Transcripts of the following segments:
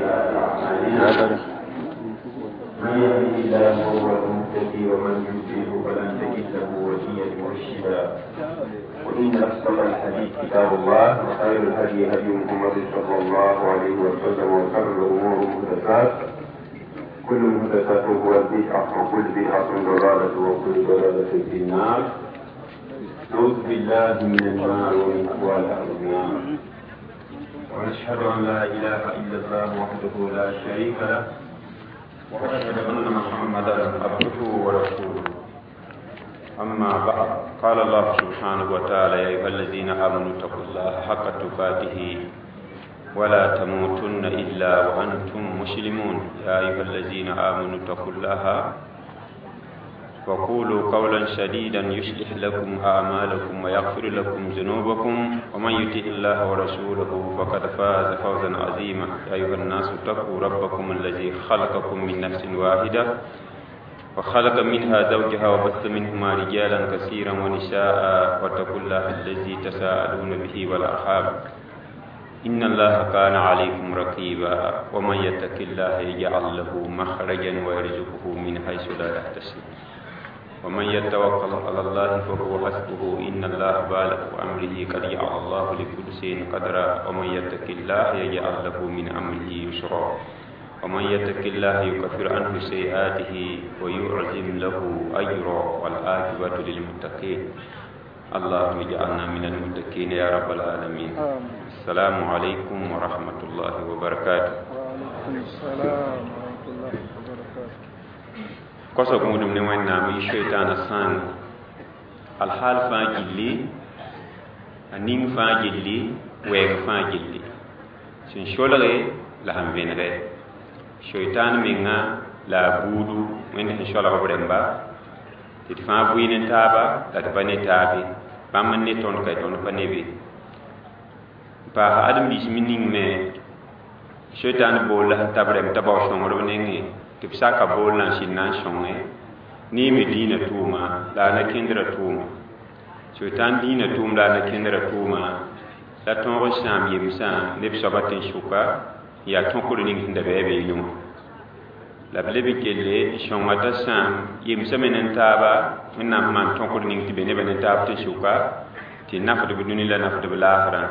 سيئات أعمالنا من يهده الله فهو المهتدي ومن يضلل فلن تجد له وليا مرشدا. وإن أصدق الحديث كتاب الله، وخير الهدي هدي محمد صلى الله عليه وسلم، وشر الأمور محدثات، كل محدثات هو البدعة، وكل بدعة ضلالة، وكل ضلالة في النار. نعوذ بالله من النار ومن أهوال أهل النار. ونشهد أن لا إله إلا الله وحده لا شريك له، وأشهد أن محمدا عبده ورسوله. أما بعد، قال الله سبحانه وتعالى: يا أيها الذين آمنوا اتقوا الله حق تقاته ولا تموتن إلا وأنتم مسلمون. يا أيها الذين آمنوا اتقوا الله وقولوا قولا سديدا يصلح لكم أعمالكم ويغفر لكم ذنوبكم، ومن يطع الله ورسوله فقد فاز فوزا عظيما. يا أيها الناس اتقوا ربكم الذي خلقكم من نفس واحدة وخلق منها زوجها وبث منهما رجالا كثيرا ونساء، واتقوا الله الذي تساءلون به والأرحام إن الله كان عليكم رقيبا. ومن يتق الله يجعل له مخرجا ويرزقه من حيث لا يحتسب. ومن يتوكل على الله فهو حسبه، إن الله بالغ أمره قد جعل الله لكل شيء قدرا. ومن يتق الله يجعل له من أمره يسرا. ومن يتق الله يكفر عنه سيئاته ويعظم له أجرا. والعاقبة للمتقين. اللهم اجعلنا من المتقين يا رب العالمين. السلام عليكم ورحمة الله وبركاته. وعليكم السلام ورحمة الله وبركاته. Kosog wũudum ne Wẽnnaam yɩ soitaana sãang alhaal fãa gilli, a ning fãa gilli, wɛɛg fãa gilli, sẽn solge la sẽn vẽnege soitaan menga la a buudu Wẽnd sẽn solg b rẽmba tɩ d fãa bʋɩ ne taaba la d pa ne taabe, bãmb n ne tõnd ka tõnd pa ne be. N paasa ãdem-biis me ning me soitaan bool la sẽn tab rẽmb t'a bao sõngr b nengẽ tɩ b saka bool la n sɩd na n sõnge ne me dĩinã tʋʋma la a na kẽndrã tʋʋma. Soitaan dĩinã tʋʋm la a na kẽndrã tʋʋma la tõog n sãam yemsã neb soabã tẽn-sʋka n yaa tõkr ning sẽn da bɩ a beene wã. La b leb n kelle n sõnga t'a sãam yemsã me nen-taaba Wẽnnaam sẽn maan tõkr ning tɩ be nebã nen-taab tẽn-sʋka tɩ nafdb dũni la nafdb laasrã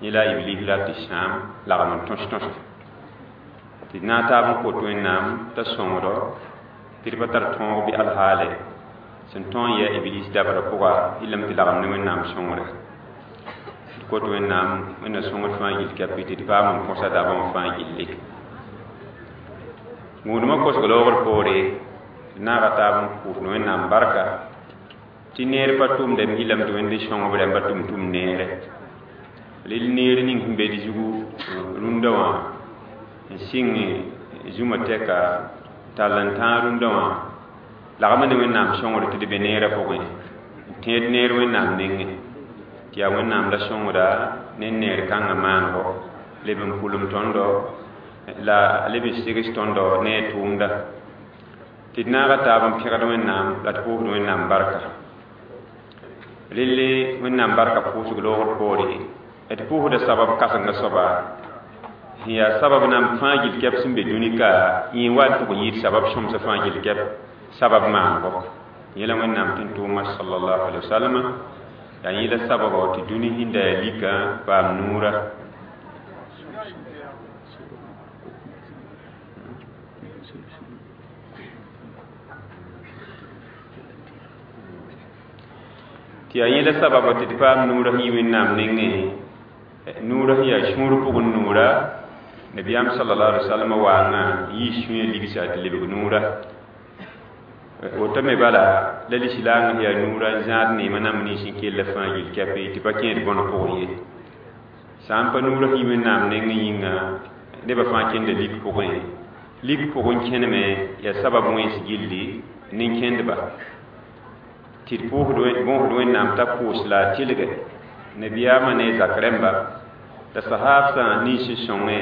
yẽ la a Iblis la tɩ sãam lagm n tõs-tõse tɩ d na n taab n kot Wẽnnaam t'a sõngdo tɩ d pa tar tõog bɩ alhaale sẽn tõe n yɛa Iblis dabra pʋga yɩlame tɩ lagm ne Wẽnnaam sõngre. D kot Wẽnnaam Wẽnna sõngd fãa gill kapi tɩ d paam n põsa dabã wã fãa gilli. Gũudmã kosg loogr poore d naaga taab n pʋʋsd Wẽnnaam barka tɩ neer pa tʋmdame yɩlame tɩ Wẽnd n sõng b rãmba tʋm-tʋm neere. Rel neer ning sẽn be d zugu rũndã wã n sɩng zũma tɛka tall n tãag rũndã wã lagma ne Wẽnnaam sõngr tɩ d be neerã pʋgẽ n tẽed neer Wẽnnaam nengẽ tɩ yaa Wẽnnaam la sõngda ne neer kãngã maanego leb n pʋlem tõndo la leb n segs tõndo ne a tʋʋmda tɩ d naaga taab n pẽgd Wẽnnaam la d pʋʋsd Wẽnnaam barka. Relle Wẽnnaam barka pʋʋsg loogr poore d pʋʋsda sabab kãsengã soaba sẽn yaa sabab nan fãa gill kɛp sẽn be dũni ka yẽ wa tʋg n yɩɩd sabab sõmsã fãa gill kɛp sabab maanego. Yẽla Wẽnnaam tɩ n tʋʋma sallallahu alaihi wasallam yaa yẽla sababɔ tɩ dũni sẽn da yaa lika paam nuura. Tɩ yaa yẽla sababɔ tɩ d paam nuurã sẽn yi Wẽnnaam nengẽ, nuurã sẽn yaa sũur pʋgẽ nuura. Nabiyaam sallallahu alaihi wasallam waanga n yiis sũyã ligsa tɩ lebg nuura. Woto me bala la lislaangã sẽn yaa nuurã n zãad neemã namb nins n kell fãa gill kɛpe tɩ pa kẽed bõn pʋgẽ ye. Sã n pa nuurã sẽn yi Wẽnnaam nengẽ yĩnga nebã fãa kẽnda lik pʋgẽ. Lik pʋgẽ kẽneme yaa sabab wẽns gilli nin-kẽndba tɩ d bõosd Wẽnnaam t'a pʋʋs la a tɩlge nabiyaamã ne a zak rẽmba la sahaabsã nins n sõngẽ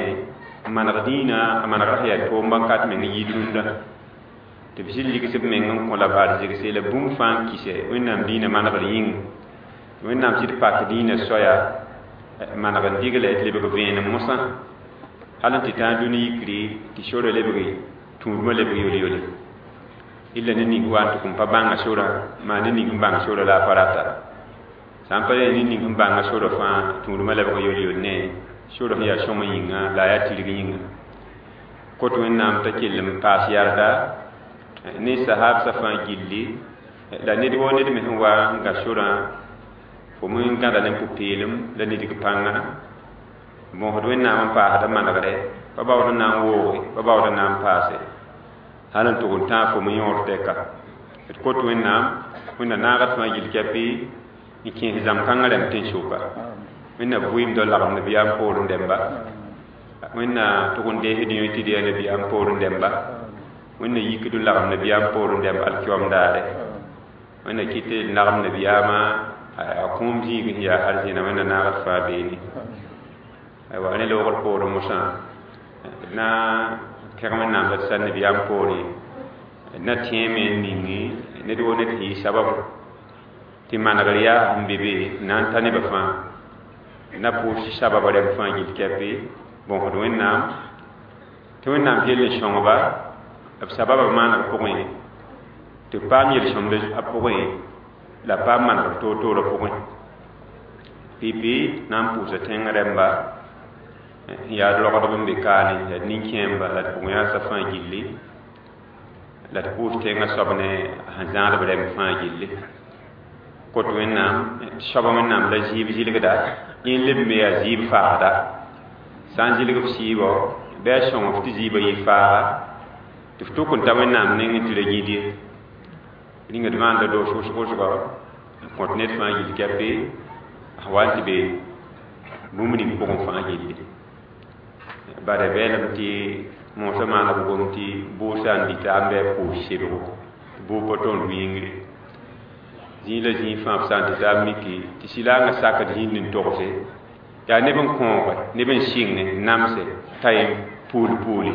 n maneg dĩinã a manegrã sẽn yaa toomba n kat meng n yɩɩd rũndã tɩ b sɩd ligs b meng n kõ la b arzegse la bũmb fãa n kɩsɛ Wẽnnaam dĩinã manegr yĩng. Wẽnnaam sɩd pak dĩinã soaya maneg n digle tɩ lebg vẽenem mosã Hal n tɩ tã dũni yikri tɩ sora lebge tũudmã lebg yol-yole illa ne ning wa n tʋk n pa bãnga sora maa ne ning n bãng sora la a pa rata sã n pa yaa ne ning n bãnga sora fãa tũudmã lebg yol-yol ne sora sẽn yaa sõng yĩnga la a yaa tirg yĩnga kot wẽnnaam t'a kell n paas yarda ne sahabsã fãa gilli la ned woo ned me sẽn wa n gã sorã fo me n gãda ne pʋ-peelem la nidg pãnga bõosd wẽnnaam n paasda manegre pa baood n na n wooge pa baood n na n paase hal n tʋg n tãag fo me yõod tɛka d kot wẽnnaam wẽnna naagd fãa gill kɛpɩ n kẽes zãm-kãngã rãmb tẽn-soka wẽnna vɩɩmdɔ lagem nabiyaam poorẽ dẽmba wẽnna tʋg n deesd yõ tɩ d yaa nabiyaam poorẽ dẽmba wẽnna yikd n lagem nabiyaam poorẽ dẽmb alkiom daare wẽnna kɩt d lagem nabiyaamã a kũum zĩig sẽn yaa hal zĩna wẽnna naagd fãa beene aywa ne loogr poorẽ mosã d na kẽg wẽnnaam la d sã nabiyaam poorẽ d na tẽeme n ningi ned woo ned sẽn yɩ sabab tɩ manegr yaa n be be n na n ta nebã fãa na pʋʋs tɩ sabab rɛm fãa gill kɛpɩ bõsd wẽnnaam tɩ wẽnnaam kell n sõngba b sababã maaneg pʋgẽ tɩ b paam yel-sõmd a pʋgẽ la paam manegr toor-toorã pʋgẽ pipi na n pʋʋsa tẽng rɛmba n yaa rogdb n be kaane la d nin-kẽemba la d pʋgẽ yaasã fãa gilli la d pʋʋs tẽngã soab ne sẽn zãadb rɛmb fãa gilli kot wẽnnaam soaba wẽnnaam la zɩɩb zɩlgda yẽ leb me yaa zɩɩb faagda sã n zɩlg f sɩɩbɔ bɩ a sõng f tɩ zɩɩbã yɩ faaga tɩ f tʋk n ta wẽnnaam nengẽ tɩ ra gĩd ye rĩnga d maanda doos wʋsg-wʋsgɔ n kõt ned fãa gill kɛpɩ sẽn wa n tɩ be bũmb ning pʋgẽ fãa gilli bara beelem tɩ moosã maana b gom tɩ bʋʋsã n dita n bɩ a pʋʋs sebgo bʋʋg pa tõnd wĩngre zĩig la zĩig fãa b sã n tɩ taab miki tɩ sɩlaangã sakd zĩnd n togse yaa neb n kõoge neb n sɩnge n namse t'a yẽ puul puuli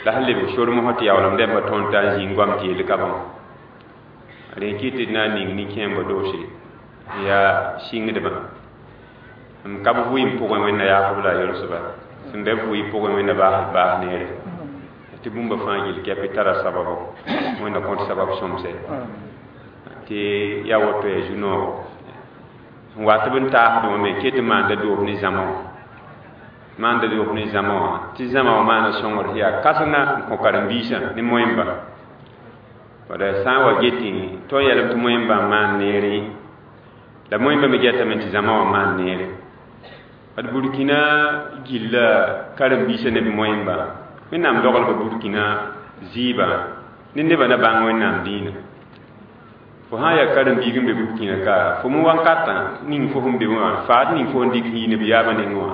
la sẽn lebg sor mosã tɩ yaoolem rãmbã tõnd t'a n zĩig goam tɩ yel ka bãmb rẽ kɩt tɩ d na n ning nin-kẽembã doose yaa sɩngdbã m ka b vʋɩɩm pʋgẽ wẽnna yaasb la a yolsba sẽn bɩ vʋɩ pʋgẽ wẽnna baasd baas neere tɩ bũmba fãa gill kɛpɩ tara sababo wẽnna kõt sabab sõmse tɩ yaa woto yaa zu-noogo n wa tɩ b n taasd wã me ket n maanda doos ne zãma wã maanda doos ne zãma wã tɩ zãma wã maana sõngr sẽn yaa kãsenga n kõ karen-biisã ne moẽmba bala sã n wa getẽ tõe n yeelame tɩ moẽmbã n maan neere la moẽmbã me getame tɩ zãma wã maan neere d burkina gilla karen-biisã ne b moẽmbã wẽnnaam doglba burkina zɩɩbã ne nebã na bãng wẽnnaam dĩinã fo sã n yaa karen-biig n be burkina ka fo me wankatã ning fo sẽn be wã faad ning fo n dɩk sẽn yi nabiyaamã nengẽ wã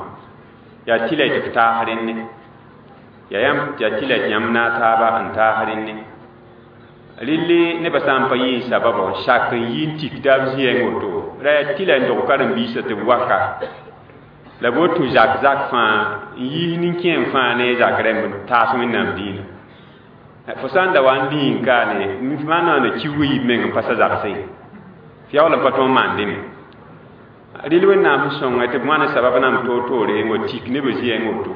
yaa tɩ la y tɩ f taas rẽnne yaa yãmb yaa tɩ la tɩ yãmb naag taaba n taas rẽnne relle nebã sã n pa yɩ n sababã n sak n yi n tik taab zĩ-yɛng woto la yaa tɩ la n dog karen-biisã tɩ b waka la b woto zak zak fãa n yiis nin-kẽem fãa ne zak rãmb n taas wẽnnaam dĩinã fo sã n da wa n lĩig kaane maana kiuug yib meng n pa sa zagsẽ f yaool n pa tõog n maan dẽme rel wẽnnaam sẽn sõnga tɩ b wãna sabab nam toor-toore n wa tik nebã zĩ-yɛng woto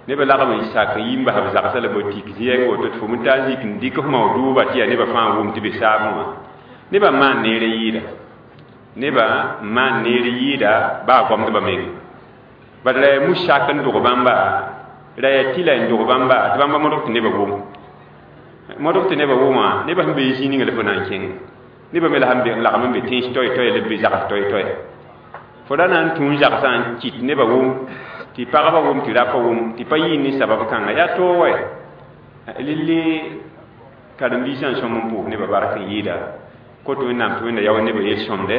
nebã lagm n sak n yi n bas b zagsã la b wa tik zĩ-yɛng woto tɩ fo me taa zik n dɩk f mao dʋʋba tɩ yaa nebã fãa wʋm tɩ be saabẽ wã nebã n maan neer n yɩɩda nebã n maan neer yɩɩda baa goamdbã meng bad la yaa mus-sak n dog bãmba la yaa tɩ la n dog bãmba tɩ bãmba modg tɩ nebã wʋm modg tɩ nebã wʋmã nebã sẽn be zĩ ninga la fo na n kẽng nebã me la sẽn be n lagm n be tẽns toɛ-toɛ la b be zags toɛ-toɛ fo ra na n tũ n zagsã n kɩt nebã wʋm tɩ pagba wʋm tɩ rapa wʋm tɩ pa yɩɩ ne sabab kãnga yaa toog wɛ lille karen-biisã n sõm n pʋʋs nebã bark n yɩɩda kot wẽnnaam tɩ wẽnna yao nebã yel-sõmdɛ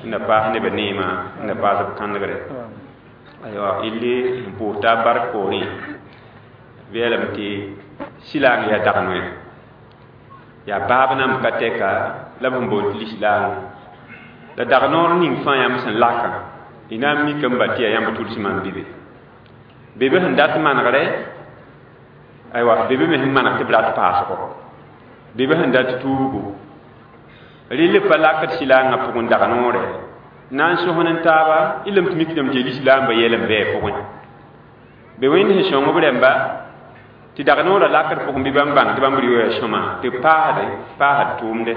wẽnna paas nebã neemã wẽnna paas b kãnegre aywa ille n pʋʋs taab bark poorẽ b yeelame tɩ sɩlaang yaa dag noɛ yaa baab nam ka tɛka la b sẽn boond tɩ lislaang la dag noor ning fãa yãmb sẽn lakã y na n mika n ba tɩ yaa yãmb tuls maan bɩ be sẽn dat manegre aywa bebe me sẽn maneg tɩ b rat paasgo bebe sẽn dat tuubgo rɩl pa lakd sɩlaangã pʋgẽ dag noore na n sõsn n taaba y lame tɩ mikdame tɩ lislaambã yɛl n bɩ pʋgẽ Be wẽnd sẽn sõng b rãmba tɩ dag noorã lakd pʋgẽ bɩ bãmb bãng tɩ bãmb rɩ sõma tɩ b paasd tʋʋmde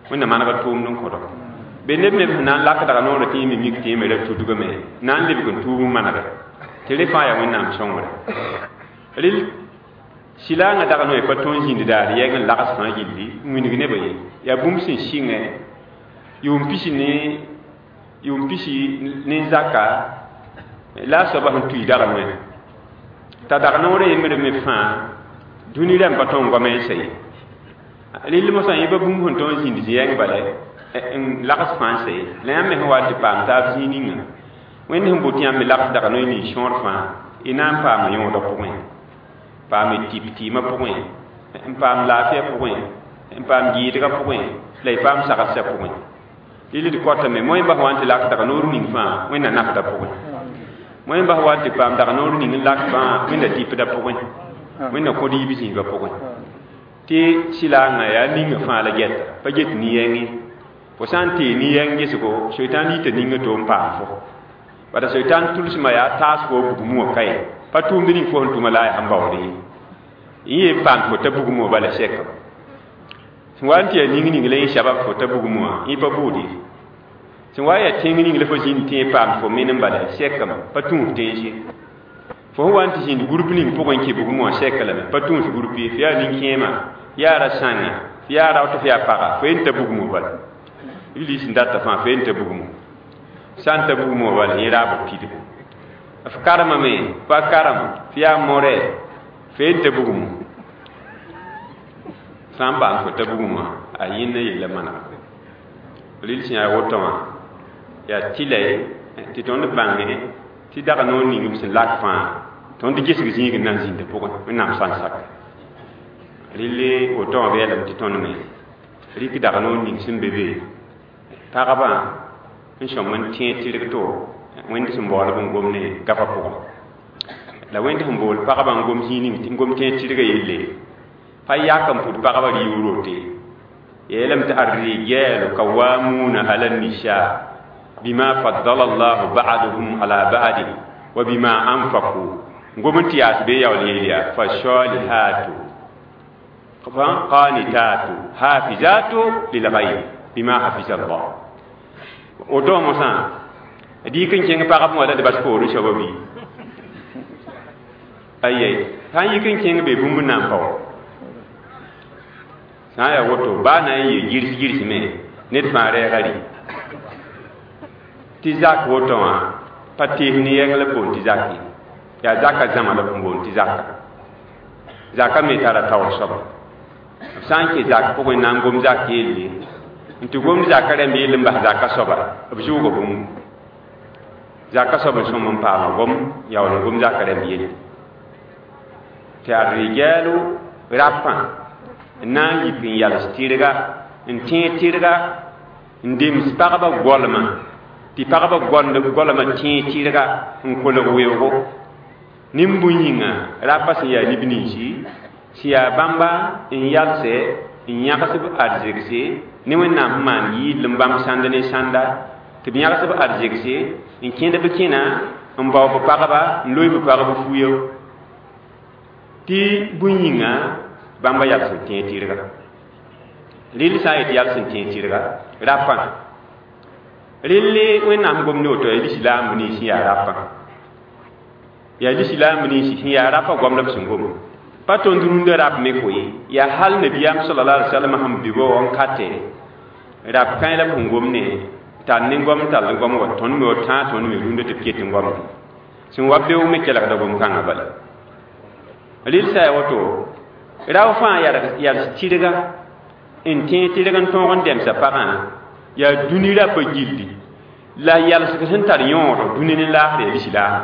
wẽnnaam manegd tʋʋmd n kõdo be neb me sẽn na n lak dag noorã tɩ yẽ me mik tɩ yẽ me ra tudgame na n lebg n tuub n manege tɩ rẽ fãa yaa wẽnnaam sõngre rel sɩlaangã dag noe pa tõe n zĩnd daar yɛng n lags fãa gilli n wilg nebã ye yaa bũmb sẽn sɩngẽ yʋʋm pisi ne zaka la a soaba sẽn tui dag noe t'a dag noorã yembre me fãa dũni rãmb pa tõe n goame n sa ye rel mosã yẽ pa bũmb sẽn tõe n zĩnd zĩ-yɛng bala n lags fãa n sa ye la yãmb me sẽn wa tɩ paam taab zĩig ninga wẽnd sẽn bot yãmb me lags dag noe ning sõor fãa y na n paama yõodã pʋgẽ paam y tɩp tɩɩmã pʋgẽ n paam laafɩya pʋgẽ n paam gɩɩdgã pʋgẽ la y paam sagsã pʋgẽ rel d kotame moẽ bas wa n tɩ lak dag noor ning fãa wẽnna nafdã pʋgẽ moẽ bas wa n tɩ paam dag noor ning n lak fãa wẽnna tipdã pʋgẽ wẽnna kõd yiib zĩigã pʋgẽ tɩ sɩlaangã yaa ninga fãa la gɛta pa get nin-yɛngẽ fo sã n tee nin-yɛng gesgo soitan yita ninga to n paam fo bala soitan tʋlsmã yaa taasgo bugum wã ka ye pa tʋʋmd ning fo sẽn tʋma la a yaa sẽn baood ye yẽ yen paam fo t'a bugum wã bala sɛka sẽn wa n tɩ yaa ning ning la yẽ sabab fo t'a bugum wã yẽ pa buud ye sẽn wa yaa tẽng ning la fo zĩnd tẽeg paam fo menem bala sɛkame pa tũus tẽns ye fo sẽn wa n tɩ zĩnd gũrp ning pʋgẽ n kẽ bugum wã sɛka lame pa tũus gũrp ye fo yaa nin-kẽema yaa ra-sãnga fo yaa rao tɩ fo yaa paga fo yen ta bugum wã bala iblis sẽn data fãa fo yen ta bugum sã n ta bugum wã bala yẽ raab pidgu f karemame pa karem fo yaa morɛ fo yen ta bugum sã n paam fo ta bugum wã a yẽnda yella manega rel sẽn yaa woto wã yaa tɩla tɩ tõnd bãnge tɩ dag noor ning b sẽn lak fãa tõnd gesg zĩig n na n zĩndã pʋgẽ wẽnnaam sã n sak relle woto wã beelame tɩ tõnd me rɩk dag noor ning sẽn be be pagba n sõm n tẽeg tɩrg to wẽnd sẽn baoolb n gom ne gafã pʋgẽ la wẽnd sẽn bool pagba n gom zĩig ning n gom tẽeg tɩrgã yelle pa yak n pʋd pagba rɩʋʋr wote yeelame tɩ الرجال قوامون على النساء بما فضل الله بعضهم على بعض وبما أنفقوا ngom n tɩ yaas bee yaool yeel yaa فالصالحات قانتات حافظات للغيب بما حفظ الله woto mosã dɩk n kẽng pagb wã la d bas poorẽ soaba bɩ ayɛ sã n yik n kẽng be bũmb n na n pao sã n yaa woto baa na n yee girs girs me ned fãa rɛɛga rɩ tɩ zak woto wã pa tees ne yɛng la b boond tɩ zak ye yaa zaka zãma la b boond tɩ zaka zaka me tara taoor soaba b sã n kẽ zak pʋgẽ n na n gom zak yelle n tɩ gomd zaka rãmb yell n bas zaka soaba b zʋʋga bũmb zaka soab n sõm n paama gom yaool n gom zaka rãmb yelle tɩ الرجال rapã n na n yik n yals tɩrga n tẽeg tɩrga n dems pagba goalmã tɩ pagba goalmã tẽeg tɩrga n kolg weoogo nin-bũn yĩnga rapa sẽn yaa neb ninsi sẽn yaa bãmba n yalsɛ n yãgs b arzegse ne wẽnnaam sẽn maan yɩɩdl n bãmb sãnd ne sãnda tɩ b yãgs b arzegse n kẽnd b kẽna n bao b pagba n loe b pagb fuyo tɩ bũn yĩnga bãmba yals n tẽeg tɩrga rel sã n yet yals n tẽeg tɩrga rapã relle wẽnnaam gom ne woto yaa lislaamb nins sẽn yaa rapã yaa lislaamb nins sẽn yaa rapã goam la b sẽn gom pa tõnd rũndã rap me koe yaa hal nabiyaam صلى الله عليه وسلم sẽn be ba wã n katɛ rap kãe la b sẽn gom ne tar ne goam tall goam wa tõnd me wa tãag tõnd me rũndã tɩ b ket n goamd sẽn wa beoog me kelgda gom-kãngã bala rel sã ya woto rao fãa yals tɩrga n tẽeg tɩrg n tõog n dɛmsa pagã yaa dũni rapa gilli la yalsg sẽn tar yõod dũni ne laasr yaa lislaam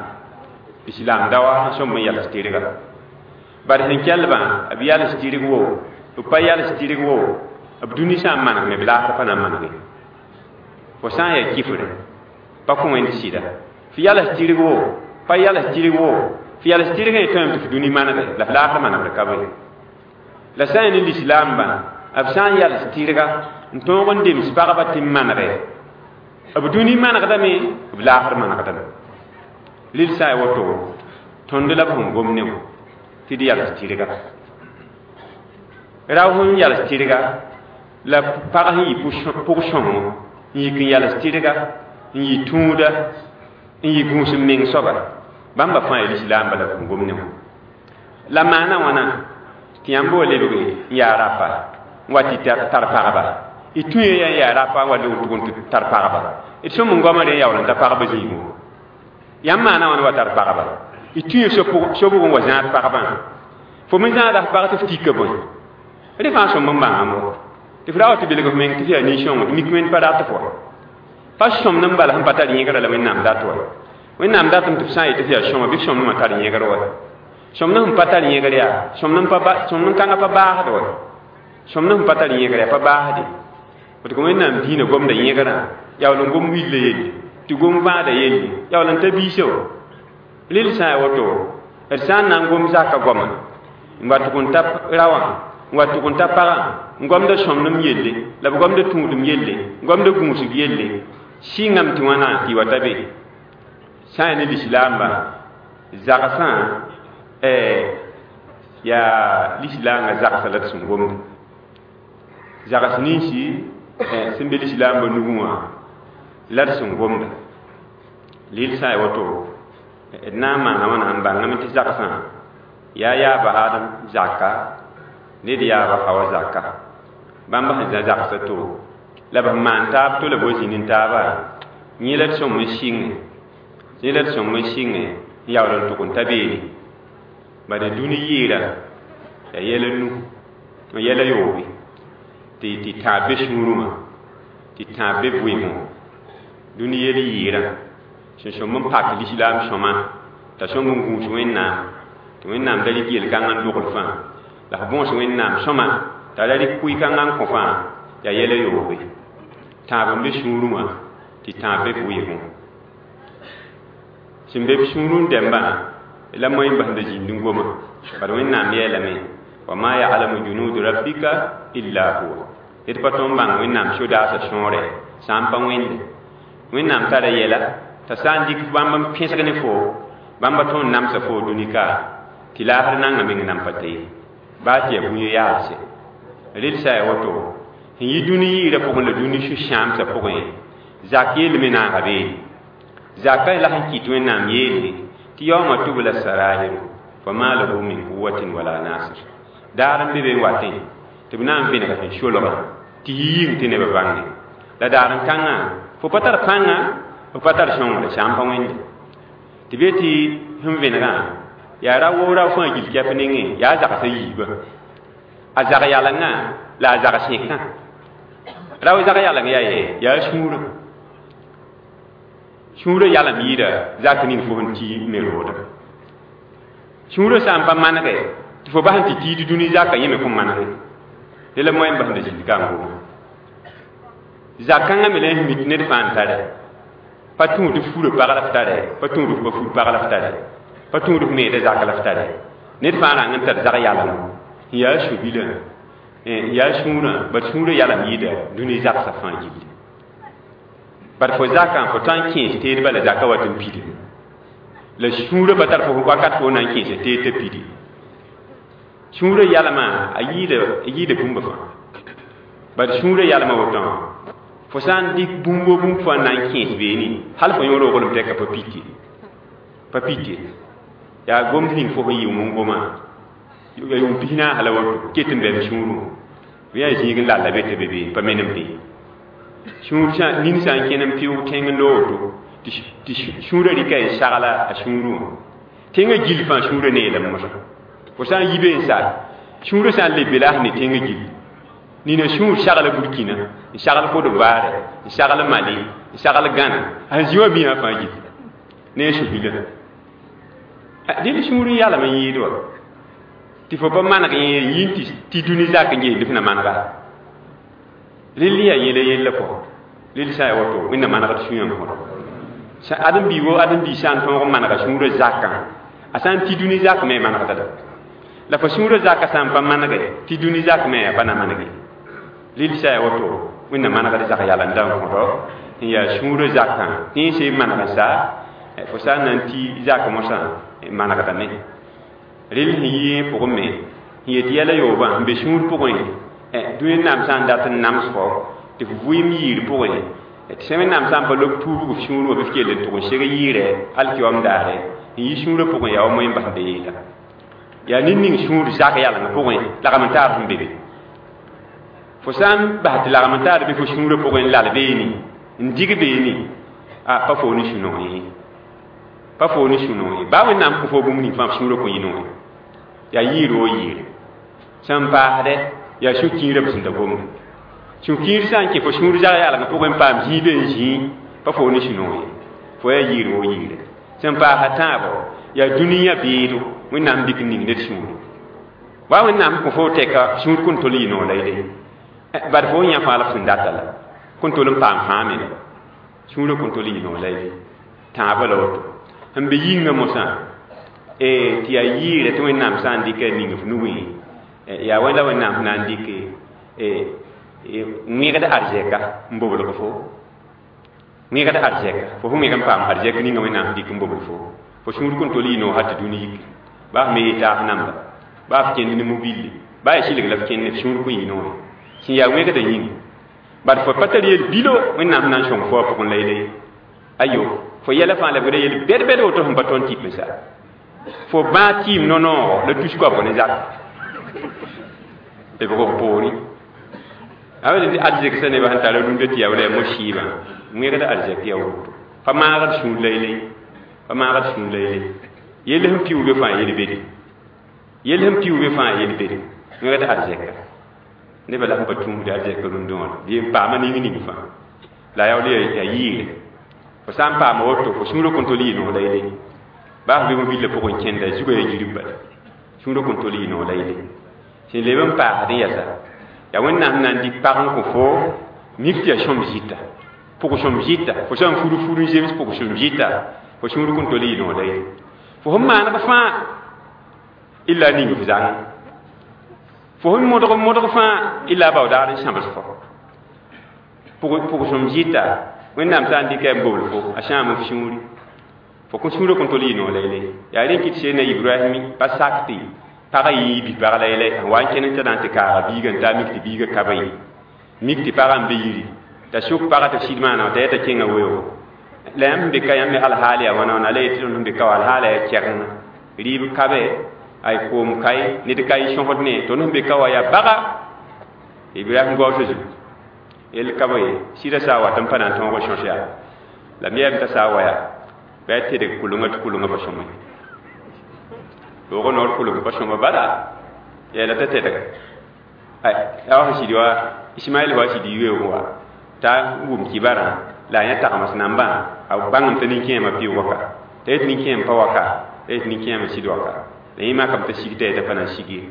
lislaam daoa n sõm n yals tɩrga bari sẽn kɛlbã b yals tɩrg wo b pa yals tɩrg wo b dũni sã n manegme b laasr pa na n manege fo sã n yaa kifre pa kõ wẽnd sɩda f yals tɩrg wo pa yals tɩrg wo f yals tɩrgã y tõeme tɩ f dũni manege la f laasr manegd ka be la sã n yaa ne lislaambã b sã n yals tɩrga n tõog n dems pagba tɩ n manege b dũni manegdame b laasr manegdame rel sã n yaa woto Tõnd la b sẽn gom ne wã tɩ d yals tɩrga rao sẽn yals tɩrga la pag sẽn yɩ pʋg-sõngo n yik n yals tɩrga n yɩ tũuda n yɩ gũus n meng soaba bãmba fãa yaa lislaamba la b sẽn gom ne wã la maana wãna tɩ yãmb wa lebg n yaa rapa n wa tɩ tar pagba y tũ ya n yaa rapa n wa lebg tʋg n tɩ tar pagba d sõm n goama rẽ yaool n ta pagba zĩigu yãmb maana wãna wa tar pagba y tũ sobg n wa zãad pagbã fo me zãada f pag tɩ f tika bõe rẽ fãa sõm n bãngame tɩ f ra wa tɩ belg f meng tɩ f yaa nin-sõng tɩ mik wẽnd pa rat f wa pa sõmd n bala sẽn pa tar yẽgrã la Wẽnnaam dat wa Wẽnnaam datame tɩ f sã n yetɩ f yaa sõma bɩ f sõmdmã tar yẽgr wa sõmd sẽn pa tar yẽgr yaa sõmd kãngã pa baasd wa sõmd sẽn pa tar yẽgr yaa pa baasde tɩ Wẽnnaam diinã gomda yẽgrã yaool n gom willa yelle tɩ gom vãada yelle yaool n ta biisã wa rel sã n yaa woto d sã n na n gom zaka goama n wa tʋg n ta raowã n wa tʋg n ta pagã n gomda sõmdem yelle la b gomda tũudem yelle n gomda gũusg yelle sɩngame tɩ wãna tɩ y wa ta be sã n yaa ne lislaamba zagsã yaa lislaangã zagsa la d sẽn gomda zags ninsi sẽn be lislaambã nugẽ wã la d sẽn gomda leel sã n yaa woto d na n maana wãna n bãngame tɩ zagsã yaa yaaba Adam zaka ned yaaba Hawa zaka bãmb sẽn zã zagsã to la b maan taab to la b wa zĩnd n taaba yẽ la d sõm n sɩnge yẽ la d sõm n sɩnge n yaool n tʋg n ta beene bala dũni yɩɩra yaa yɛla nu yɛla yoobe tɩ tãab be sũurẽ wã tɩ tãab be vɩɩmẽ wã dũni yɛl yɩɩrã sẽn sõm n pak lislaam sõma t'a sõm n gũus Wẽnnaam tɩ Wẽnnaam da rɩk yel-kãngã n dogl fãa la f bõos Wẽnnaam sõma t'a ra rɩk kʋɩ-kãngã n kõ fãa yaa yɛla yoobe tãab n be sũurẽ wã tɩ tãab be vɩɩmẽ wã sẽn be b sũurẽ dɛmbã la moẽ n basda zĩnd n goma bad Wẽnnaam yeelame wa ma ya'lamu junud rabbika illa huwa d pa tõnd bãng Wẽnnaam sodaasã sõore sã n pa wẽnde Wẽnnaam tara yɛla t'a sã n dɩk bãmb n pẽsg ne fo bãmba tõnd namsa fo dũni ka tɩ laasr nanga meng nan pa ta ye baa tɩ yaa bũni yaalse rel sã yaa woto sẽn yɩ dũni yɩɩrã pʋgẽ la dũni sũ-sãamsã pʋgẽ zak yeelme naaga beene zaka la sẽn kɩt Wẽnnaam yeele tɩ yaooma tubla sarairu fama lahu min quwwatin wala nasir daar n be be n watẽ tɩ b na n vẽneg sẽn solga tɩ yɩ yĩng tɩ nebã bãnge la daar n kãngã fo pa tar pãnga fo pa tar sõngre sã n pa wẽnde tɩ be tɩ sẽn vẽnegã yaa ra wo rao fãa gil kɛp nengẽ yaa zagsã yiibã a zag yalengã la a zag sẽkã rao zag yaleng yaa yɛ yaa sũurã sũurã yalem yɩɩda zak ning fo sẽn tɩ me rooda sũurã sã n pa manege tɩ fo bas n tɩ tiid dũni zaka yẽ me kõn manege la moẽ n basda zĩnd ka n goma zak-kãngã me la n mik ned fãa n tare pa tũud f furã pag la f tare pa tũud f pa fur pag la f tare pa tũud f meeda zak la f tare ned fãa rãng n tar zag yalem n yaa su-bilã n yaa sũurã bad sũurã yalem yɩɩda dũni zagsã fãa gilli bad fo zakã fo tõe n kẽes teedbã la zakã wat n pidi la sũurã pa tar fo wakat fo na n kẽesa teed t'a pidi sũurã yalmã a yɩɩda bũmba fãa bad sũurã yalmã wotõ fo sã n dɩk bũmb o bũmb fãa na n kẽes beene hal fo yõ roglem tɛka pa pite pa pite yaa gomd ning fo sẽn yɩ n goma ya yʋʋm pis naas la woto ket n bɛm sũurẽ bɩ yaa zĩig n lalla be tɩ be beene pa menem te sũur nin sã n kẽn n pɩʋʋg tẽng n loog woto tɩ sũurã rɩka n sagla a sũurẽ wã tẽngã gill fãa sũurã neelame mosã fo sã n yi be n sa sũurã sã n leb be la sẽn ne tẽngã gill nina sũur sagla Burkina n sagl Côte d'Ivoire n sagl Mali n sagl Ghana a sẽn zĩ wã biisã fãa gill ne a su-bilã dẽnd sũur n yalem n yɩɩd wa tɩ fo pa maneg yẽ yĩn tɩ dũni zak n gesd f na manega rel yaa yẽla yella pʋgã rel sã n yaa woto Wẽnnaam manegd sũyã n kõdo ãdem-bii wo ãdem-bii sã n tõog n manega sũurã zakã a sã n tɩ dũni zak me manegda la fo sũurã zakã sã n pa manege tɩ dũni zak me a pa na manege rel sã n yaa woto Wẽnnaam manegd zak yalenda n kõdo n yaa sũurã zakã tẽnsẽ maneg n sa Fo sã n na n tɩ zak mosã manegdame rel sẽn yɩ pʋgẽ me sẽn yet yɛla yoobã n be sũur pʋgẽ dũni naam sã n dat n nams fo tɩ f vʋɩɩm yiir pʋgẽ tɩ sã wẽnnaam sã n pa lob tuubg f sũur wã bɩ f kell n tʋg n seg yɩɩrɛ alkiyoam daare n yi sũurã pʋgẽ yaa wa moẽ bas be yeela yaa ned ning sũur zak yaleng pʋgẽ lagm n taar sẽn be be fo sã n bas tɩ lagm n taar bɩ fo sũurã pʋgẽ n lal beene n dig beene a pa fo ne sũ-noog ye pa fo ne sũ-noog ye baa wẽnnaam kõ fo bũmb ning fãa f sũurã kõ yɩ noog yaa yɩɩr woo yɩɩre sẽn paasdɛ yaa sũ-kiirã b sẽn da gomda sũ-kiir sã n kẽ fo sũur zag yalg pʋgẽ n paam zĩig be n zĩig pa fo ne sũ-noog ye fo yaa yɩɩr woo yɩɩre sẽn paasa tãabo yaa dũniyã beedo wẽnnaam dɩk n ning ned sũure wa wẽnnaam kõ fo tɛka sũur kõn tol yɩ noog la yele bad fo yã fãa la f sẽn data la kõn tol n paam fãa me la sũurã kõn tol yɩ noog la yele tãabã la woto sẽn be yĩngã mosã tɩ yaa yɩɩrɛ tɩ wẽnnaam sã n dɩka ning f nugẽ yaa wẽnda wẽnnaam sẽn na n dɩk wẽgd arzɛka n boblg fo wẽgd arzɛka fo fo wẽg n paam arzɛk ninga wẽnnaam sẽn dɩk n bobl fo fo sũur kõn tol yɩ noog hal tɩ dũni yiki baa f me yɩ taas namba baa f kẽnd ne mobile baa yaa sɩlg la f kẽnd f sũur kõn yɩ noog sẽn yaa wẽgda yĩnga bad fo pa tar yel bilo wẽnnaam sẽn na n sõng fo a pʋgẽ la yele ayo fo yɛla fãa la b ra yel bɛd-bɛd woto sẽn pa tõnd tɩp n sa fo bãa tɩɩm no-noogo la tus koabg ne zak b rog poorẽ a tɩ arzɛk sã nebã sẽn tara rũndã tɩ yaa wala yaa mo-sɩɩbã wẽgd arzɛk yaa woto pa maagd sũur la yele pa maagd sũur la yele yell sẽn piuuge fãa yel-bede yell sẽn piuuge fãa yel-bede wẽgd arzɛka nebã la sẽn pa tũusd arzɛk rũndã wã bɩ n paama ning ning fãa la yaool yaa yɩɩre fo sã n paama woto fo sũurã kõn tol yɩ noog la yele baa f be mobillã pʋgẽ kẽnda zugã yaa yirib bala sũurã kõn tol yɩ noog la yele sẽn leb n paasd n yɛsa yaa wẽnnaam na n dɩk pag n kõ fo mik tɩ yaa sõm zɩta pʋg sõm zɩta fo sã n fur fur n zems pʋg sõm zɩta fo sũur kõn tol yɩ noog la yele fo sẽn maaneg fãa illa ning f zãng fo sẽn modg modg fãa illa baoodaar n sãbs fo pʋg sõm zɩta wẽnnaam sã n dɩka n bobl fo a sãam f sũuri fo kõ sũurã kõn tol yɩ noog la yele yaa rẽ kɩt seen a ibrahim pa sak tɩ pagã yɩ bi-pag la yele n wa n kẽn n tɩ na n tɩ kaaga biigã n taa mik tɩ biigã ka ba ye mik tɩ pagã n be yiri t'a sʋk pagã tɩ sɩd maana t'a yeta kẽngã weoogo la yãmb sẽn be ka yãmb me alhaal yaa wãna wãna la yetɩ tõnd sẽn be ka wa alhaala yaa kɛgengã rɩɩb kabe ay koom kae ned ka y sõsd ne tõnd sẽn be ka wa yaa baga ibrahim gaoosã zugu yell ka ba ye sɩda sã n wat n pa na n tõog sõs yaa la me yam t'a sã n wa yaa bɩ a tedg kʋlengã tɩ kʋlengã pa sõma loogã noor kʋleng pa sõma bala yɛla t'a tedga a wa sɩd wa ismaɛl wa sɩd weoog wa t'a wʋm kibarã la a yã tagms nambã a bãngem t'a nin-kẽemã pɩʋg waka t'a yet nin-kẽem pa waka t'a yet nin-kẽemã sɩd waka la yẽ makame t'a sig t'a yeta pa na n sig ye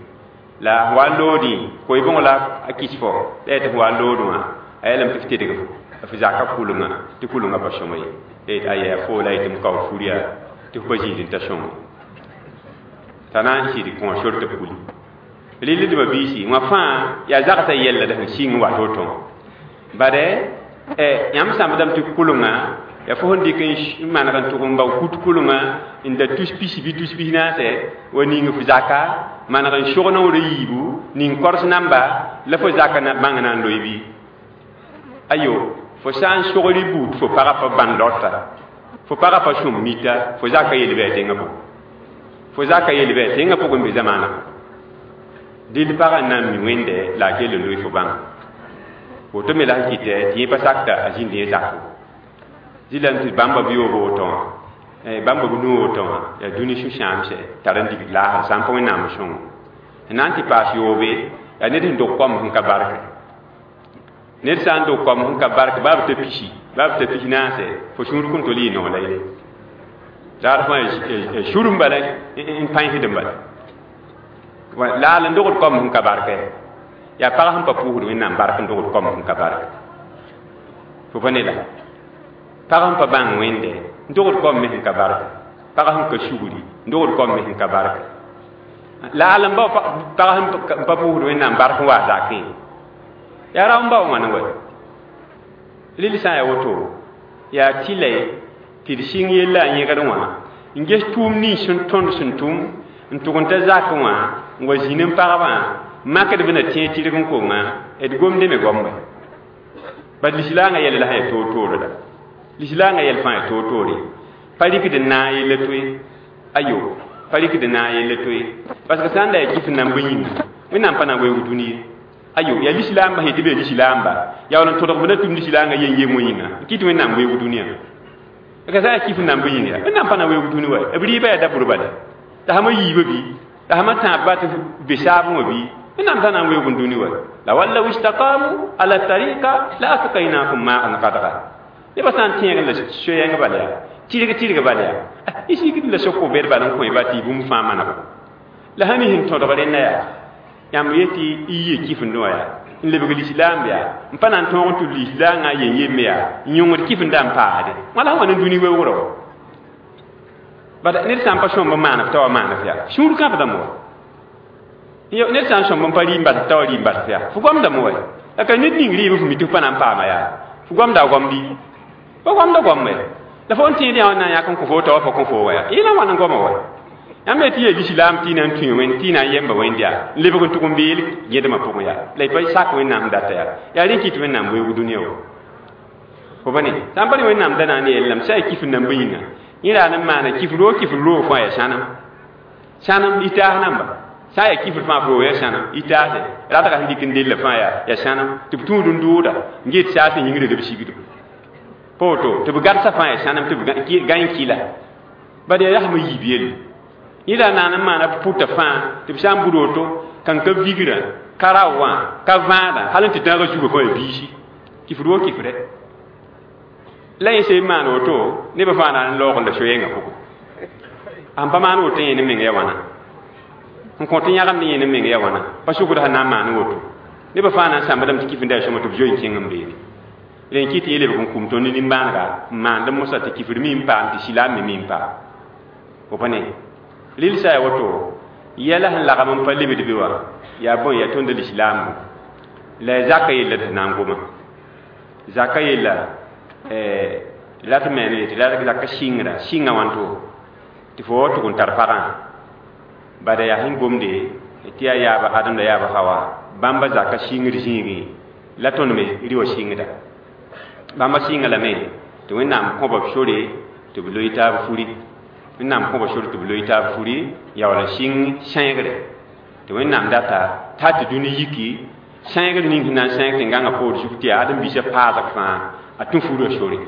la wa n loodẽ koe-bõng la a kɩs fo la yetɩ f wa n lood wã a yeelame tɩ f tedg f zaka kʋlengã tɩ kʋlengã pa sõma ye la yet aya fo la yetɩ m kao fur yaa tɩ f pa zĩisd n ta sõnge t'a na n sɩd kõ sor tɩ b kuli rɩldbã biisi wã fãa yaa zagsã yɛlla la sẽn sɩng wat woto bade yãmb sãmbdame tɩ kʋlenga yaa fo sẽn dɩk n maneg n tʋg n bao kut kʋlenga n da tus pis bɩ tus pis naase wa ning f zaka maneg n sog naoor a yiibu ning kors namba la fo zaka na bãng na n loe bɩ ayo fo sã n sogr y buud fo pagã pa bãn lota fo pagã pa sõm mita fo zaka yel bɩ a tẽngã pʋgẽ fo zaka yel bɩ a tẽngã pʋgẽ n be zamaanã dɩl pagã n na n mi wẽnde la a kell n loe fo bãnga woto me la sẽn kɩtɛ tɩ yẽ pa sakta a zĩnd yẽ zakẽ zɩlame tɩ bãmba b yoob woto wã bãmba b nu woto wã yaa dũni sũ-sãamsɛ tar n dig laasr sã n pa wẽnnaam sõngo sẽn na n tɩ paas yoobe yaa ned sẽn dog koam sẽn ka barke ned sã n dog koam sẽn ka bark baa b ta pisi baa b ta pis naase fo sũur kõn tol yɩ noog la yele raad fãa sũr n bala n pãensd n bala laal n dogd koam sẽn ka barkɛ yaa pag sẽn pa pʋʋsd wẽnnaam bark n dogd koam sẽn ka bark fo pa ne la pag sẽn pa bãng wẽnde n dogd koam me sẽn ka bark pag sẽn ka sugri n dogd koam me sẽn ka bark laal n bao pag sẽn pa pʋʋsd wẽnnaam bark n waa zakẽ yaa rao n bao wãna wa rel sã n yaa woto yaa tɩla Tɩ d sɩng yella a yẽgd wã n ges tʋʋm nins sẽn tõnd sẽn tʋm n tʋg n ta zakẽ wã n wa zĩnd n pagbã makdb na tẽeg tɩrg n konga d gomde me goambe bad lislaangã yɛl la sã yaa toor-toore la lislaangã yɛl fãa yaa toor-toore pa rɩkd n naag yella toe ayo pa rɩkd n naag yella toe parce que sã n da yaa kɩf n nan bõe yĩnga wẽnnaam pa na n weoog dũni ye ayo yaa lislaamba sẽn tɩ b yaa lislaamba yaool n tõdg b na tʋm lislaangã yen yem wã yĩnga n kɩt wẽnnaam weoog dũniyã ka sã yaa kɩf n nan bõe yĩnga wẽnnaam pa na n weoog dũni wa b rɩɩbã yaa dabr bala t'a sãma yiibã bɩ t'a sãma tãab tɩ be saabẽ wã bɩ wẽnnaam t'a na n weoog n dũni wa la walaw istaqamu ala tariqa la asqaynakum ma'an qadra nebã sã n tẽeg la soyɛng bala yaa tɩrg tɩrg bala yaa y sikd la soko bed bala n kõ ba tɩ bũmb fãa maneg la sã ne sẽn tõdg rẽnda yaa yãmb yetɩ y yɩ kɩfendẽ wã yaa n lebg lislaam yaa n pa na n tõog n tʋ lislaangã yen yemme yaa n yõngd kɩfendã n paasde wãla sã wa ne dũni weoogrã wa bad ned sã n pa sõmb n maan f t'a wa maan f yaa sũur kãbdame wa ned sã n sõmb n pa rɩɩm bas t'a wa rɩɩm bas yaa fo goamdame wa la ka ned ning rɩɩb f mi tɩ f pa na n paama yaa fo goamda a goamdi pa goamda goambe la fo n tẽed yã wã na n yãk n kõ fo t'a wa pa kõ fo wa yaa yẽla wãn n goama wa yãmb tɩ yaa lislaam tɩ y na n tũ wẽnd tɩ y na n yemba wẽnd yaa n lebg n tʋg n beel gẽdmã pʋgẽ yaa la y pa sak wẽnnaam data yaa yaa rẽ kɩt wẽnnaam weoog dũniyã wa fo pa ne sã n pa ne wẽnnaam da na n yeelame sã yaa kɩf n nan bõe yĩnga yẽ ra n maana kɩf roog kɩf roog fãa yaa sãnem sãnem y taas namba sã n yaa kɩfr fãa f roog yaa sãnem y taase ratga sẽn dɩk n della fãa yaa sãnem tɩ b tũud n dʋʋda n get saas n yĩngre b sigdo pa woto tɩ b gadsa fãa yaa sãnem tɩ b gãe kɩla bad yaa yasmã yiib yelle yẽ ra naan n maana b pʋta fãa tɩ b sã n bud woto kan ka vigrã ka rao wã ka vãadã hal n tɩ tãagã zugã fãa yaa biisi kɩfd wo kɩfrɛ la yẽ sẽn maan woto nebã fãa na n laoog n la soyɛngã pʋgẽ sẽn pa maan woto yẽ ne meng ya wãna n kõ tɩ yãgemd yẽ ne meng ya wãna pa sʋkd sẽn na n maan woto nebã fãa na n sãmbdame tɩ kɩfenda yaa sõma tɩ b zoe n kẽng n beene rẽ kɩ tɩ yẽ lebg n kum tõnd nimbãanega n maand mosã tɩ kɩfd mi n paam tɩ silaam me mi n paam fo pa ne rɩl sã ya woto yɛla sẽn lagm n pa lebd be wã yaa bõe yaa tõnd lislaambo la ya zaka yella tɩ na n goma zaka yella la tɩ me tɩ la zaka sɩngrã sɩnga wãnto tɩ fo wa tʋg n tar pagã bada yaa sẽn gomde tɩ yaa yaaba Adam la yaaba Hawa bãmba zaka sɩngr zĩigẽ la tõnd me rɩ wa sɩngda bãmba sɩnga lame tɩ Wẽnnaam kõba b sore tɩ b loe taab furi Wẽnnaam kõba sore tɩ b loe taab furi yaool n sɩng sẽegre tɩ Wẽnnaam data t'a tɩ dũni yiki sẽegr ning sẽn na n sẽeg tɩ n gãngã poor zug tɩ yaa ãdem-biisã paasg fãa a tũ furã sore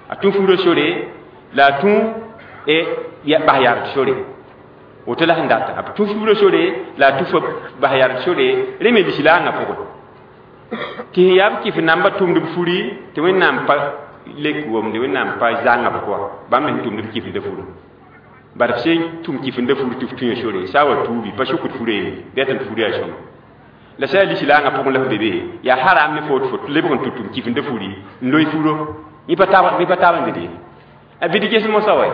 a tũ furã sore la a tũ bas yard sore woto la sẽn data a tũ furã sore la a tũ fa bas yard sore rẽ me lislaangã pʋgẽ tɩ sẽn yaa b kɩf namba tʋmd b furi tɩ Wẽnnaam pa lek womde Wẽnnaam pa zãnga b kɔa bãmb me sẽn tʋmd b kɩfenda furã bad f sẽn tʋm kɩfenda fur tɩ f tũ sore sã wa tuubi pa sʋkd furã ye bɩ tɩ fur yaa sõma la sã yaa lislaangã pʋgẽ la f be be yaa haram ne fo tɩ fo lebg n tʋ tʋm kɩfenda furi n loe furo yẽ pa taab n dɩd ye a bɩd ges mosã wa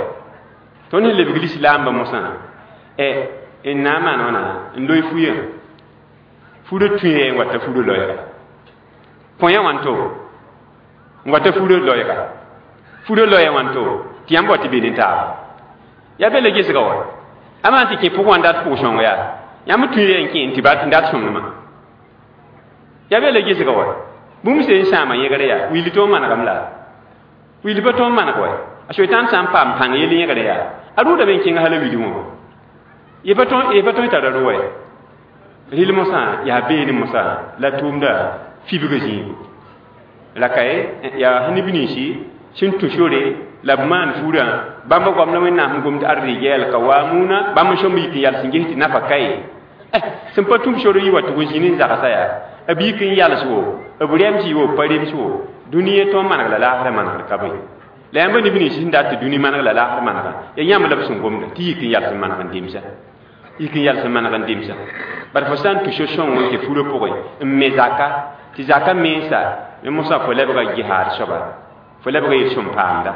tõnd sẽn lebg lislaambã mosã n na n maan wãna n loe fuyã furã tũe n wata furã loɛɛga põyã wãnto n wata furã loɛɛga furã loɛɛ wãnto tɩ yãmb wa tɩ be ne taaba yaa be la gesga wa a maan tɩ kẽ pʋgẽ wã n dat pʋg-sõng yaa yãmb tũe n kẽ n tɩ n dat sõngdmã yaa be la gesga wa bũmb sẽn sãama yẽgre yaa willi tõog manegame la willi pa tõog maneg wa a soetãn sã n paam pãng yell yẽgre yaa a rʋʋdame n kẽng hala willi wã y pa tõe tara rʋ wa rɩl mosã yaa beene mosã la tʋʋmda fibgã zĩigu la ka yaa sẽn neb ninsi sẽn tũ sore la b maan furã bãmba goam la Wẽnnaam sẽn gomd ar-rijal qawamuna bãmb n sõmb yik n yals n ges tɩ nafa ka ye sẽn pa tũm sor yi wa tʋg n zĩnd n zagsa yaa b yik n yals wo b rems wo b pa rems wo dũniyã tõog maneg la laasrã manegd ka bõe la yãmba neb nins sẽn dat tɩ dũni maneg la laasr manega yaa yãmb la b sẽn gomda tɩ yik n yals n maneg n demsa yik n yals n maneg n demsa bad fo sã n tũ so-sõng n kẽ furã pʋgẽ n me zaka tɩ zaka mensa me mosã fo lebga jihaad soaba fo lebga yel-sõm paamda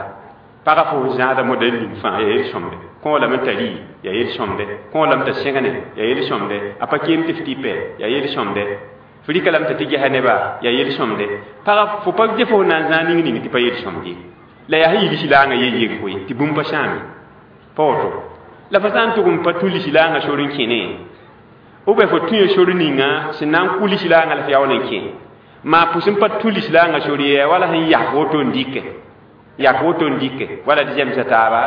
pagã fo zãada moda n ning fãa yaa yel-sõmde kõo lame t'a rɩ yaa yel-sõmde kõo lame t'a sẽgne yaa yel-sõmde a pa keem tɩ f tɩpɛ yaa yel-sõmde f rɩka lame t'a tɩ gesa neba yaa yel-sõmde pagã fo pa ge fo na n zãag ning ning tɩ pa yel-sõmd ye La yaa sẽn yɩ lislaangã yen koe tɩ bũmb pa sãame pa woto la fo sã n tʋg n pa tũ lislaangã sor n kẽne ou bien fo tũ sor ninga sẽn na n kʋ lislaangã la f yaool n kẽ maa pʋs n pa tũ lislaangã sor ye wala sẽn yak woto n dɩke yak woto n dɩke wala tɩ zemsa taaba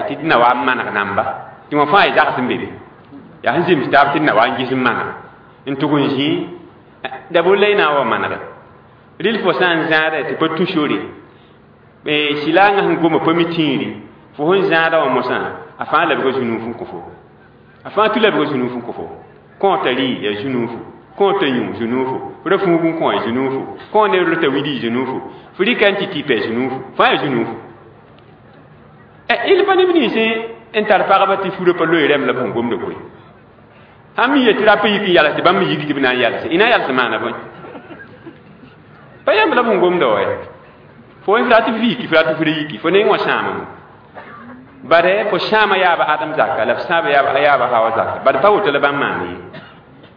tɩ d na wa n maneg namba tɩ wã fãa y zags n be be yaa sẽn zems taab tɩ d na wa n ges n maneg n tʋg n zĩ d'abord la y na n wa manege rɩl fo sã n zãada tɩ pa tũ sore silaangã sẽn goma pa mi tĩiri fo sẽn zãada wã mosã a fãa labga zu-nuuf n kõ fo a fãa tɩ labga zu-nuuf n kõ fo kõota rɩ yaa zu-nuufu kõota yũ zu-nuufu fo ra fuug n kõ zu-nuufu kõ ned rota widi zu-nuufu fo rɩka n tɩ tɩpa zu-nuufu fãa yaa zu-nuufu il pa neb nins n tar pagba tɩ furã pa loe rɛm la b sẽn gomda koe sãn mi yetɩ rap yik n yals tɩ bãmb me yik tɩ b na n yalse y na n yals maana bõe pa yãmb la b sẽn gomda wa fo f rat f yiki f rat f ra yiki fo neng wã sãamame bare fo sãama yaaba Adam zaka la f sãaba yaaba Hawa zaka bad pa woto la bãmb maan ye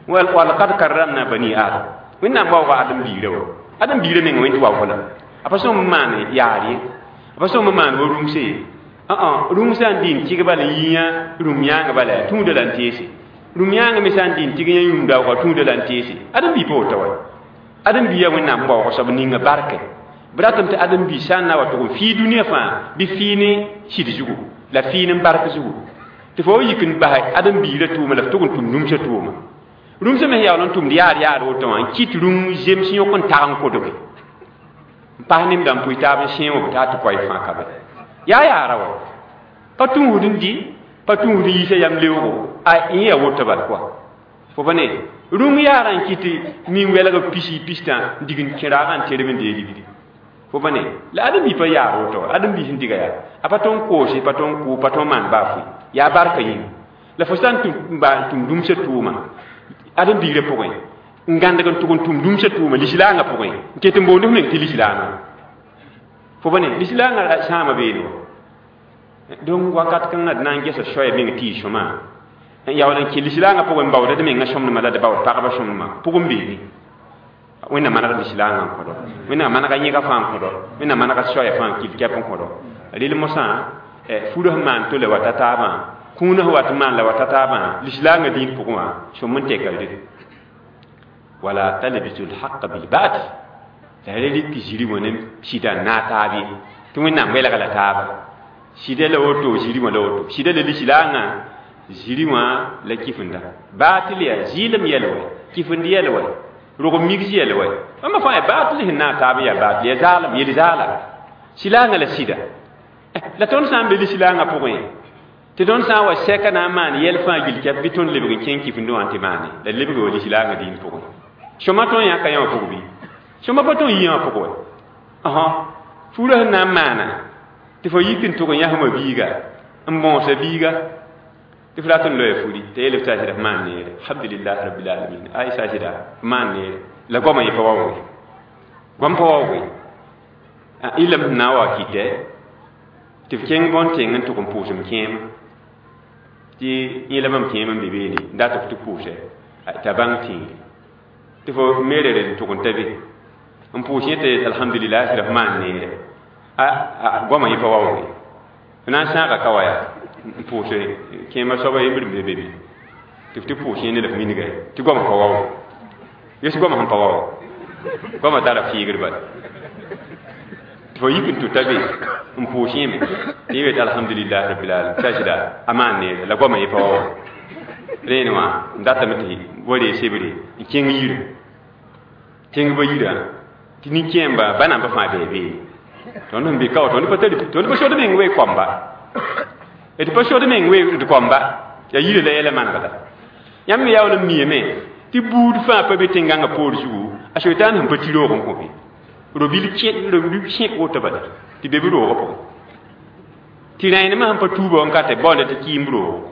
walqad karramna bani Adam Wẽnnaam waooga Adam biirã wa Adam biirã mengã wẽnd tɩ waoog la a pa sõm n maan yaar ye a pa sõm n maan wa rũmse ye rũm sã n dɩ n tɩg bala n yĩyã rũm yãanga bala tũuda la n teese rũm yãanga me sã n dɩ n tɩg yã yũum daooga tũuda la n teese Adam bii pa woto wa Adam bii yaa Wẽnnaam waoog soab ninga barke b ratame tɩ Adam bii sã n na wa tʋg n fii dũniyã fãa bɩ fii ne sɩd zugu la fii ne bark zugu tɩ fo yik n bas Adam biirã tʋʋma la f tʋg n tʋm rũmsã tʋʋma rũmsã me yaool n tʋmd yaar yaar woto wã n kɩt rũm zems yõk n tag n kodge n pas nemda n pʋɩ taab n sẽe wã b taa tɩ koɛɛ fãa ka be yaa yaara wa pa tũusd n dɩ pa tũusd n yiisa yam leoogo a yẽ yaa woto bal kɔa fo pa ne rũng yaarã n kɩt nin wɛlg pisi pistã n dig n kẽ raagã n terb n dee ligdi fo pa ne la Adam bii pa yaar woto Adam bii sẽn diga yaa a pa tõn koose pa tõn kʋ pa tõn maan baa fʋɩ yaa barka yĩnga la fo sã n tʋm rũmsã tʋʋma Adam biirã pʋgẽ n gãndg n tʋg n tʋm rũmsã tʋʋma lislaangã pʋgẽ n ket n boond f meng tɩ lislaama fo pa ne lislaangã sãama beene wa donc wakat kãngã d na n gesa soaya meng tɩ y sõma n yaool n kẽ lislaangã pʋgẽ n baood d mengã sõmdmã la d baood pagba sõmdmã pʋgẽ beene Wẽnnaam maneg lislaangã n kõdo Wẽnnaam manega yẽga fãa n kõdo Wẽnnaam manega soaya fãa n kil kɛp n kõdo rel mosã furã sẽn maan tole wa ta taabã kũunã sẽn wat n maan la wa ta taabã lislaangã dĩin pʋgẽ wã sõm n tɛka rel wala talbisu lhaqa bilbatil la ra rɩk ziri wã ne sɩda n naag taab ye tɩ Wẽnnaam welga la taaba sɩda la woto ziri wã la woto sɩda la lislaangã ziri wã la kifenda baatil yaa zɩɩlem yɛl wɛ kifend yɛl wɛ rog migs yɛl wɛ bãmba fãa yaa baatil sẽn naag taab yaa baatil yaa zaalem yel zaala silaangã la sɩda la tõnd sã n be lislaangã pʋgẽ tɩ tõnd sã n wa sɛka na n maan yɛl fãa gill kɛp bɩ tõnd lebg n kẽng kifendẽ wã tɩ maane la lebg wa lislaangã dĩin pʋgẽ sõma tõnd yãka yã wã pʋg bɩ sõma pa tõnd yɩ wã pʋg wɛ furã sẽn na n maana tɩ fo yik n tʋg n yãsma biiga n bõosa biiga tɩ f rat n loya furi tɩ yeel f t'a sɩda f maan neere alhamdulillah rabbil alamin ay sa sɩda f maan neere la goamã yẽ pa waooge goam pa waooge ilame sẽn na n wa kɩtɛ tɩ f kẽng bõn-tẽng n tʋg n pʋʋsem kẽema tɩ yẽ la mam kẽem n be beene n dat f tɩ pʋʋsɛ t'a bãng tĩiri tɩ fo meerere n tʋg n ta be n pʋʋs yẽ tɩ alhamdulillah sɩda f maan neere a goamã yẽ pa waooge f na n sãaga ka wa yaa n pʋʋs kẽema soaba yembr n be be tɩ f tɩ pʋʋs yẽ ne la f minga tɩ goamã pa waoog ges goamã sẽn pa waoog goamã tara fiigr bala tɩ fo yik n tʋta be n pʋʋs yẽme tɩ yẽ wet alhamdulillah rabbil alamin t'a sɩda a maan neere la goamã yẽ pa waoog rẽene wã n datame tɩ wa ree sebre n kẽng yirã kẽng ba yirã tɩ nin-kẽemba ba namba fãa bee beene tõnd sẽn be ka wa tõnd pa tari tõnd pa sod meng wee koamba d pa sod meng wee d koamba yaa yirã la yɛla manegda yãmb me yaool n miame tɩ buud fãa pa be tẽn-gãngã poor zugu a soitaan sẽn pa tɩ roog n kõ be robil sẽk woto bala tɩ be b roogã pʋgẽ tɩ rẽenemã sẽn pa tuuba n ka tɩ baoonda tɩ kɩɩmb roogo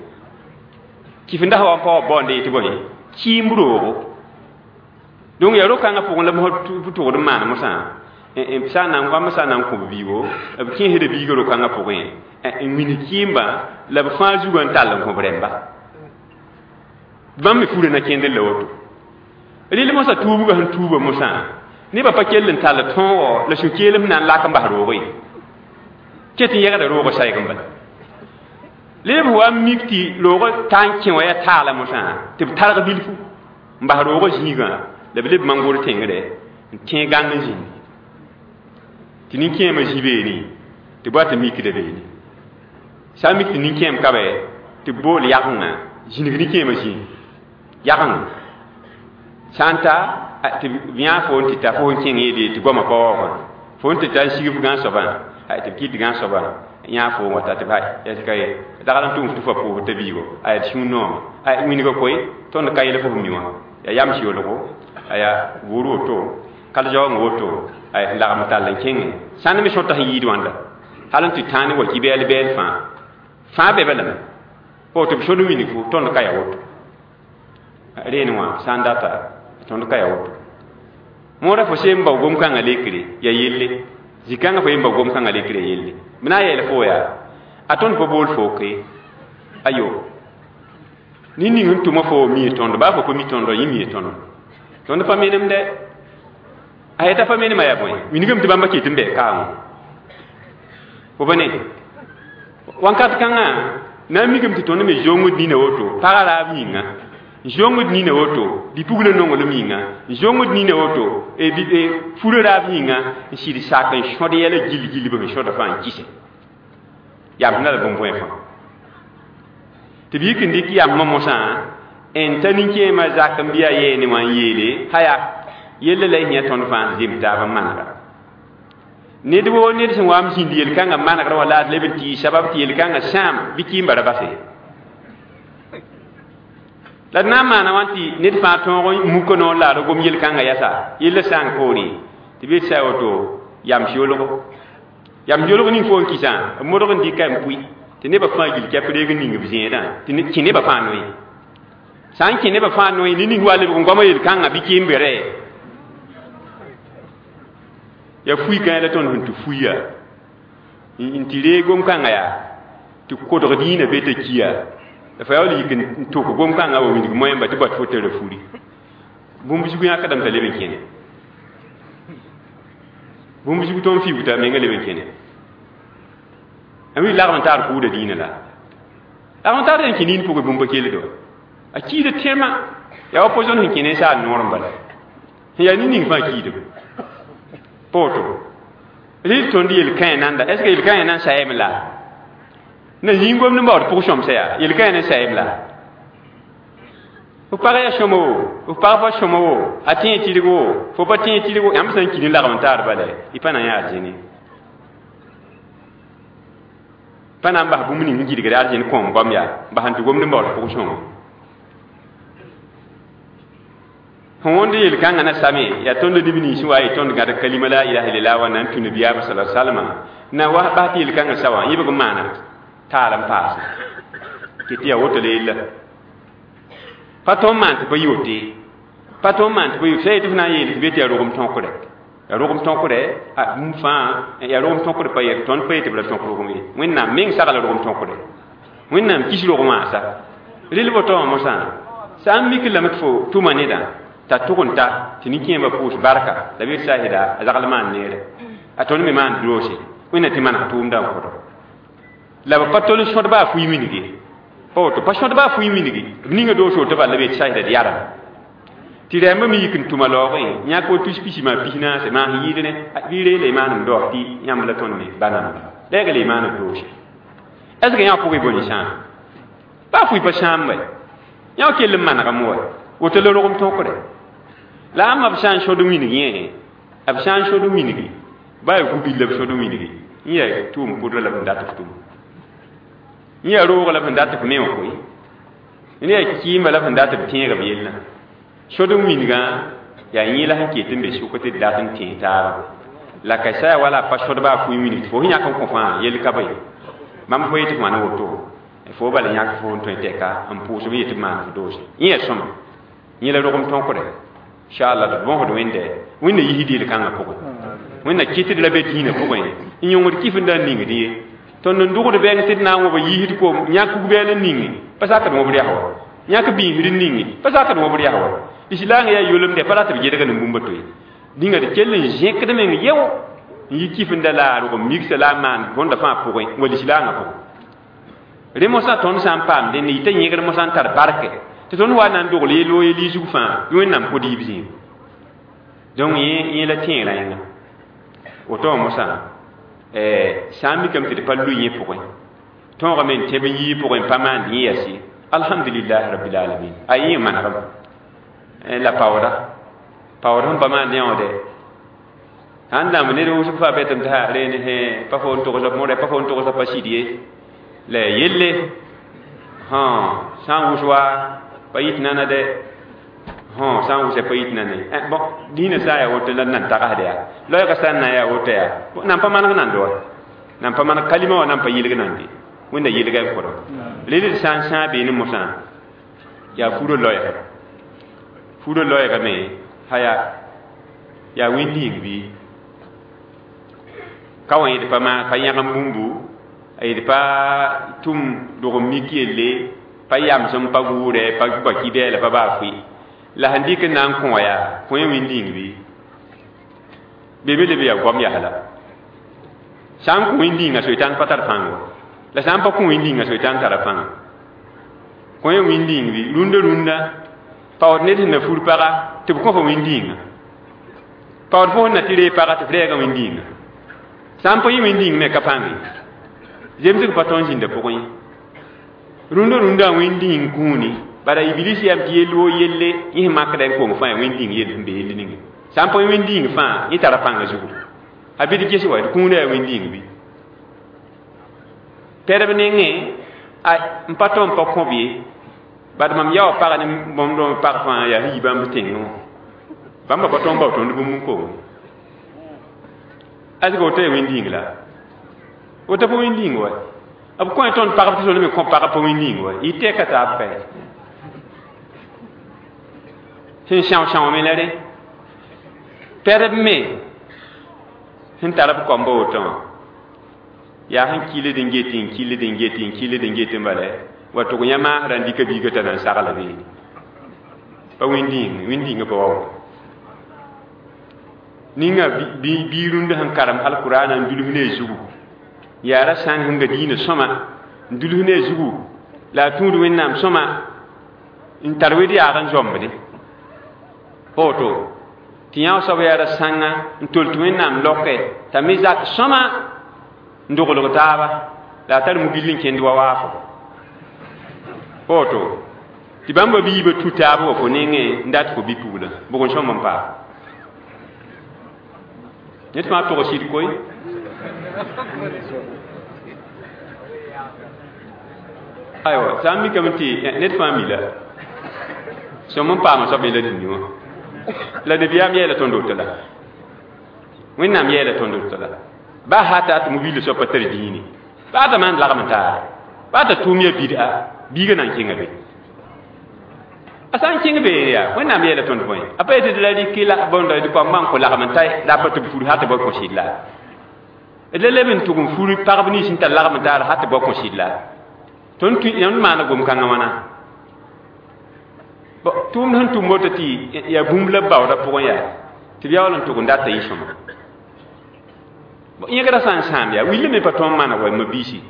kifenda sã wa n pa wa baoonda yetɩ bõe kɩɩmb roogo donc yaa ro-kãngã pʋgẽ la b tʋgd n maan mosã sã n na n goamã sã n na n kõ b biigo b kẽesda biigã ro-kãngã pʋgẽ n wĩnd kɩɩmba la b fãa zugã n tall n kõ b rẽmba bãmb me furã na kẽndr la woto rɩl mosã tuubgã sẽn tuuba mosã nebã pa kell n tall tõogo la sũ-keelem na n lak n bas roog ye Ket n yɛgda roogã sayg n bala leb wa mik tɩ roogã ta n kẽ wã yaa taala mosã tɩ b targ bilfu n bas roogã zĩigã la b leb mangor tẽngre n kẽ gãng n zĩndi tɩ nin-kẽemã zĩ beene tɩ b wa tɩ mikda beene sã n mik tɩ nin-kẽem ka bɛ tɩ b bool yagengã zĩnig nin-kẽemã zĩig yageng sã n ta tɩ b yã fo n tɩ ta fo n kẽng yeele tɩ goamã pa waoogã fo n tɩ ta n sig f gãn soabã tɩ b kɩt gãn soabã yã fo n wata tɩ b ka ye dagl n tʋm tɩ fo pʋʋsd t'a biigo a d sũur noome a wĩnga koe tõnd ka yel fo f mi wã yaa yams yolgo a yaa bʋʋr woto kal-zaoong woto a lagm tall n kẽngẽ sãnd me sõta sẽn yiid wãnda hal n tɩ tãane wa ki bɛɛl bɛɛl fãa fãa be balame fo tɩ b sõd winig fo tõnd ka ya woto reen wã sã n data tõnd ka ya woto moora fo seen bao gom-kãngã lekre ya yelle zĩ-kãngã fo yen bao gom-kãngã lekre ya yelle b na n yeel fo yaa a tõnd pa bool fo ke ayo nin ning n tʋma fo mi tõndo baa fo pa mi tõndo yẽ mi tõndo tõnd pa menemde a yeta pa menemã yaa bõe wingame tɩ bãmba ket n bɛɛ kaamõ fo pa ne wãnkat kãngã na n mikame tɩ tõnd me zongd nina woto pagã raab yĩnga zongd nina woto bipugla nonglem yĩnga zongd nina woto fura raab yĩnga n sɩd sak n sõd yɛla gill gill b sẽn sõda fãa n kɩse yam sẽn la bõn-bõe fãa tɩ b yik n dɩk yambã mosã n ta nin-kẽemã zak n bɩ a yeene wã n yeele haya yella la y yã tõnd fãa zem taab n manega ned woo ned sẽn wa m zĩnd yel-kãngã manegrã wã la d leb n tɩ sabab tɩ yel-kãngã sãam bɩ kɩɩmba ra base la d na n maana wã tɩ ned fãa tõog n muka noor la d gom yel-kãngã yasa yella sãang poore tɩ b yet sã woto yams yolgo yams yolg ning fo n kɩsã b modg n dɩka n pʋɩ tɩ nebã fãa gil kɛp reeg n ning b zẽedã tɩ kẽ nebã fãa noe sã n kẽ nebã fãa noe ne ning wa lebg n goama yel-kãngã bɩ kɩɩm-bere ya fui kãe la tõnd sẽn tɩ fuiya n tɩ reeg gom-kãngã yaa tɩ kodg dĩinã be t'a kiya la fa yaool yik n tʋk gom-kãngã wa wilg moẽmba tɩ bat fo tara furi bũmb zug yãkdame t'a leb n kẽne bũmb zug tõnd fiuug t'a menga leb n kẽne a wi lagm n taar kʋʋda dĩinã la lagm n taar n kẽ nin pʋgẽ bũmb pa keldo a kiida tẽmã yaa wa po-zõn sẽn kẽ ne saal noor n bala sẽn yaa nin-ning fãa kiidame poto rɩl tõnd yel-kãe nanda est ce que yel-kãe nan sayame la na zĩig gomd n baood pʋg sõmsa yaa yel-kãe nan sayame la f pag yaa sõma wo f pag pa sõma wo a tẽe tɩrg wo fo pa tẽe tɩrg wo yãmb sã n kɩ ne lagm n taar bala y pa na n yaa arzẽne pa na n bas bũmb ning n gɩdgd arzẽn kõom goam yaa bas n tɩ gomd n baood pʋg sõma sẽn wõnd yel-kãngã na same yaa tõnd neb nins wa ye tõnd gãd kalima la ilaha illallah wa na n tũ nabiyaamã sala salma na wa bas tɩ yel-kãngã sa wã yẽbg n maana taal n paase kɩ tɩ yaa woto la yella pa tõnd maan tɩ pa yi wote pa tõnd maan tɩ pa yi sã yetɩ f na n yeel tɩ be tɩ yaa rogem tõkre yaa rogem tõkre a bũmb fãa yaa rogem tõkr pa yɛ tõnd pa yetɩ b ra tõk rogem ye Wẽnnaam meng sagla rogem tõkre Wẽnnaam kis rogmã sa rel woto wã mosã sã n mik lame tɩ fo tʋma nedã t'a tʋg n ta tɩ nin-kẽemã pʋʋs barka la b yet saasda a zagl maan neere a tõnd me maan doose Wẽnna tɩ maneg tʋʋmdã n kõdo la b pa tol n sõd baa fui minge pa woto pa sõd baa fui minge b ninga doos woto bala la b yet saasda d yarame tɩ rɛmbã me yik n tʋma laoogẽ yãk wa tus pisi maa pis naase maan sẽn yɩɩd ne bɩ reela y maanem daoog tɩ yãmb la tõnd me ba namba lɛɛga la y maanem doose est ce que yã pʋgẽ bõe sãam baa fui pa sãam wɛ yã kell n manegame wa woto la rogem tõkre la ãmba b sã n sõd winig yẽ b sã n sõd wingi baa yaa gu-bil la b sõd wingi n yaa tʋʋm pʋdra la b sẽn dat f tʋm n yaa roog la b sẽn dat f me wã koe n yaa kɩɩmba la b sẽn dat b tẽeg b yellã sõd n wingã yaa yẽ la sẽn ket n be sʋk tɩ d dat n tẽeg taaba la ka sã yaa wala a pa sõd baa fũi winig tɩ fo sẽn yãk n kõ fãa yell ka be mam fo yetɩ f maan woto fo bala yãk fo n tõe tɛka n pʋʋs b yetɩ b maan f doose yẽ yaa sõma yẽ la rogem tõkre inshallah d bõsd wẽnde wẽnna yisd yel-kãngã pʋgẽ wẽnna kɩtd la be dĩinã pʋgẽ n yõngd kɩf n da n ningd ye tõnd n dʋgd bɛng tɩ d na n wõb yiisd koom yãk kug-bɛɛl n ninge pa sakd wõb rɛs wa yãk biisd n ninge pa sakd wõb rɛs wa lislaangã yaa yolemdɛ pa rat b gedg ne bũmb to ye dĩnga d kell n zẽkd meng yɛo n yi kif n da la a rog n migsa la a maan bõnda fãa pʋgẽ wa lislaangã pʋgẽ re mosã tõnd sã n paam dẽnd yɩta yẽgr mosã n tar barke tɩ tõnd wa na n dogl yel wo yel zug fãa bɩ Wẽnnaam kod yiib zĩig donc yẽ la tẽerã yẽnga woto wã mosã sã n mikame tɩ d pa loe yẽ pʋgẽ tõogame n tẽb n yii pʋgẽ n pa maand yẽ yas ye alhamdulilah rabbil alamin a yẽ manegem la paooda paood sẽn pa maand yã wã dɛ sãn dãmb ned wʋsg faa betame tɩ ha reen pa fo n togsa mõrɛ pa fo n togsa pa sɩd ye la yelle sã n wʋs wa pa yit nana dɛ sã n wʋsa pa yit nana ye bon dĩinã sã n yaa woto la nan tagsd yaa loɛɛgã sã n na n yaa woto yaa nan pa maneg nand wa nan pa maneg kalima wã nan pa yelg nande Wẽnda yelga n kʋra rel d sã n sãa beene mosã yaa furo loɛɛga furo loɛɛga me ha yaa wẽnd-yĩng bɩ ka wã yẽd pa maan pa yãgem bũmbu a yed pa tʋm dog n mik yelle pa yamsem pa gʋʋrɛ pa pa kibɛɛla pa baa fʋɩ la sẽn dɩk n na n kõ wã yaa kõ yẽ wẽnd-yĩng bɩ be me leb yaa goam yaa la sã n kõ wẽnd-yĩngã soetãn pa tar pãng wa la sã n pa kõ wẽnd-yĩngã soetãn tara pãnga kõ yẽ wẽnd-yĩng bɩ rũndã rũndã paood ned sẽn na fur paga tɩ b kõ fo wẽnd-yĩngã paood fo sẽn na tɩ ree paga tɩ f rɛɛga wẽnd-yĩngã sã n pa yɩ wẽnd-yĩng me ka pãng ye zemsg pa tõnd zĩnda pʋgẽ ye rũndã rũndã wẽnd-yĩng kũuni bara iblis yam tɩ yell wo yelle yẽ sẽn makda n kong fãa wẽnd-yĩng yell sẽn be yell ninga sã n pa wẽnd-yĩng fãa yẽ tara pãngã zugu a bɩ d ges wa d kũunã yaa wẽnd-yĩng bɩ pɛdb nengẽ a n pa tõnd pa kõb ye bad mam yaoog pag ne bõmb rõmb pag fãa yaa sẽn yi bãmb tẽngẽ wã bãmba pa tõnd bao tõnd bũmb n kong asg woto yaa wẽnd-yĩng la woto pa wẽnd-yĩng wa b kõ tõnd pagb tɩ tõnd me kõ pagb pa wẽnd-yĩng wa yɩ tɛka taab kae sẽn são-sãoome la rẽ pɛdb me sẽn tar b kɔmba woto wã yaa sẽn kɩled n get n kɩled n get n kɩled n get n bala wa tʋg yã maasrã n dɩka biigã t'a na n sagla beene pa wẽnd-yĩng wẽnd-yĩngã pa wa ninga bii rũndã sẽn karem alkurana n dulf ne a zugu yaa ra sãng sẽn ga diinã sõma n dulf ne a zugu la a tũud Wẽnnaam sõma n tar wed yaag n zõmbde pa woto tɩ yã soab yaa ra sãnga n tol tɩ Wẽnnaam loke t'a me zak sõma n doglg taaba la a tar mugill n kẽnd wa waafo pa woto tɩ bãmba biibã tu taab wa fo nengẽ n dat fo bi-puglã bʋg n sõm n paam ned fãa tog sɩd koe aywa sã n mikame tɩ ned fãa mi la sõm n paama soab yẽla dũni wã la nabiyaam yeela tõnd woto la Wẽnnaam yeela tõnd woto la baa hata tɩ mubilda soab pa tar dĩine baa t'a maan lagem n taare baa t'a tʋʋm yaa bid'a biigã na n kẽnga be a sã n kẽng beene yaa Wẽnnaam yeela tõnd bõe a pa yetɩ d la rɩk la bõnda d koambã n kõ lagem n ta la a pa tɩ b fur ha tɩ bao kõ sɩd la d la leb n tʋg n fur pagb nins sẽn tar lagem n taar ha tɩ bao kõ sɩd la tõnd tõnd maana gom-kãngã wãna tʋʋmd sẽn tʋm woto tɩ yaa bũmb la b baoodã pʋgẽ yaa tɩ b yaool n tʋg n data yɩ sõma yẽgrã sã n sãam yaa willi me pa tõnd maana wa mabiisi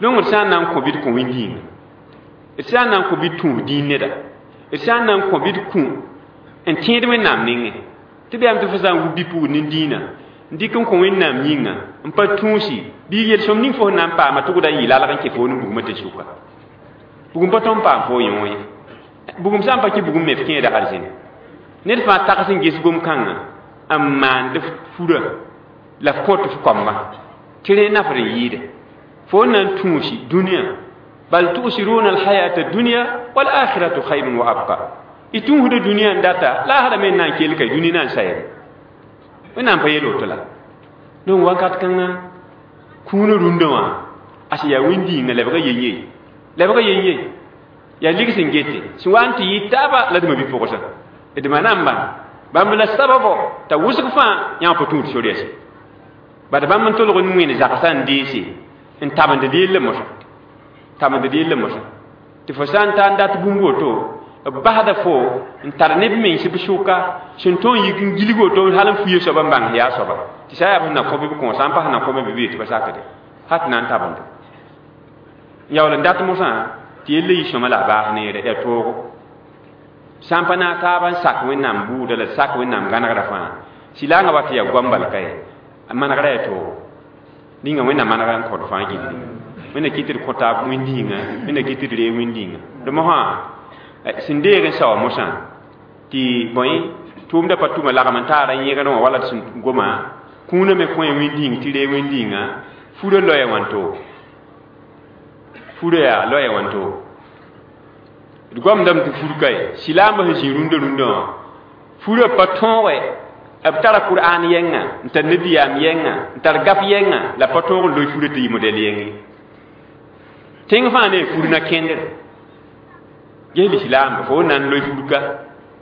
donc d sã n na n kõ bɩ d kõ wẽnd-yĩnga d sã n na n kõ bɩ d tũus dĩin neda d sã n na n kõ bɩ d kũ n tẽed Wẽnnaam nengẽ tɩ b yaam tɩ fo sã n wub bi-pugd ne dĩinã n dɩk n kõ Wẽnnaam yĩnga n pa tũusi bɩ yel-sõm ning fo sẽn na n paama tʋgda n yɩ lalg n kẽ fo ne bugmã tɩ sʋka bugum pa tõnd paam fo yõ ye bugum sã n pa kẽ bugum me f kẽeda arzẽne ned fãa tags n ges gom-kãngã n maand furã la f kõt f koamba tɩ rẽ nafd n yɩɩde fo n na n tũusi dũniyã bal tu'siruna alhayata dunya wal akhiratu khayrun wa abqa y tũusda dũniyã n data laasra me n na n kell ka dũni na n sayame Wẽnnaam pa yel woto la donc wakat kãngã kũunã rũndã wã a sẽn yaa wẽnd-yĩngã lebga yen-ye lebga yen-ye yaa lig sẽn gete sẽn wa n tɩ yɩ taaba la d ma-bi-pʋgsã d ma na n bãng bãmb la sababo t'a wʋsg fãa yã wã pa tũud sor yɛse bad bãmb n tolg n wẽnd zagsã n deese n tabend d yella mosã tabend d yella mosã tɩ fo sã n ta n dat bũmb woto b basda fo n tar neb mens b sʋka sẽn tõog n yik n gilg woto hal n fuye soaba n bãng yaa soaba Tɩ sã yaa b sẽn na kõ bɩ b kõ sã n pa sẽn na kõ bɩ bɩ tɩ pa sakde hat na n tabende yaool n dat mosã tɩ yella yɩ sõma la a baas neere yaa toogo sã n pa naag taaba n sak Wẽnnaam buuda la sak Wẽnnaam gãnegrã fãa silaangã wa tɩ yaa goam bal ka ye a manegrã yaa toogo ninga Wẽnnaam manegrã n kõt fãa gilli Wẽnna kɩt tɩ d kõ taab wĩnd-yĩnga Wẽnna kɩt tɩ d reeg wĩnd-yĩnga d mosã sẽn deeg n saoa mosã tɩ bõe tʋʋmdã pa tʋma lagm n taara yẽgr wã wala d sẽn goma kũunã me kõ wĩnd-yĩng tɩ reeg wĩnd-yĩnga furã loɛɛ wãnto furã yaa loɛɛ wãnto d goamdame tɩ fur ka ye silaambã sẽn zĩ rũndã rũndã wã furã pa tõoge b tara Kur'an yɛnga n tar nabiyaam yɛnga n tar gaf yɛnga la pa tõog n loe furã tɩ yɩ modɛl yɛng ye tẽng fãa ne fur na kẽndre ges lislaamba fo na n loe fur ka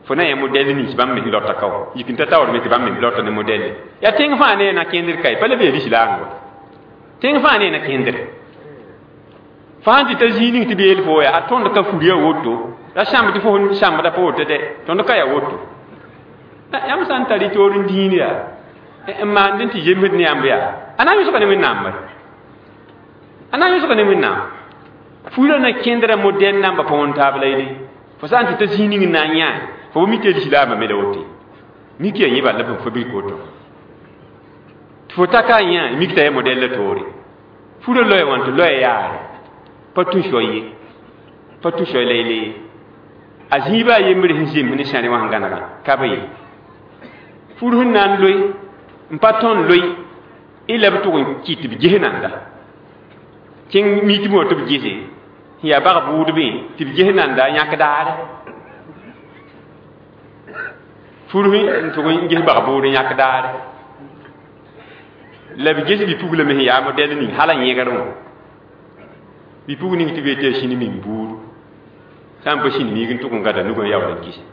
fo na yã modɛl nins bãmb me sẽn lota ka wa yik n ta taoor me tɩ bãmb me lota ne modɛlle yaa tẽng fãa ne na kẽndr ka ye pa le bee lislaang wa tẽng fãa ne na kẽndre fãa tɩ ta zĩig ning tɩ beel fo yaa a tõnd ka fur yaa woto la sãmb tɩ fo sãmbda pa woto dɛ tõnd ka yaa woto yãmb sã n tar y toor n dĩin yaa n maand n tɩ zemsd ne yãmb yaa a na n yõsga ne Wẽnnaam bare a na n yõsga ne Wẽnnaam furã na kẽndrã modɛl namba pa wõn taab la yele fo sã n tɩ ta zĩig ning n na n yãe fo b mi tɩ lislaambã me la woto mik yaa yẽ bal la fo bilk woto tɩ fo ta ka yã mik t'a yaa modɛl la toore furã loɛɛ wãn tɩ loɛɛ yaare pa tũ soay ye pa tũ soay la yele ye a zĩiba a yembre sẽn zems ne sãre wã sẽn gãnegã ka be ye fur sẽn na n loe n pa tõnd loe y la b tʋg n kɩt tɩ b ges nanda kẽng mitm wã tɩ b gese sẽn yaa bag bʋʋdbẽ tɩ b ges nanda yãk daare fur n tʋg n ges bag bʋʋd n yãk daare la b ges bi-pugla me sẽn yaa modɛl ning hal a yẽgr wã bi-pug ning tɩ b yetɩ yaa sĩni ming buudu sã n pa sĩn miig n tʋg n gãda nugã yaool n gise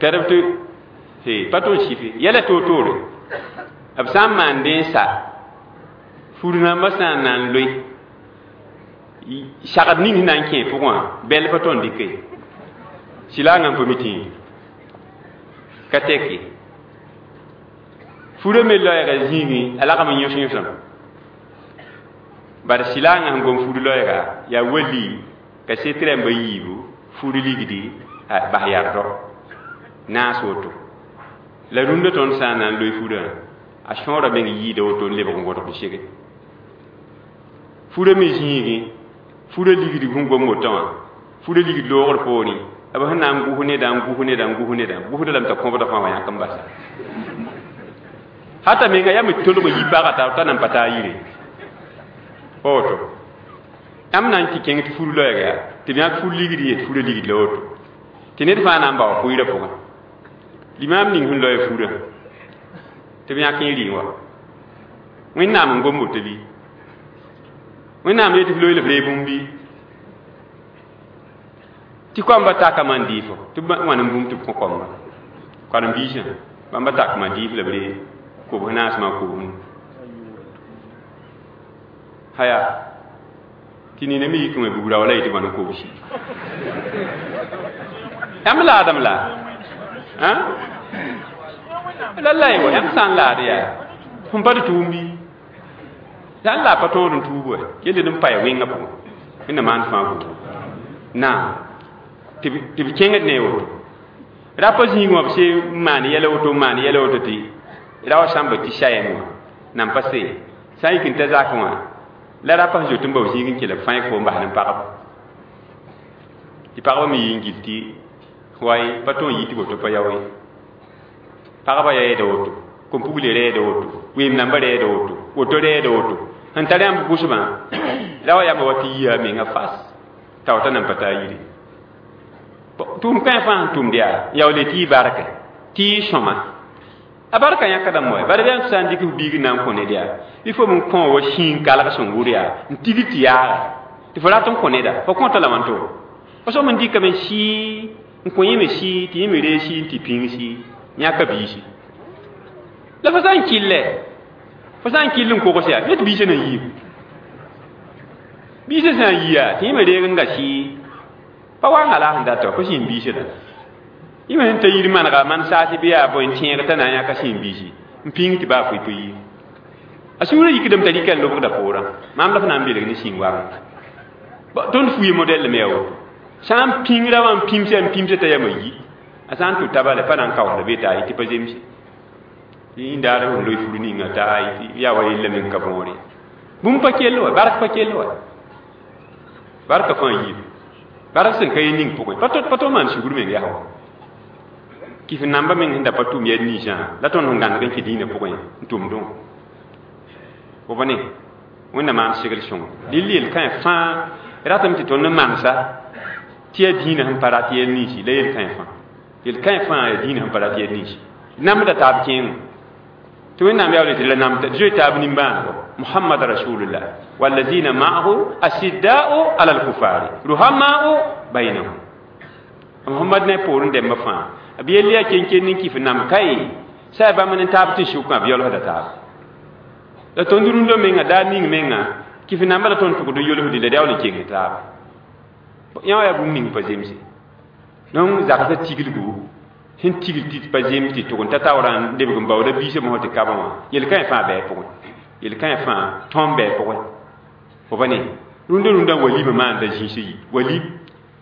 pɛrb tɩ pa tõn sɩfe yɛla toor-toore b sã n maan dẽ n sa fur nambã sã n na n loe sagd ning sẽn na n kẽ pʋgẽ wã bɛl pa tõnd dɩke silaangã n pa mi tĩiri ka tɛk ye furã me loɛɛga zĩigẽ a lagm n yõs yõsame bare silaangã sẽn gom fur loɛɛga yaa wali ka set rãmba yiibu fur ligdi bas yardɔ naas woto la rũndã tõnd sã n na n loe furã a sõora meng yiida woto n lebg n wodg n sege furã me zĩigẽ furã ligd sẽn gom wotã wã furã ligd loogr poorẽ b sẽn na n gus neda n gus neda n gus neda gusda lame t'a kõbda fãa wã yãk n basa hata menga yaa me tolg yi paga t'a nan pa taa yire pa woto yãmb na n tɩ kẽng tɩ fur loɛɛga yaa tɩ b yãk fur ligd ye tɩ furã ligd la woto tɩ ned fãa na n bao pʋɩɩrã pʋgẽ limaam ning sẽn loɛɛ furã tɩ b yãk n rɩ wa Wẽnnaam n gom woto bɩ Wẽnnaam yetɩ f loe la f reeg bũmb bɩ tɩ koamba takame n dɩɩfo tɩ b wãn n bũmb tɩ b kõ koamba karen-biisã bãmba takame dɩɩf la b reeg kobs naasmã kobsnu haya tɩ nina me yik wẽ bugra wala yetɩ bãn n kobsi yãmb laadame la la la wa yãmb sã n laad yaa fõn pa tɩ tʋʋm bɩ sã n la pa tõod n tuub wa yelle n pa ya wẽngã pʋgẽ Wẽnna maan fãa buudu naam tɩ b kẽngd ne woto rapa zĩig wã b se n maan yɛla woto n maan yɛla woto tɩ ra wa sãmba tɩ sayɛm wã nan pa see sã n yik n ta zakẽ wã la rapa sẽn zoet n bao zĩig n kell b fãe fo n bas ne pagba tɩ pagba me yɩ n gil tɩ way pa tõe n yɩ tɩ woto pa yao ye pagba yaa woto kom-pugle rɛɛda woto weem nambã rɛɛda woto woto rɛɛda woto sẽn tar yãmb gʋsbã la wa yamba wa tɩ yia menga fas t'a wa t'a nan pa taa yire tʋʋm kãe fãa sẽn tʋmd yaa yaoole tɩ yɩ barka tɩ yɩ sõma a barka yãkdame wa bara bɩ sã n dɩk f biig n na n kõ ned yaa bɩ fo m kõ wa sĩig kalg sẽn wʋr yaa n tigr tɩ yaaga tɩ fo rat n kõ neda fo kõta la wãnto fo soab n dɩkame sɩɩ n kõ yẽ me sɩɩ tɩ yẽ me reeg sɩɩ n tɩ pĩng sɩɩ yãka biisi la fo sã n kɩllɛ fo sã n kɩll n kogs yaa yet biisã na yiib biisã sã n yi yaa tɩ yẽ me reeg n ga sɩɩ pa wanga la sẽn data pa sĩnd biisã la Yẽ sẽn ta yir manega man saas bɩ yaa bõe n tẽeg t'a na n yãka sẽn biisi n pĩng tɩ baa foe pa yi a sũurã yikdame t'a rɩka n lobgda poorã maam la f na n belg ne sĩng wagẽ tõnd fuye modɛl me yaa woto sã n pĩngra wã n pĩmsa t'a yama yi a sã n tʋ tabale pa na n kaoosda be t'a tɩ pa zemse yĩndaar sẽn loe fur ninga t'a yaa wa yella meng ka võore bũmb pa kell wa bark pa kell wa barka fãa yiib bark sẽn ka ye ning pʋgẽ pa tog maan sugr meng yaa wa kɩf namba meng sẽn da pa tʋm yɛl ninsã la tõnd sẽn gãneg n kẽ dĩinã pʋgẽ n tʋmdẽ fo pa ne wẽnnaam maan segl sõngo dɩl yel-kãe fãa ratame tɩ tõnd n mansa tɩ yaa dĩinã sẽn pa rat yɛl ninsi la yel-kãe fãa yel-kãe fãa yaa dĩinã sẽn pa rat yɛl ninsi namda taab kẽengẽ tɩ wẽnnaam yaool tɩ la namda zoe taab nimbãanego muhammad rasulullah walazina ma'ahu asidda'u ala alkufari ruhama'u bainahum muhammad ne poorẽ dɛmba fãa b yell yaa ken-ken n kɩf nam kae sã yaa bãmb ne taab tɩ sʋkã b yaoolsda taab la tõnd rũndã menga daar ning menga kɩf namba la tõnd tʋgd n yolsdi la d yaool n keng taaba yã wã yaa bũmb ning pa zemse donc zagsã tiglgu sẽn tigl tɩ pa zems tɩ tʋg n ta taoorã n lebg n baooda biisã mosã tɩ kabã wã yel-kãe fãa bɩ a pʋgẽ yel-kãe fãa tõm bɩ a pʋgẽ fo pa ne rũndã rũndã walima maanda zĩisã yi walim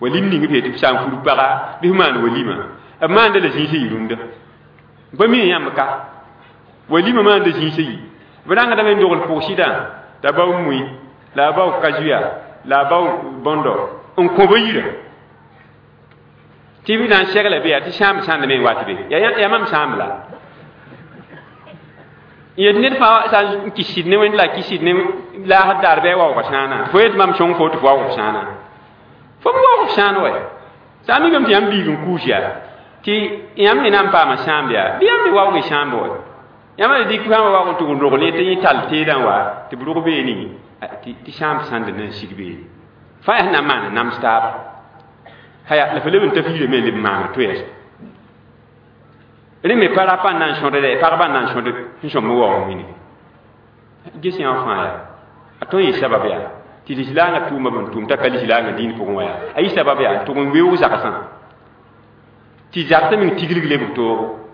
walim ning b yetɩ b sã n fur paga bɩ f maan walima b maanda la zĩisã yi rũndã pa mi yãmb ka walima maanda zĩisã yi b rãngdame n dogl pʋg-sɩdã t'a bao mui la a bao kazuya la a bao bõndo n kõ ba yirã tɩ b na n segla be yaa tɩ sãamb sãndame n wat be yaa mam sãamb la yet ned fãa sã n kɩs sɩd ne wẽnd la kɩs sɩd ne laasd daar bɩ a waoog sãana fo yet mam sõng fo tɩ fo waoog sãana fo m waoog sãan wa sã n mikame tɩ yãmb biig n kuus yaa tɩ yãmb me na n paama sãamb yaa bɩ yãmb me waoog sãamb wa yãmb la dɩk sãamba waoog n tʋg n rogl tɩ yẽ tall teedã wa tɩ b rog beene tɩ sãamb sãnd na n sig beene fãa yaa sẽn na n maan nams taaba haya la fo leb n ta fiirame n leb n maana toɛɛs rẽ me pa rapa n na n sõdre pagba n na n sõd sẽn sõmb waoog wĩnigi ges yã wã fãa yaa a tõe n yɩ sabab yaa tɩ lislaangã tʋʋma b n tʋʋm t'a ka lislaangã dĩin pʋgẽ wã yaa a yɩ sabab yaa n tʋg n weoog zagsã tɩ zagsã meng tiglg lebg toogo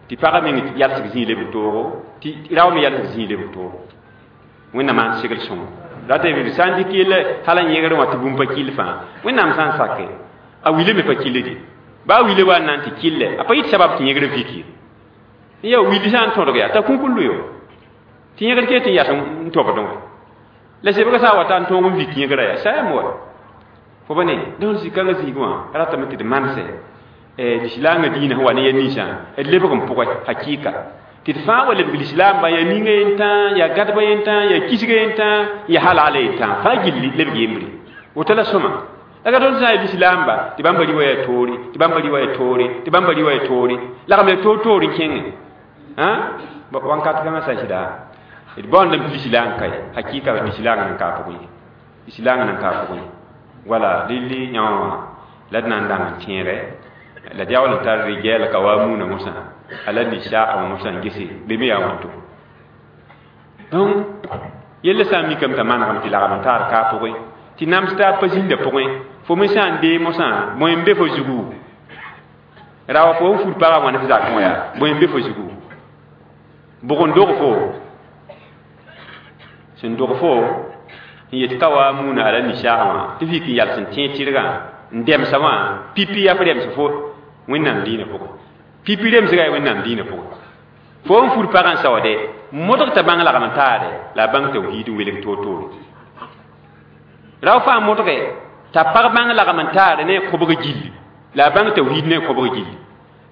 tɩ pagã meng yalsg zĩig lebg toogo tɩ rao me yalsg zĩig lebg toogo wẽnnaam maan segl sõngo rata b sã n dɩk yella hal n yẽgr wã tɩ bũmb pa kɩll fãa wẽnnaam sã n sake a wile me pa kɩlle de baa wile wa n na n tɩ kɩllɛ a pa yɩt sabab tɩ yẽgr vik ye ya willi sã n tõdg yaa t'a kũkul yo tɩ yẽgr ket n yas n tobdẽ wã la sebga sã n wa ta n tõog n vik yẽgra yaa sa yam wa fo pa ne donc zĩ-kãngã zĩig wã ratame tɩ d manse lislaangã dĩinã sẽn wa ne ya ninsã d lebg n pʋgẽ hakɩɩka tɩ d fãa wa lebg lislaamba yaa ninga yentã yaa gãdba yentã yaa kisga yentã yaa halala yentã fãa gilli lebg yembre woto la sõma la ka tõnd sã n yaa lislaamba tɩ bãmba rɩ wa yaa toore tɩ bãmba rɩ wa yaa toore tɩ bãmba rɩ wa yaa toore lagm yaa toor-toor n kẽngẽ wãnkat kãngã sã n sɩda d baoondame tɩ lislaang kae hakɩɩka lislaang nan ka a pʋgẽ ye lislaang nan ka a pʋgẽ wala lilli yã wã la d na n dang n tẽegɛ la d yaool n tar rigɛl ka wa muuna mosã ala nisaa wã mosã n gese be me yaa wãnto donc yella sã n mikame t'a manegame tɩ lagm n taar ka a pʋgẽ tɩ nams taab pa zĩnda pʋgẽ fo me sã n dee mosã bõe n be fo zugu rawa fo n fur pagã wãn f zakẽ wã yaa bõe n be fo zugu bʋg n dog fo sẽn dog fo n yet ka wa muuna ala nisaag wã tɩ f yik n yals n tẽeg tɩrgã n dɛmsa wã pipi yaa f rɛms fo wẽnnaam dĩinã pʋgẽ pipi remsga yaa wẽnnaam dĩinã pʋgẽ fo n fur pagã n saoode modg t'a bãng lagm n taade la a bãng tawhiid n welg toor-toore rao fãa modge t'a pag bãng lagm n taare ne a kobg gilli la a bãng tawhiid ne a kobg gilli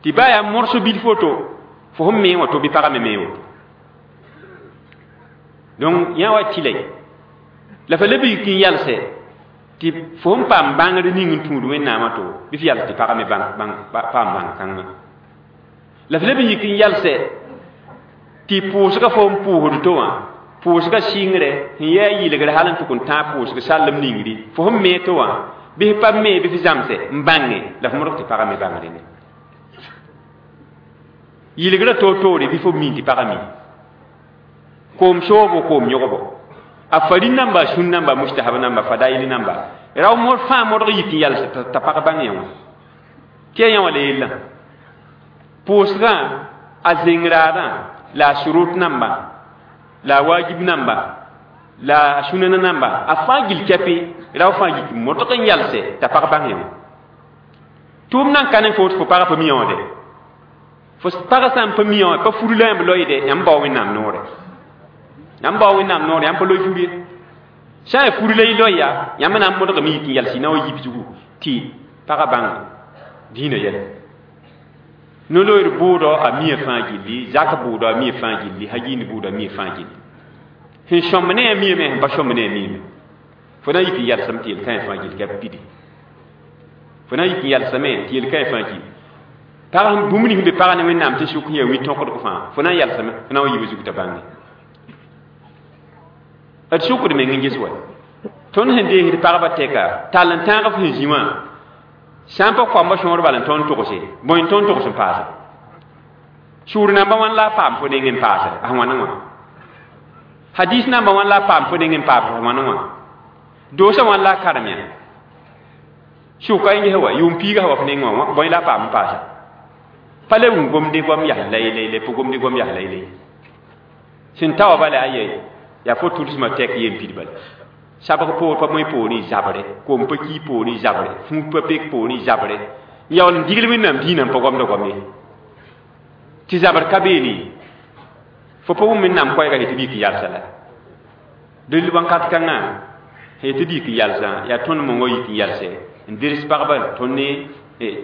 tɩ baa yaa morso bilf woto fo sẽn mee wã to bɩ pagã me mee woto donc yã wa tɩlɛ la fa leb yik n yalsɛ tɩ fo sẽn paam bãngr ning n tũud wẽnnaamã to bɩ f yals tɩ pagã me paam bãng kãngã la f leb n yik n yalsɛ tɩ pʋʋsga fo n pʋʋsd to wã pʋʋsga sɩngre sẽn yaa yɩlgr hal n tʋk n tãag pʋʋsg sallem ningri fo sẽn mee to wã bɩ f pa mee bɩ f zãmsɛ n bãnge la f modg tɩ pagã me bãngre ne yɩlgrã toor-toore bɩ fo min tɩ pagã mi koom soobo koom yõgbo a farin namba a sũn namba a mustahab namba fadail namba rao mod fãa modg yik n yals t'a pag bãng yã wã tɩ yaa yã wã la yellã Pʋʋsgã a zẽng-raadã la a surut namba la a wajib namba la a sũnana namba a fãa gill kɛpɩ rao fãa yik modg n yalse t'a pag bãng yã tʋʋm nan ka ne fo tɩ fo pagã pa mi yõode fo pagã sã n pa mi yã pa fur la yãmb loeede yãmb bao wẽnnaam noore yãmb bao wẽnnaam noore yãmb pa loe fur ye sã n yaa fur la y loe ya yãmb na n modgame yik n yals y na wa yib zugu tɩ pagã bãng dĩinã yɛla no-loeer bʋʋdɔ a mia fãa gilli zak bʋʋdɔ a mia fãa gilli hagind bʋʋdɔ a mia fãa gilli sẽn sõmb ne a miame sẽn pa sõmb ne a miame fo na n yik n yalsame tɩ yel-kãe fãa gill ka pidi fo na n yik n yalsame tɩ yel-kãe fãa gilli pag bũmb ning be pagã ne wẽnnaam tɩ sʋk yaa wi-tõkdg fãa fo na n yalsame fo na n wa yiibã zug t'a bãnge d sʋkd meng n ges wa tõnd sẽn deesd pagbã tɛka tall n tãag f sẽn zĩ wã sã n pa koamba sõor bal n tõnd togse bõe n tõnd togs n paase sũur namba wãn la a paam fo neng n paase a wãn wã hadis namba wãn la a paam fo neng n paam a wãn wã doosã wãn la a karem yã sʋka n ges wa yʋʋm piiga wa f neng wã bõe la a paam n paasa pa le wʋm gomde goam yas laylay pa gomde goam yas laylay sẽn ta wa bala aye yaa fo tʋlsmã tɛk yen pid bala sabg poor pa moe poorẽ zabre kom pa ki poorẽ zabre fũud pa pek poorẽ zabre n yaool n digl wẽnnaam dĩinã n pa gomda goam ye tɩ zabr ka beene fo pa wʋm wẽnnaam koɛɛga tɩ bik n yalsa la del wãnkat kãngã sẽn tɩ bik n yalsã yaa tõnd mongã yik n yalsɛ n ders pagba tõnd ne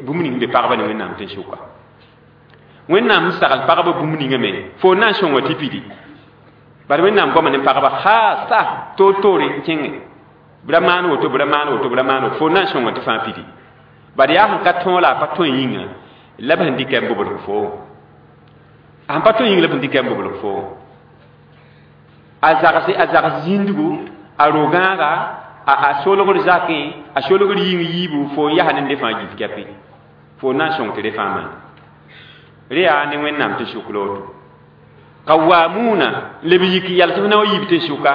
bũmb ning be pagba ne wẽnnaam tɩ n sʋka wẽnnaam sẽn sagl pagba bũmb ninga me fo na n sõnga tɩ pidi bari wẽnnaam goama ne pagba haasa toor-toore n kẽngẽ bra maan woto bra maan woto bra maan woto fo na n sõnga tɩ fãa pidi bari yaa sẽn ka tõog la a pa tõe yĩnga la b sẽn dɩka n bobl fo a sẽn pa tõe yĩng la b sẽn dɩka n bobl fo a zags zĩndgu a ro-gãaga a solgr zakẽ a solgr yĩng yiibu fo n yaa ne fãa gill kɛpɩ fo na n sõng tɩ re fãa maan re yaa ne wẽnnaam tɩ sʋk la woto qawamuna leb yik yals f na wa yiib tɩ sʋka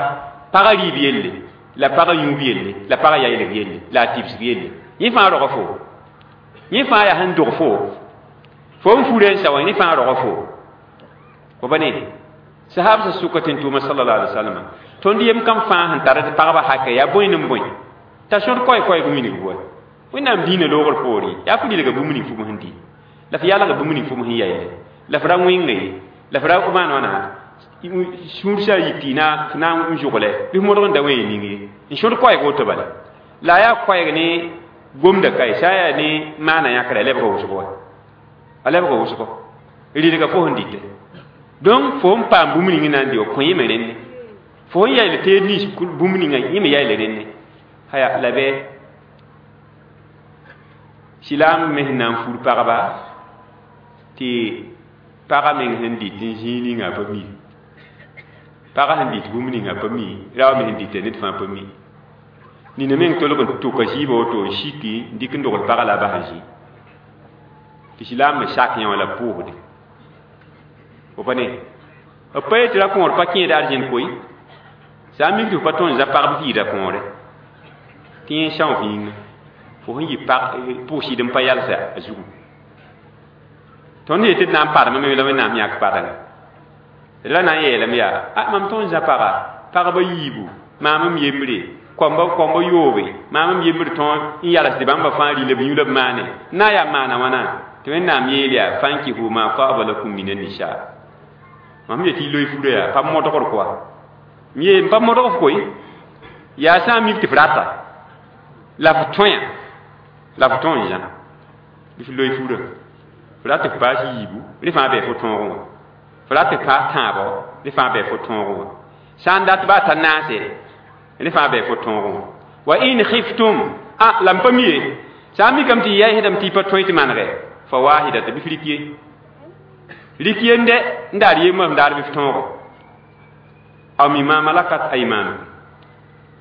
pagã rɩɩb yelle la pagã yũub yelle la pagã yaylg yelle la a tibsg yelle yẽ fãa rog fo yẽ fãa yaa sẽn dog fo fo n furã n sa wã yẽ fãa rog fo fo pa ne sahab sã sʋka tɩ n tʋʋma sallallahu alaihi wasallam tõnd yem kam fãa sẽn tar tɩ pagba haka yaa bõe ne bõe t'a sõd koɛ-koɛɛg wilg wa wẽnnaam dĩinã loogr poore yaa fo lilga bũmb ning fʋm sẽn dɩ la f yalga bũmb ning fʋm sẽn yayle la f ra wẽnga ye la f ra maan wãna sũur sã yik tɩ na n zʋgle bɩ f modg n da wẽ ning ye n sõd koɛɛg woto bala la a yaa koɛɛg ne gomda kae sã n yaa ne maana yãkra a lebga wʋsgo wa a lebga wʋsgo rɩdga fo sẽn dɩtɛ donc fo n paam bũmb ning na n dɩ wa kõ yẽme rẽnne fo n yayl teed nins bũmb ninga yẽme yayl rẽnne haya la bɩ silaam me sẽn na n fur pagba tɩ pagã meng sẽn dɩt n zĩig ninga pa mi pagã sẽn dɩt bũmb ninga pa mi rao me sẽn dɩta ned fãa pa mi nina meng tolg n tʋka zɩɩbã woto n siki n dɩk n dogl pagã la a bas n zĩ tɩ silaam me sak yã wã la pʋʋsde fo pa ne b pa yetɩ ra kõor pa kẽed arzẽn koe sã n mik tɩ f pa tõe n za pagb vɩɩda kõore tɩ yẽ são f yĩnga fo sẽn yɩ pʋʋsɩd n pa yalsa a zugu tõnd yetɩ d na n parmame la wẽnnaam yãk parengã d la na n yeelame yaa a mam tõe n zã paga pagba yiibu maam m yembre koamba yoobe maam m yembr tõe n yalsdɩ bãmba fãa rɩ la b yũ la b maane n na n yaa maana wãna tɩ wẽnnaam yeel yaa fankihu ma taaba lakum min annisa mam yetɩ y loe furã yaa pa modgr koa m yee n pa modg f koe yaa sã n mik tɩ f rata la f tõe la f tõe n zã bɩ f loe furã f rat f paas yiibu rẽ fãa bɩ fo tõogẽ wã f rat f paas tãabɔ rẽ fãa bɩ fo tõogẽ wã sã n dat baa t'a naase rẽ fãa bɩ fo tõogẽ wã wa in khiftum a la m pa mi ye sã n mikame tɩ yaɩsdame tɩ y pa tõe tɩ manegɛ fa waahidata bɩ f rik ye rik yende n daar yembã f daar bɩ f tõogo aw mimma malakat aymanukum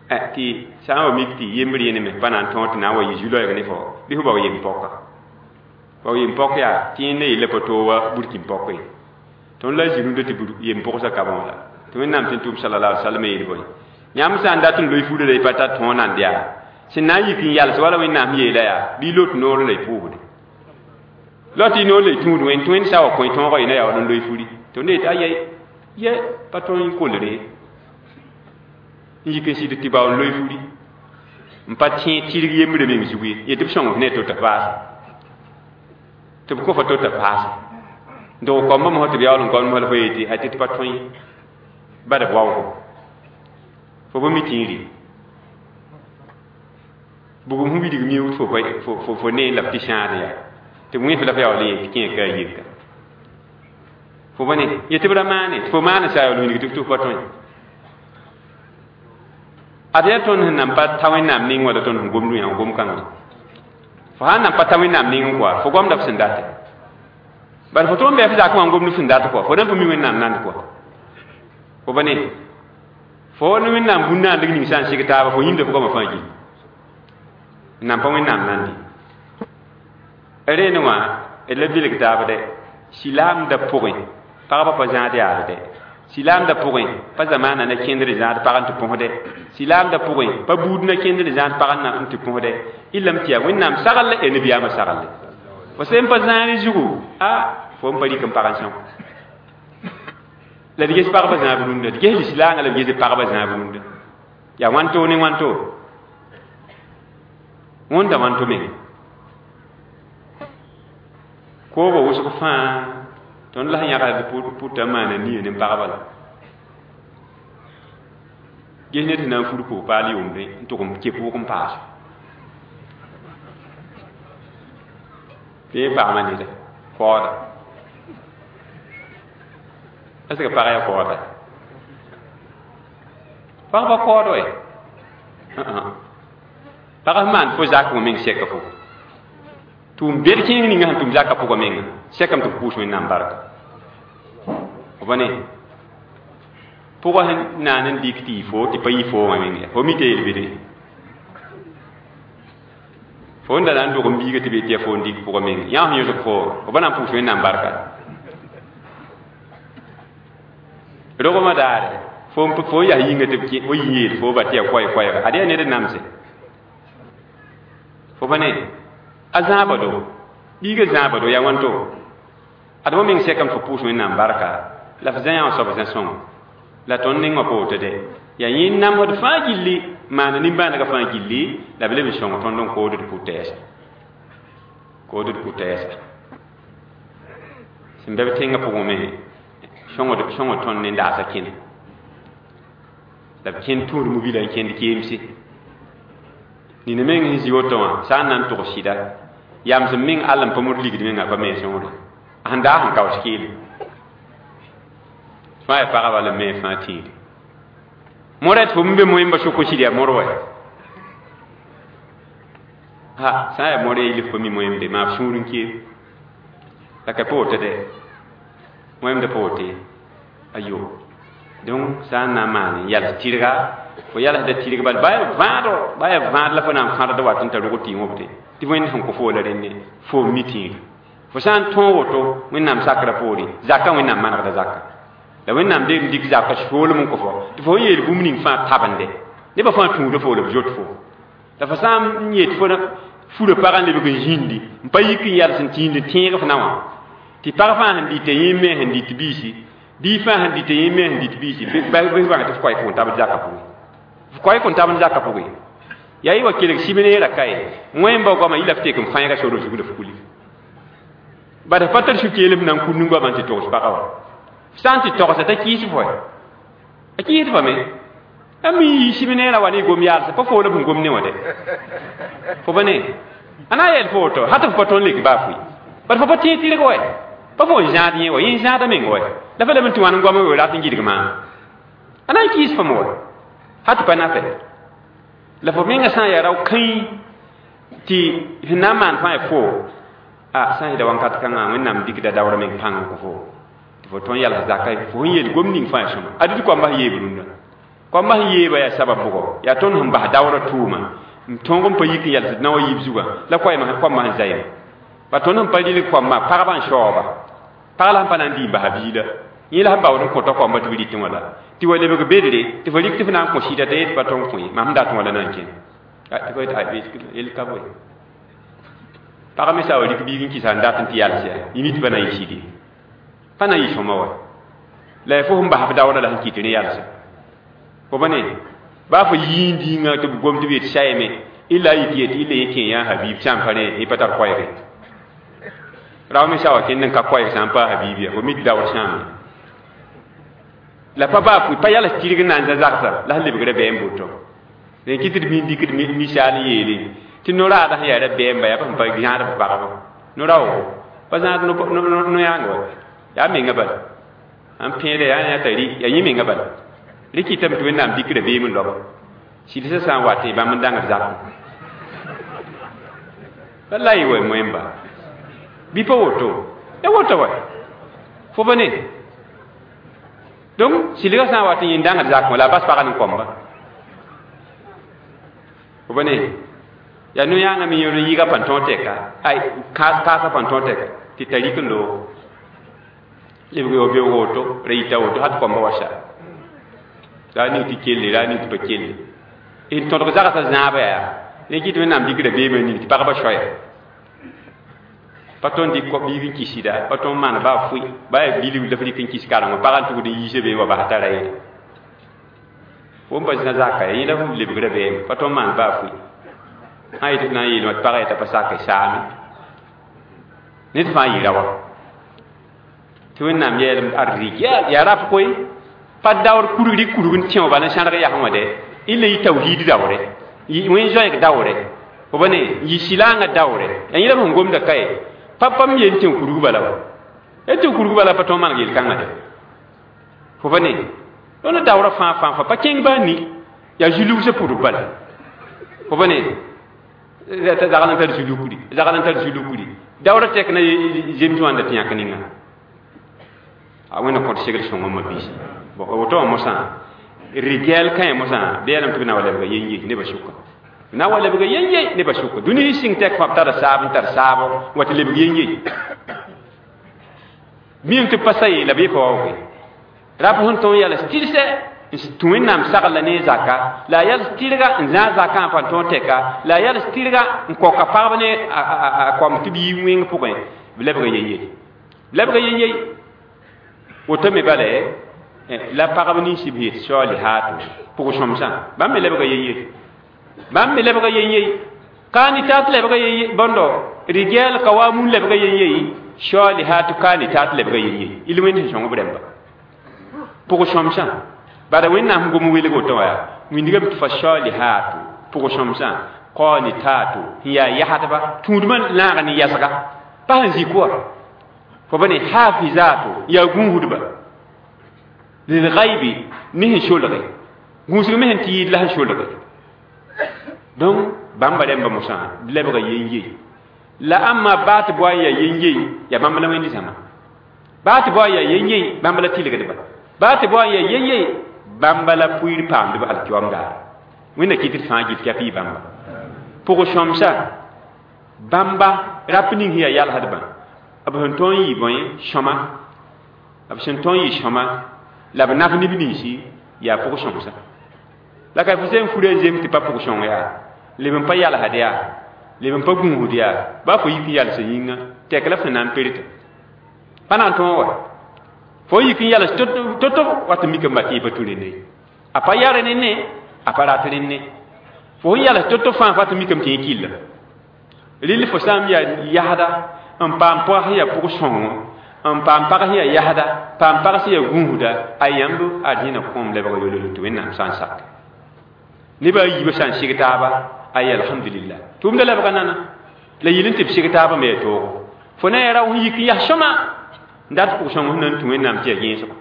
tɩ sã n wa mik tɩ yembr yẽneme pa na n tõog tɩ na n wa yɩ zu-loɛɛg ne fo bɩ fo bao yem-pɔka bao yem-pɔk yaa tɩ yẽnda yella pa toog wa burkin-pɔk ye tõnd la zĩ-rũndã tɩ yem-pʋgsa ka bõo la tɩ wẽnnaam tɩ n tʋm sallallahu alaihi wasallam yeel bõe yãmb sã n dat n loe furã la y pa tar tõog nan yaa sẽn na n yik n yals wala wẽnnaam yeela yaa bɩ y lot noor la y pʋʋsde Lati no le tũud wẽn tũ wẽnd sa wa kõ tõogã yɩ na yaool n loe furi tɩ ne yetɩ aya ye pa tõe n kolre n yik n sɩd tɩ bao n loe furi n pa tẽ tɩrg yembre meng zug ye yetɩ b sõng f ne to tɩ paase tɩ b kõ fa to tɩ paase dog koambã mosã tɩ b yaool n goamd mosã la fo yetɩ a tɩ tɩ pa tõe bad b waoogo fo bõ mi tĩiri bugum sẽn wilg miuud fo ne la b tɩ sãad yaa tɩ b wẽf la f yaool n yet tɩ kẽe ka a yeka fo bõ ne yetɩ b ra maane tɩ fo maane sa yaool wilg tɩ f tɩ f pa tõe ad yaa tõnd sẽn nan pa ta wẽnnaam ning wala tõnd sẽn gomd yã gom kãngã fo sã n nan pa ta wẽnnaam ning kɔa fo goamda f sẽn date bala fo tõnd bɩ f zak wã n gomd f sẽn dat kɔa fo nan pa mi wẽnnaam nand kɔa fo ba ne fo ne wẽnnaam bũn-naandg ning sã n sɩg taaba fo yĩmda fo goamã fãa gil n nan pa wẽnnaam nandi rẽene wã d la bilg taab dɛ silaamda pʋgẽ pagba pa zãad yaad dɛ silaamda pʋgẽ pa zamaana na kẽndr zãad pag n tɩ põsdɛ silaamda pʋgẽ pa buud na kẽndr zãad pag n tɩ põsdɛ y lame tɩ yaa wẽnnaam sagl la nabiyaamã saglle fo sẽn pa zãane zugu a fo n pa rɩk n pag n sõng la d ges pagba zãab rũndã d ges lislaangã la b ges pagba zãab rũndã yaa wãnto ne wãnto wõnda wãnto meng koobã wʋsg fãa tõnd la sẽn yãgd pʋta n maana nia ne pagba la ges ned sẽn na n fur koog-paal yʋʋmdẽ n tʋg n ke pʋʋg n paas tɩ paama neda koooda est ce que pag yaa koooda pagba kood wɛ pag sẽn maan fo zak wã meng sɛka fo tʋʋm bed kẽeng ninga sẽn tʋm zakã pʋgã menga sɛkame tɩ f pʋʋs wẽnnaam barka b ne pʋgã sẽn naan n dɩk tɩ yɩ fo tɩ pa yɩ fo wã meng ya fo mi tɩ yel bede fo n da na n dog n biiga tɩ be tɩ ya fo n dɩk pʋgã meng yã sẽn yõsg fo b na n pʋʋs wẽnnaam barka rogmã daare fo n yas yĩnga tɩ fo yĩ yeel fo ba tɩ ya koɛɛ-koɛɛga ad yaa ned n namse fo pa ne a zãaba do biiga zãaba do yaa wãnto ad fo meng sɛkame fo pʋʋs wẽnnaam barka la f zã yã wã soab zã-sõngo la tõnd neng wã pa woto dɛ yaa yẽ namsd fãa gilli maana nimbãanegã fãa gilli la b leb n sõng tõnd n kood d pʋ-tɛɛsa kood d pʋ-tɛɛsa sẽn bɛ b tẽngã pʋgẽ me sõngd tõnd ne daasã kẽne la b kẽnd tũud mobila n kẽnd keemse nina meng sẽn zĩ woto wã sã n na n tʋg sɩda yams n meng all n pa mod ligd menga pa me sõngre a sẽn daas n kaoos keele fãa yaa pagba la me fãa tĩiri mora tɩ fo n be moẽmba sʋk n sɩd yaa mor wɛ ha sã n yaa mor yel f pa mi moẽmde maa f sũur n keem la ka pa woto dɛ moẽmda pa woto ye ayo donc sã n na n maan n yals tɩrga fo yalsda tɩrg bal baa vãado baa yaa vãad la fo na n fãdda wat n tar rog tɩ wõbde tɩ wẽnd sẽn kõ fo la rẽnne fo mi tĩiri fo sã n tõog woto wẽnnaam sakrã poore zakã wẽnnaam manegda zakã la wẽnnaam deeg n dɩk zakã soolem n kõ fo tɩ fo n yeel bũmb ning fãa tabende nebã fãa tũuda fo la b zot fo la fo sã n yet fo furã pagã n lebg n zĩndi n pa yik n yals n tĩnd n tẽeg f na wã tɩ pag fãa sẽn dɩta yẽ me sẽn dɩt biisi bii fãa sẽn dɩta yẽ me sẽn dɩt biisi bɩ bãng tɩ f koɛɛ kõn tabd zakã pʋgẽ f koɛɛ kõn tabd zakã pʋgẽ yaa yɩ wa kelg sib-neerã ka ye wẽmba goamã yɩ la f tek n fãeega sor zug la f kuli bad pa tar su-keelem na n kur nin-goamã n tɩ togs pagã wã f sã n tɩ togsa t'a kɩɩs fo a kɩɩs fame a mi yɩ sib-neerã wa ne gom yaalsã pa fo la b sẽn gom ne wã dɛ fo pa ne a na n yɛl fo woto ha tɩ f pa tõnd lek baa fʋɩ bad fo pa tẽeg tɩrg wɛ pa fo n zãad yẽ wa yẽ zãada meng wɛ la fa lame tɩ wãn n goamã we rat n gɩdg maam a na n kɩɩs fam wɛ ha tɩ pa nafɛ la fo menga sã n yaa rao kãĩ tɩ sẽn na n maan fãa ya fo a sã n yɩda wãnkat kãngã wẽnnaam dɩkda daoora meng pãng n kõ fo tɩ fo tõnd yals zaka fo sẽn yeel gom ning fãa ya sõma ad tɩ koamba sẽn yeeb rũndã koamba sẽn yeeba yaa sabab bʋgɔ yaa tõnd sẽn bas daoora tʋʋma n tõog n pa yik n yals d na wa yiib zugã la koambã sẽn zaɩma ba tõnd sẽn pa rɩlg koambã pagba n shaooba pag la sẽn pa na n dɩ n basa biila yẽ la sẽn baood n kõta koamba tɩ b rɩtẽ wã la tɩ wa lebg bedre tɩ fo rɩk tɩ f na n kõ sɩda t'a yet pa tõng kõ ye mam sẽn dat wã la na n kẽ tɩ fo yel ka boe Pagã me sã wa rɩk biig n kɩsa n dat n tɩ yals yaa yĩmit pa na n yɩ sɩd ye pa na n yɩ sõma wa la ya fo sẽn bas f daoodã la sẽn kɩt rẽ yalsa fo pa ne baa fo yiin dĩingã tɩ b gom tɩ b yet sayame illa yik yet illa yẽ kẽ yã habib sã n pa rẽ yẽ pa tar koɛɛge rao me sã wa kẽnd n ka koɛɛg sã n paa habib ya fo mi tɩ daood sãame la pa baa pa yals tɩrg n na n zã zagsa la sẽn lebg rabeem boto rẽ kɩ tɩ d mi n dɩkd misaal n yeele tɩ no-raadã sẽn yaa rabeemba yaa pa sẽn pa zãad b pagba no-raoogo pa zãad no-yãang wa yaa menga bala n pẽeda yaa yã t'a rɩ yaa yẽ menga bala rẽ kɩtame tɩ Wẽnnaam dɩk rabeem n loaba sɩlsã sã n wat bãmb n dãngd zakẽ wallahi wa moẽmba bɩ pa woto ya woto wa fo pa ne donc sɩlgã sã n wat n yẽ dãngd zakẽ la a bas pagã ne kõmba fo pa ne yaa no-yãangã me yẽr n yɩga pãn-tõog tɛka ay kaasã pãn-tõog tɛka tɩ t'a rɩk n loog lebg yo beoog woto ra yita woto hat kõmba wa sa ra ning tɩ kelle ra ning tɩ pa kelle n tõdg zagsã zãaba yaa rẽ kɩ tɩ Wẽnnaam dɩk rabeemã ning tɩ pagba soaya pa tõnd dɩk biig n kɩsda pa tõnd maan baa fʋɩ baa yaa bilg la f rɩk n kɩs karengã pagã n tugd n yiisa be wa bas tara yẽla fo n pa zã zaka ya yẽ la f lebg rabeem pa tõnd maan baa fʋɩ sã yetɩ f na n yeelmã tɩ pagã yeta pa sak saame ned fãa yɩ rawa tɩ Wẽnnaam yeelem ad rɩgɛl yaa rap koe pa daood kurg rɩk kurg n tẽ bala n sãrg yasẽ wã dɛ illa yɩ tawhiid daoore wẽn zoɛɛg daoore fo pa ne yɩ sɩlaangã daoore yaa yẽ la sẽn gomda ka ye pa pam yen tẽ kurg bala wa ya tẽ kurg bala pa tõog maneg yel-kãngã dɛ fo pa ne tõnd daoorã fãa fãa fãa pa kẽng baa ni yaa zu-lugsã pʋdb bala fo pa ne zagl n tar zu-lukri zagl n tar zu-lukri daoorã tɛk na zems wãnda tɩ yãk ninga a wẽnna kõt segl sõngã ma biisi bon woto wã mosã rigɛl kãe mosã bɩ yalame tɩ b na wa lebga yen-ye nebã sʋka na wa lebga yen-ye nebã sʋka dũni sɩng tɛk fãa b tara saab n tar saabo wa tɩ lebg yen-ye miame tɩ pa sa ye la b yepa waooge rap sẽn tõog yals tɩrsɛ n tũ Wẽnnaam sagla ne zaka la a yals tɩrga n zãag zakã n pa tõog tɛka la a yals tɩrga n koka pagb ne a kõm tɩ b yi wẽng pʋgẽ b lebga yen-ye b lebga yen-ye woto me bala la pagb nins b yet saalihaatu pʋg-sõmsã bãmb me lebga yen-ye bãmb me lebga yen-ye kaanitaat lebga yen-ye bõndo rigɛl kawamun lebga yen-ye saalihaatu kaanitaat lebga yen-ye il wẽnd sẽn sõng b rãmba pʋg-sõmsã bala Wẽnnaam sẽn gom welg woto wã yaa wĩndgame tɩ fa saalihaatu pʋg-sõmsã qaanitaatu sẽn yaa yasdba tũudmã lãag ne yasga pa sẽn zĩ kʋa fo pa ne hafizaatu yaa gũusdba lilgaibi ne sẽn solge gũusg me sẽn tɩ yɩɩd la sẽn solge donc bãmba rãmba mosã b lebga yen-ye la ãmma baa tɩ boa n yaa yen-ye yaa bãmb la wẽnd zãma baa tɩ boa n yaa yen-ye bãmb la tɩlgdba baa tɩ boa n yaa yen-ye bãmba la pʋɩɩr paamdb alkiyoam daare wẽnna kɩt d fãa gil tɩ yaa pɩ bãmba pʋg-sõmsa bãmba rap ning sẽn yaa yalsdbã b sẽn tõog n yɩ bõe sõma b sẽn tõog n yɩ sõma la b naf neb ninsi yaa pʋg-sõmsa la ka fo sẽn fura zem tɩ pa pʋg-sõng yaa leb n pa yalsd yaa leb n pa gũusd yaa baa fo yik n yalsa yĩnga tɛk la f sẽn na n perta pa na n tõog wa fo yik n yals to-to wat n mikame tɩ y pa tũ rẽnde a pa ya rẽnne a pa rat rẽnne fo sẽn yals to-to fãa fa tɩ mikame tɩ yẽ killa rɩl fo sã n yaa yasda n paam pag sẽn yaa pʋg-sõngo n paam pag sẽn yaa yasda paam pag sẽn yaa gũusda a yãmb ad yẽna kõom lebg yolol tɩ Wẽnnaam sã n sak nebã a yiibã sã n sig taaba ay alhamdulillah tʋʋmda lebga nana la yɩl n tɩ b sig taabã me yaa toogo fo na n yaa rao sẽn yik n yas sõma n dat pʋg-sõng sẽn na n tũ Wẽnnaam tɩ yaa gẽesgo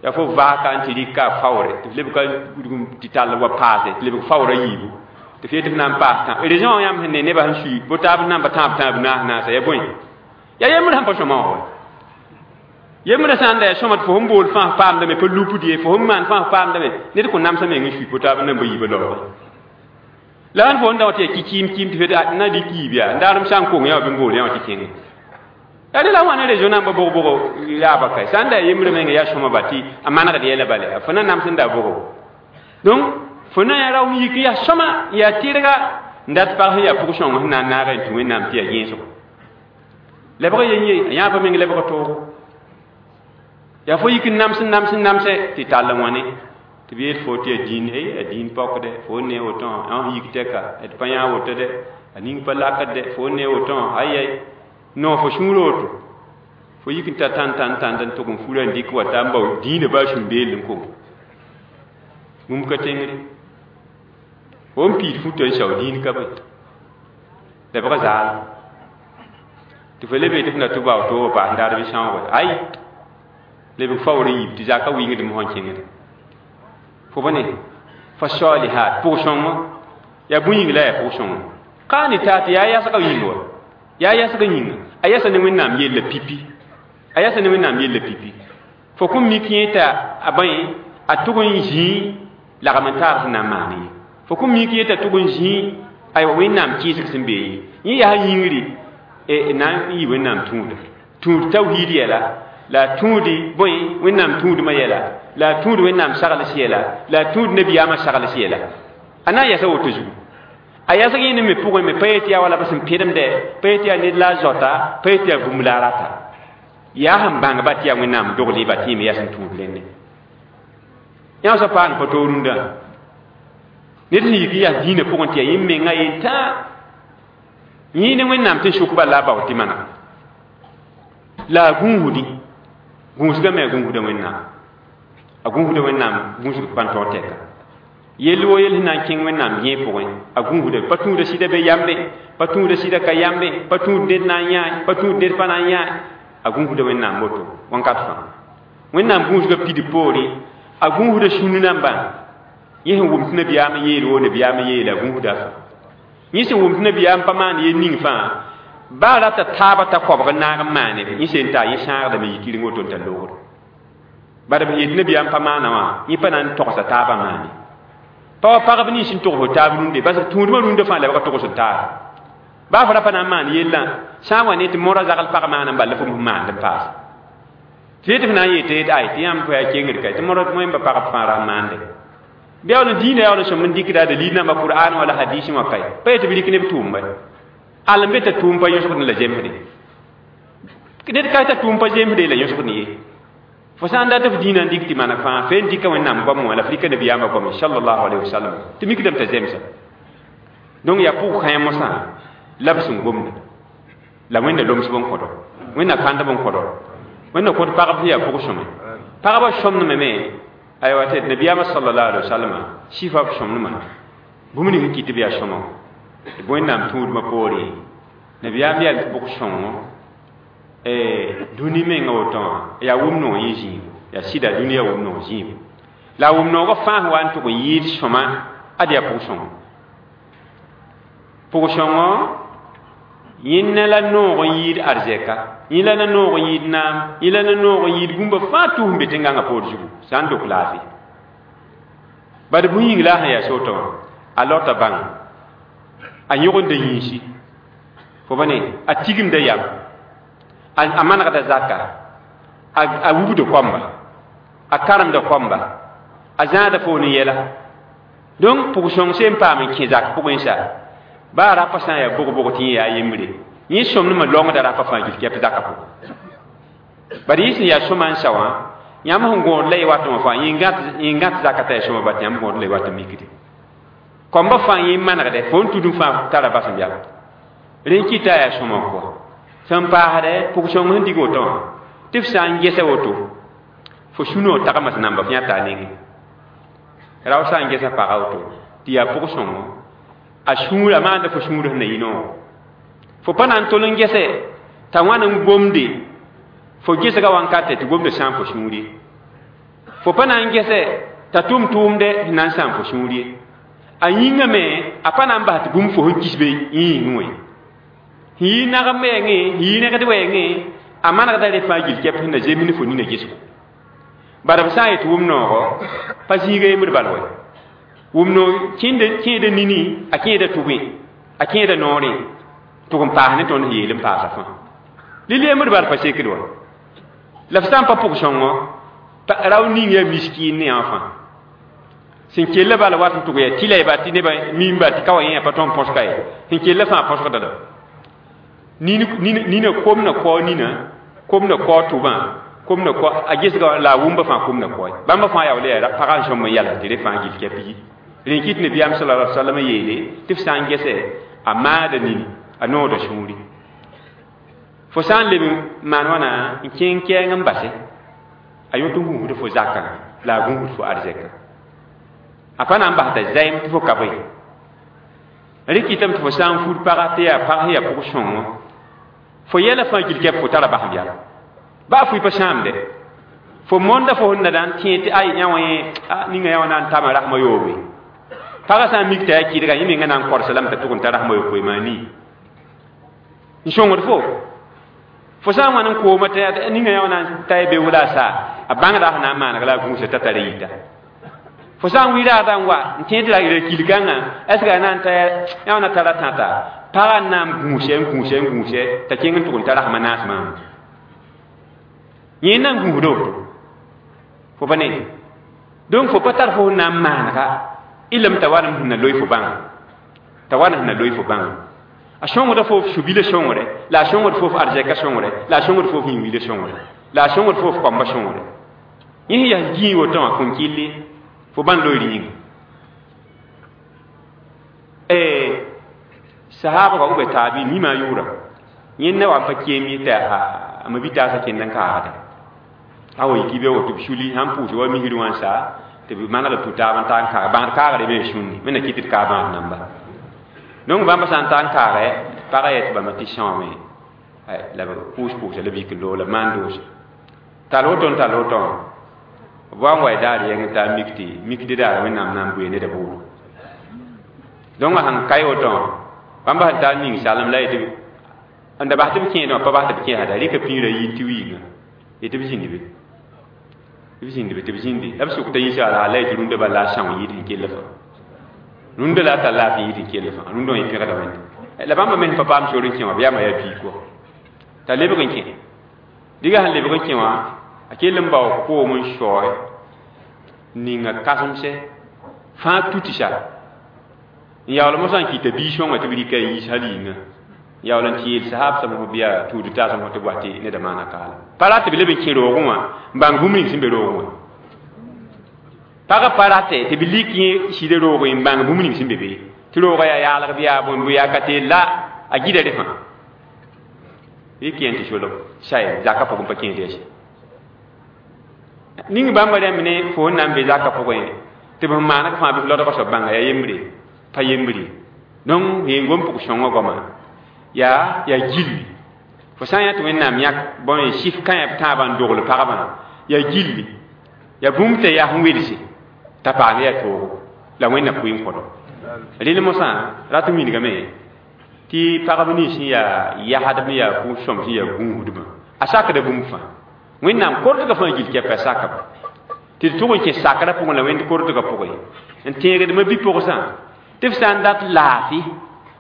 yaa fo vaaka n tɩ rɩka a faoore tɩ f lebg ka tɩ tall wa paase tɩ lebg faoora yiibu tɩ f yetɩ f na n paas tã raison wã yãmb sẽn ne nebã sẽn sui bo taab sẽn na n pa tãab tãab naas naasa yaa bõe yaa yembr sẽn pa sõma wã wa yembrã sã n da yaa sõma tɩ fo sẽn bool fãa paamdame pa lupd ye fo sẽn maan fãa paamdame ned kõn namsã meng n sui po taab n na n ba yiibã laoogẽ la sãn fo n da wa tɩ yaa kɩ-kɩɩm kɩɩm tɩ f yetɩ na dɩk yiib yaa n daarem sã n kong yã wa bɩ n bool yã wã tɩ kẽnge yaa rela wãna raison nan ba bog-bogo yaaba ka sã n da yaa yembrã menga yaa sõma ba tɩ a manegd yɛla bala fo na nams n da bogo donc fo na yaa rao n yik n yaa sõma n yaa tɩrga N dat pag sẽn yaa pʋg-sõng sẽn na n naag n tũ Wẽnnaam tɩ yaa yẽesgo. Lebg yen ye, a yãab meng lebg toogo. Yaa fo yik n nams n nams n namse tɩ tall n wãne. Tɩ b yeel fo tɩ yaa dĩin, ey a dĩin paokdɛ, fo n ne woto wã, n yik tɛka, d pa yã woto dɛ, a ning pa lakd dɛ, fo n ne woto wã, ay-ay. Non, fo sũur woto. Fo yik n ta tãn tãn tãn n tʋg n fura n dɩk wa ta n bao dĩinã baa sũ-beel n kong. Bũmb ka tẽngre. Fo n piid futã n sao dĩin ka be. Lebg zaal. Tɩ fo lebe tɩ f na tɩ bao toogã paas n daar bɩ sãooge. Ay! Lebg faoor n yib tɩ zaka wɩngdame sẽn kẽngde. Fo bõne fa salihat pʋg-sõngo yaa bũn-yĩng la yaa pʋg-sõngo. Qanitaat yaa yasgã yĩng wa. Yaa yasgã yĩnga. A yasa ne Wẽnnaam yella pipi. A yasa ne Wẽnnaam yella pipi. Fo kõn mik yẽ t'a a bõe a tʋg n zĩi lagm n taar sẽn na n maan ye. Fo kõn mik yẽ t'a tʋg n zĩi aywa Wẽnnaam kɩɩsg sẽn be ye. Yẽ yaa yĩngri na n yɩ Wẽnnaam tũuda. Tũud tawhiid yɛla, la tũudi bõe Wẽnnaam tũudmã yɛla, la tũud Wẽnnaam sagls yɛla, la tũud nabiyaamã sagls yɛla. A na n yasa woto zugu. A yasg yẽnd me pʋgẽ me pa yet yaa wala b sẽn pẽdemdɛ, pa yet yaa ned la a zoata, pa yet yaa bũmb la a rata. Yaa sẽn bãngba tɩ yaa Wẽnnaam dogl ba tɩ yẽ me yaa sẽn tũud rẽnne. Yã sã paam pa toor rũndã. Ned sẽn yik n yaa dĩinã pʋgẽ tɩ yaa yẽ menga yentã. Yẽ ne Wẽnnaam tɩ n sʋk bal la a bao tɩ maneg. La a gũusdi. Gũusgame a gũusda Wẽnnaam. A gũusda Wẽnnaam gũusg pa n taoor tɛka. Yell wo yell sẽn na n kẽng Wẽnnaam yẽ pʋgẽ, a gũusda pa tũuda sɩda be yambe, pa tũuda sɩda ka yambe, pa tũud ned na n yãe, pa tũud ned pa na n yãe. A gũusda Wẽnnaam woto wãnkat fãa. Wẽnnaam gũusga pid poore, a gũusda sũni nambã. Yẽ sẽn wʋm tɩ nabiyaam yeel woo nabiyaam yeela, a gũusda fãa. Yẽ sẽn wʋm tɩ nabiyaam pa maan yel ning fãa, baa rata taaba t'a kɔbg n naag n maane, yẽ sẽn ta yẽ sãagdame yɩ kɩreng woto n tar loogre. Bala b yet nabiyaam pa maana wã, yẽ pa na n togsa taabã maane. Pa wa pagb nins n togs taab rũnde, bas tũudmã rũndã fãa la b ka togs taab. Baa fo ra pa na n maan yellã, sã n wa ne tɩ mõra zagl pag maana n bal la fo sẽn maand n paas. Tɩ yetɩ f na n yeel tɩ yet ay, tɩ yãmb fo yaa kengd ka, tɩ mõra wẽmba pagb fãa ra n maande. Bɩ yaa dĩinã yaa sõm n dɩkda dalil namba Qur'an wala hadis wã kae. Pa yetɩ b rɩk neb tʋʋmba. Al n be t'a tʋʋm pa yõsgd la zemsde. Ned ka t'a tʋʋm pa zemsde la yõsgd ye. Fo sã n dat f dĩinã n dɩk tɩ maneg fãa, fe n dɩka Wẽnnaam goam wã la f rɩka nabiyaamã goame sallallahu alayhi wa sallam, tɩ mikdame t'a zemsa. Donc yaa pʋg-kãe mosã la b sẽn gomda. La Wẽnna lomsb n kõdo. Wẽnna kãndb n kõdo. Wẽnna kõt pagb sẽn yaa pʋg-sõme. Pagba sõmdme me, aywa tɩ nabiyaamã sallallahu alayhi wa sallam sifa b sõmdmã bũmb ning sẽn kɩt tɩ b yaa sõma. Tɩ Wẽnnaam tũudmã poore, nabiyaam yaa pʋg-sõngo dũni menga woto wã yaa wʋm-noog yẽ zĩigo. Yaa sɩda dũni yaa wʋm-noog zĩigo. La a wʋm-noogã fãa sẽn wa n tʋg n yɩɩd sõma, ad yaa pʋg-sõngo. Pʋg-sõngo yẽnna la noog n yɩɩd arzɛka, yẽ la noog n yɩɩd naam, yẽ la noog n yɩɩd bũmba fãa tus n be tẽn-gãngã poor zugu, sã n dok laafɩ. Bad bũn-yĩng la a sẽn yaa soto wã, a lota bãng, a yõgenda yĩnsi, fo bõne, a tigimda yam, a manegda zaka, a wubda koamba, a karemda koamba, a zãada foon n yɛla. Donc pʋg-sõng sẽn paam n kẽ zak pʋgẽ sa, baa rapa sã n yaa bog-bog tɩ yẽ yaa yembre, yẽ sõmdmã longda rapa fãa gil kɛp zakã pʋgẽ. Bari yẽ sẽn yaa sõma n sa wã, yãmb sẽn gõod la y wat wã fãa, yẽ gãt zaka t'a yaa sõma bat, yãmb gõod la y wat n mikde. Koamba fãa yẽ manegdɛ, fo n tud n fãa tara bas n bɛl. Rẽ kɩta yaa sõma n kɔ. Sẽn paasdɛ, pʋg-sõng sẽn dig woto wã, tɩ f sã n gesa woto, fo sũ-noog tagmã sẽn namba f yãta a nengẽ. Rao sã n gesa paga woto, tɩ yaa pʋg-sõngo, a sũurã maanda fo sũur sẽn na yɩ noogo. Fo pa na n tol n gese t'a wãn n gomde, fo gesga wãnkatɛ tɩ gomda sãam fo sũur ye. Fo pa na n gese t'a tʋm tʋʋmdɛ sẽn na n sãam fo sũur ye. A yĩngame a pa na n bas tɩ bũmb fo sẽn kisbe yẽ yĩngẽ wã ye. Sẽn yɩ nagem wɛɛngẽ, sẽn yɩ nɛgd wɛɛngẽ, a manegda rẽ fãa gil kɛp sẽn na zemsd fo nina gesgo. Bala b sã n yet wʋm-noogo, pa zĩiga yembr bal wɛ. Wʋm-noog kẽeda nini, a kẽeda tʋgẽ, a kẽeda noorẽ, tʋg n paas ne tõnd sẽn yeel n paasa fãa. Lil yembr bal pa sekd wa. La f sã n pa pʋg-sõngo, rao ning yaa miskiin ne yã fãa. Sẽn kell bala wat n tʋg yaa tɩla y ba tɩ nebã mimba tɩ ka wa yẽ pa tõnd põsga ye sẽn kell fãa põsgda la nina kom na kao nina kom na kao tʋbã kom na kao a gesga la a wʋmba fãa kom na kaoe bãmba fãa yaool yaa pagã n sõm n yala tɩ rẽ fãa gill kɛp yi rẽ kɩt nabiyaam sallallahu alaihi wasallam yeele tɩ f sã n gese a maada nini a noogda sũuri fo sã n leb n maan wãna n kẽng kɛɛng n base a yõt n gũusd fo zakã la a gũusd fo arzɛkã a pa na n bas t'a zaɩm tɩ fo ka bõe rẽ kɩtame tɩ fo sã n fud paga tɩ yaa pag sẽn yaa pʋg-sõngo fo yɛla fãa gil kɛp fo tara basem yɛla baa fʋɩ pa sãamde fo monda fo sẽn na da n tẽ tɩ ay yã wã yẽ ninga yã wã na n tama rasmã yoobe pagã sã n mik t'a yaa kɩdga yẽ menga na n korsa lame t'a tʋg n ta rasmã yopoe maa nii n sõngd fo fo sã n wãn n kooma tɩ ninga yã wã na n ta y be wala a saa a bãngda sẽn na n maaneg la a gũusa t'a tara yita fo sã n wi raada n wa n tẽ tɩ ra kilkãngã est ce que a na n ta yã wã na tara tãta pagã n na n gũuse n gũuse n gũuse t'a kẽng n tʋg n ta rasmã naas maam yẽ n na n gũusda woto fo pa ne donc fo pa tar fo sẽn na n maanega ilem t'a wan sẽn na loe fo bãnga t'a wan sẽn na loe fo bãnga a sõngda fo f su-bila sõngre la a sõngd fo f arzɛka sõngre la a sõngd fo f yĩn-wila sõngre la a sõngd fo f kɔmba sõngre yẽ sẽn yaa gĩig woto wã kõn kɩlle fo bãn loeer yĩnga sahaaba wa b taabi mima yʋʋra yẽnda wa n pa keem yẽ tɩ a ma bi-taasã kẽnd n kaagda a wa yiki be woto b suli sãn pʋʋs wa misr wã n sa tɩ b maneg b tũ-taab n ta n kaag bãad kaagre me sũnni wẽnna kɩt tɩ d kaag bãad namba donc bãmba sã n ta n kaagɛ pagã yet bãmba tɩ sõame la b pʋʋs pʋʋsa la b yik loog la b maan doose tall woto n tall woto wã b wa n wa y daar yɛng t'a mik tɩ mikd daar wẽnnaam na n bʋɩ neda bʋʋdo donc a sẽn ka woto wã bãmba sẽn taa ning salem la yetɩ n da bas tɩ b kẽedẽ wã pa bas tɩ b kẽesda rɩka pĩirã yi tɩ wiiga yetɩ b zĩnd be b zĩnd be tɩ b zĩndi la b sʋk t'a yĩsa la yetɩ rũndã bal la a são yɩɩd sẽn kell fãa rũndã la a tar laafɩ yɩɩd sẽn kell fãa rũndã wã yẽ pẽgda wẽnde la bãmba me sẽn pa paam sor n kẽ wã b yaama yaa biig kɔ t'a lebg n kẽ diga sẽn lebg n kẽ wã a kell n bao koom n saoe ninga kãsemse fãa tutsa n yaool mosã n kɩta bii-sõngã tɩ b rɩka n yiis hal yĩnga n yaool n tɩ yeel sahaab sãm fo bɩa tuud taasem fo tɩ b wa tɩ neda maana kaala pa rat tɩ b leb n kẽ roogẽ wã n bãng bũmb ning sẽn be roogẽ wã pagã pa rate tɩ b lik yẽ sɩda roogẽ n bãng bũmb ning sẽn be be tɩ roogã yaa yaalg bɩ yaa bõe bɩ yaa ka teel la a gida rẽ fãa rɩk yẽ tɩ solg saye zakã pʋgẽ pa kẽed yaa ning bãmba rãmb ne fo sẽn na n be zakã pʋgẽ tɩ b sẽn maaneg fãa bɩ f lodgã soab bãnga yaa yembre pa yembre donc yeen gom pʋg sõngã goama yaa yaa gilli fo sã n yã tɩ wẽnnaam yãk bõe sif kãyã b tãabã n dogl pagba yaa gilli yaa bũmb t'a yaa sẽn welse t'a paam yaa toogo la wẽnna pʋɩ n kõdo rel mosã rat n wilgame tɩ pagb nins sẽn yaa yasdb n yaa kʋʋs-sõm sẽn yaa gũusdbã a sakda bũmb fãa wẽnnaam kortgã fãa gil kɛpa sakb tɩ d tʋg n kẽ sakrã pʋgẽ la wẽnd kortgã pʋgẽ n tẽegdmã bi-pʋgsã tɩ f sã n dat laafɩ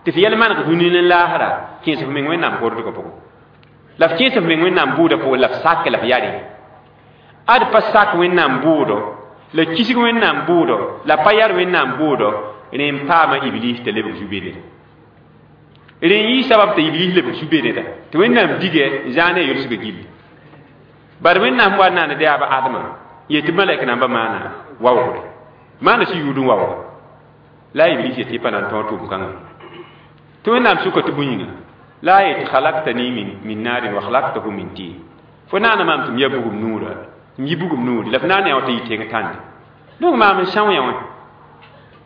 tɩ f yɛl maneg dũni n laasra kẽes f meng wẽnnaam kortgã pʋgẽ la f kẽes f meng wẽnnaam bʋʋdã pʋgẽ la f sak la f yare ad pa sak wẽnnaam bʋʋdo la kisg wẽnnaam bʋʋdo la pa yar wẽnnaam bʋʋdo rẽ n paama iblis t'a lebg zu-bededa rẽ n yɩ sabab t'a iblis lebg zu-bededa tɩ wẽnnaam digɛ n zãa ne a yʋlsgã gilli bad wẽnnaam wa naaned yaa ba adma yetɩ malɛk namba maana waoogre maana sɩ yʋʋd n waooga la a iblis yetɩ pa na n tõog tʋʋm-kãngã tɩ wẽnnaam sʋka tɩ bõe yĩnga la a yetɩ khalaqtani min naarin wa khalaqtahu min tin fo naana maam tɩ m ya bugum nuura m yi bugum nuuri la f naana yã wa tɩ yɩ tẽng tãnde donc maam n são yã wã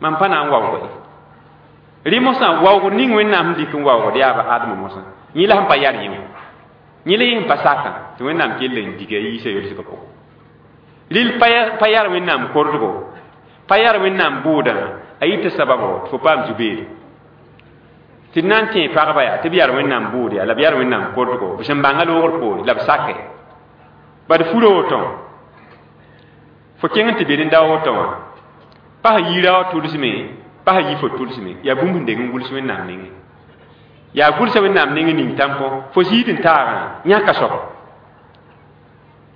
mam pa na n waoog ye rẽ mosã waoogd ning wẽnnaam sẽn dɩk n waoogd yaa ba adma mosã yẽ la sẽn pa yar yẽ wã yẽ la yẽ sẽn pa sakã tɩ wẽnnaam kell n diga yiisa yolsgã pʋgẽ rɩl pa yar wẽnnaam kordgo pa yar wẽnnaam bʋʋdã a yɩta sababo tɩ fo paam zu-beede tɩ d na n tẽ pagba yaa tɩ b yar wẽnnaam bʋʋd yaa la b yar wẽnnaam kordgo b sẽn bãnga loogr poore la b sake bad furo woto wã fo kẽng n tɩ be rẽnda woto wã pa sẽn yiira wã tʋlsme pa sẽn yi fo tʋlsme yaa bũmb sẽn deng n gʋls wẽnnaam nengẽ yaa gʋlsa wẽnnaam nengẽ ning tãmpõ fo ziid n taagã yãka soab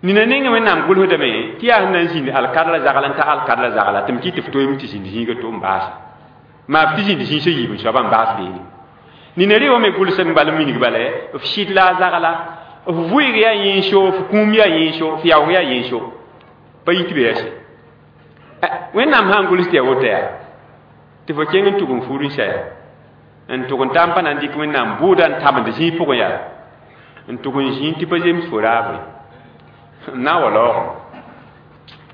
Nina ninga wẽnnaam gʋlsdame tɩ yaa sẽn na n zĩnd alkadra zagl n ta alkadra zagla tɩ m kɩt tɩ f toeem tɩ zĩnd zĩiga to n baasa maa tɩ zĩnd zĩig sẽn yiib n soaba n baas beene nina rɩ wã me gʋlsem bal n minig bala f sɩd la a zagla f vʋɩg yaa yẽnso f kũum yaa yẽnso f yaoog yaa yẽnso pa yit be yaa se wẽnnaam sã n gʋls tɩ yaa woto yaa tɩ fo kẽng n tʋg n fuur n saya n tʋg n taa n pa na n dɩk wẽnnaam bʋʋda n tabend zĩig pʋgẽ yaa n tʋg n zĩig tɩ pa zems fo raabo na wa laoogem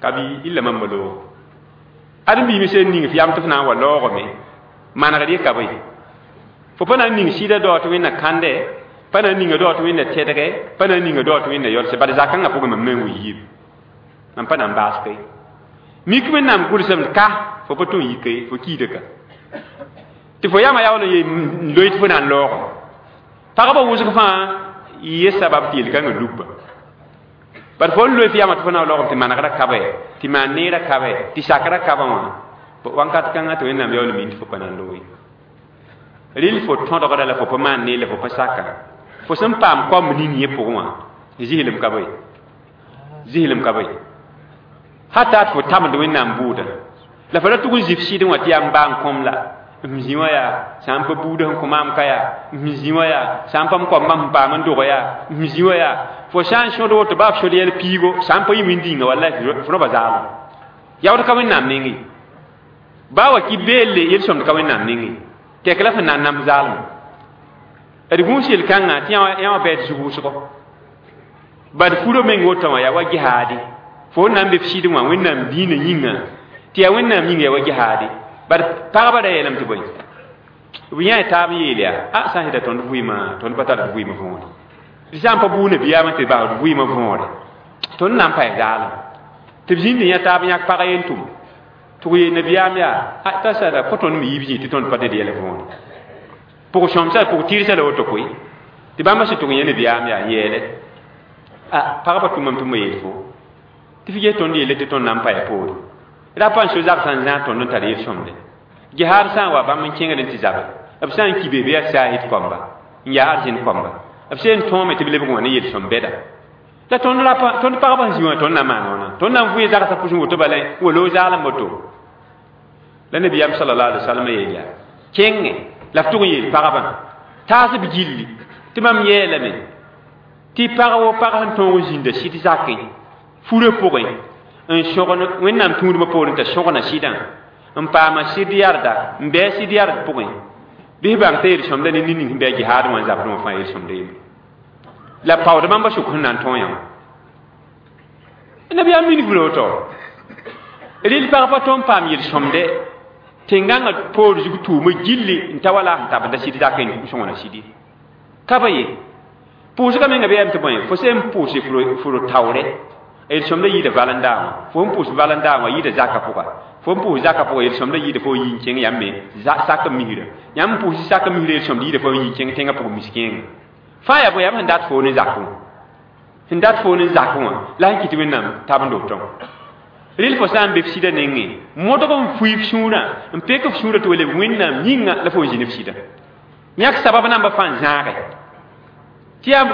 ka bɩ illa mamba loog ãdem-biimã sẽn ning f yam tɩ f na n wa laoogame manegd ye ka bõe fo pa na n ning sɩda dao tɩ wẽnna kãnde pa na n ninga dao tɩ wẽnna tɛdgɛ pa na n ninga dao tɩ wẽnna yɔlse bad zakãngã pʋgẽ mam na n wi yiib mam pa na n baas koe mik wẽnnaam gʋlsem ka fo pa tõe n yike fo kiida ka tɩ fo yamã yaool n yee n loe tɩ fo na n laoogem pagba wʋsg fãa ye sabab tɩ yel-kãngã lugba bad fo n loe f yamã tɩ fo na n laoogem tɩ manegrã ka tɩ maan neerã ka tɩ sakrã kabã wã wãnkat kãngã tɩ wẽnnaam yaool n min tɩ fo pa na n loe rɩl fo tõdgrã la fo pa maan neer la fo pa saka fo sẽn paam koamb ning yẽ pʋgẽ wã zɩslem ka bõe zɩslem ka bõe hata tɩ fo tabend wẽnnaam bʋʋda la fo ra tʋg n zɩ f sɩdẽ wã tɩ yaa n baa n kõm la m zĩ wã yaa sã n pa buudã sẽn kõ maam ka yaa m zĩ wã yaa sã n pa m koambã sẽn paam n dog yaa m zĩ wã yaa fo sã n sõd woto baa f sõd yɛl piigo sã n pa yɩ wĩndĩnga wallay fo rõba zaalem yaood ka wẽnnaam nengẽ baa wa ki beelle yel-sõmd ka wẽnnaam nengẽ tɛk la fẽn na n nams zaalem d gũus yel-kãngã tɩ yã wã bɛɛd zug wʋsgo bad furo meng woto wã yaa wa gehaade fo n na n be f sɩdẽ wã wẽnnaam diinã yĩnga tɩ yaa wẽnnaam yĩnga yaa wa gehaade bad pagba ra yeelame tɩ bõe b yã taab n yeel yaa a sã n sɩda tõnd vɩɩmã tõnd pa tar d vɩɩmã võore d sã n pa buuna biyaamã tɩ bas d vɩɩmã võore tõnd na n paɛ zaalem tɩ b zĩnd yã taab yãk pag yen tʋm tɩ b yeel nabiyaam yaa a t'a sada fo tõnd me yiib zĩig tɩ tõnd pa ded yɛl võore pʋg sõmsa pʋg tɩrsa la woto koe tɩ bãmba sẽn tʋg yã nabiyaam yaa n yeele a pagba tʋmame tɩ m yeel fo tɩ f ges tõnd yeele tɩ tõnd na n paɛ poore ra pa n so zagsã n zãag tõnd n tar yel-sõmde gehaad sã n wa bãmb n kẽngd n tɩ zabe b sã n ki be bɩ yaa saahid koamba n yaa arzẽn koamba b sẽn tõome tɩ b lebg wã ne yel-sõm bɛda la tõnd ra tõnd pagba sẽn zĩ wã tõnd na n maan wãna tõnd na n vʋɩ zagsã pʋsẽ woto bala wa loog zaalem woto la nabiyaam sallallahu alaihi wasallam yeel yaa kẽngẽ la f tʋg n yeel pagbã taas b gilli tɩ mam yeelame tɩ pag wo pag sẽn tõog n zĩnda sɩd zakẽ furã pʋgẽ n sõgn wẽnnaam tũudmã poorẽ t'a sõgna sɩdã n paama sɩd yarda n bɩ sɩd yard pʋgẽ bɩs bãng t'a yel-sõmda ne ned ning sẽn bɩ a jihaad wã n zabdẽ wã fãa yel-sõmda yembre la paood bãmba sʋk sẽn na n tõe yã wã nabiyaam minig b woto rɩl pag pa tõnd paam yel-sõmde tẽn-gãngã poor zug tʋʋmã gilli n ta wala sẽn tabenda sɩd zakẽ n sõngna sɩdi ka ba ye pʋʋsgã menga bɩ yam tɩ bõe fo sẽn pʋʋse fo taoore yel-sõmda yɩɩda valẽndaa wã fo n pʋʋs valẽndaa wã yɩɩda zakã pʋga fo n pʋʋs zakã pʋga yel-sõmda yɩɩda fo n yi n kẽng yãmb me sak n misra yãmb n pʋʋs sak n misra yel-sõmda yɩɩda fo n yi n kẽng tẽngã pʋg mis-kẽengã fãa yaa bõe yam sẽn dat fo ne zakẽ wã sẽn dat fo ne zakẽ wã la sẽn kɩt wẽnnaam tabend wotõ rɩl fo sã n be f sɩdã nengẽ modg n fui f sũurã n pek f sũurã tɩ wa leb wẽnnaam yĩnga la fo n zĩ ne f sɩdã yãk sabab namba fãa n zãage tɩ yaa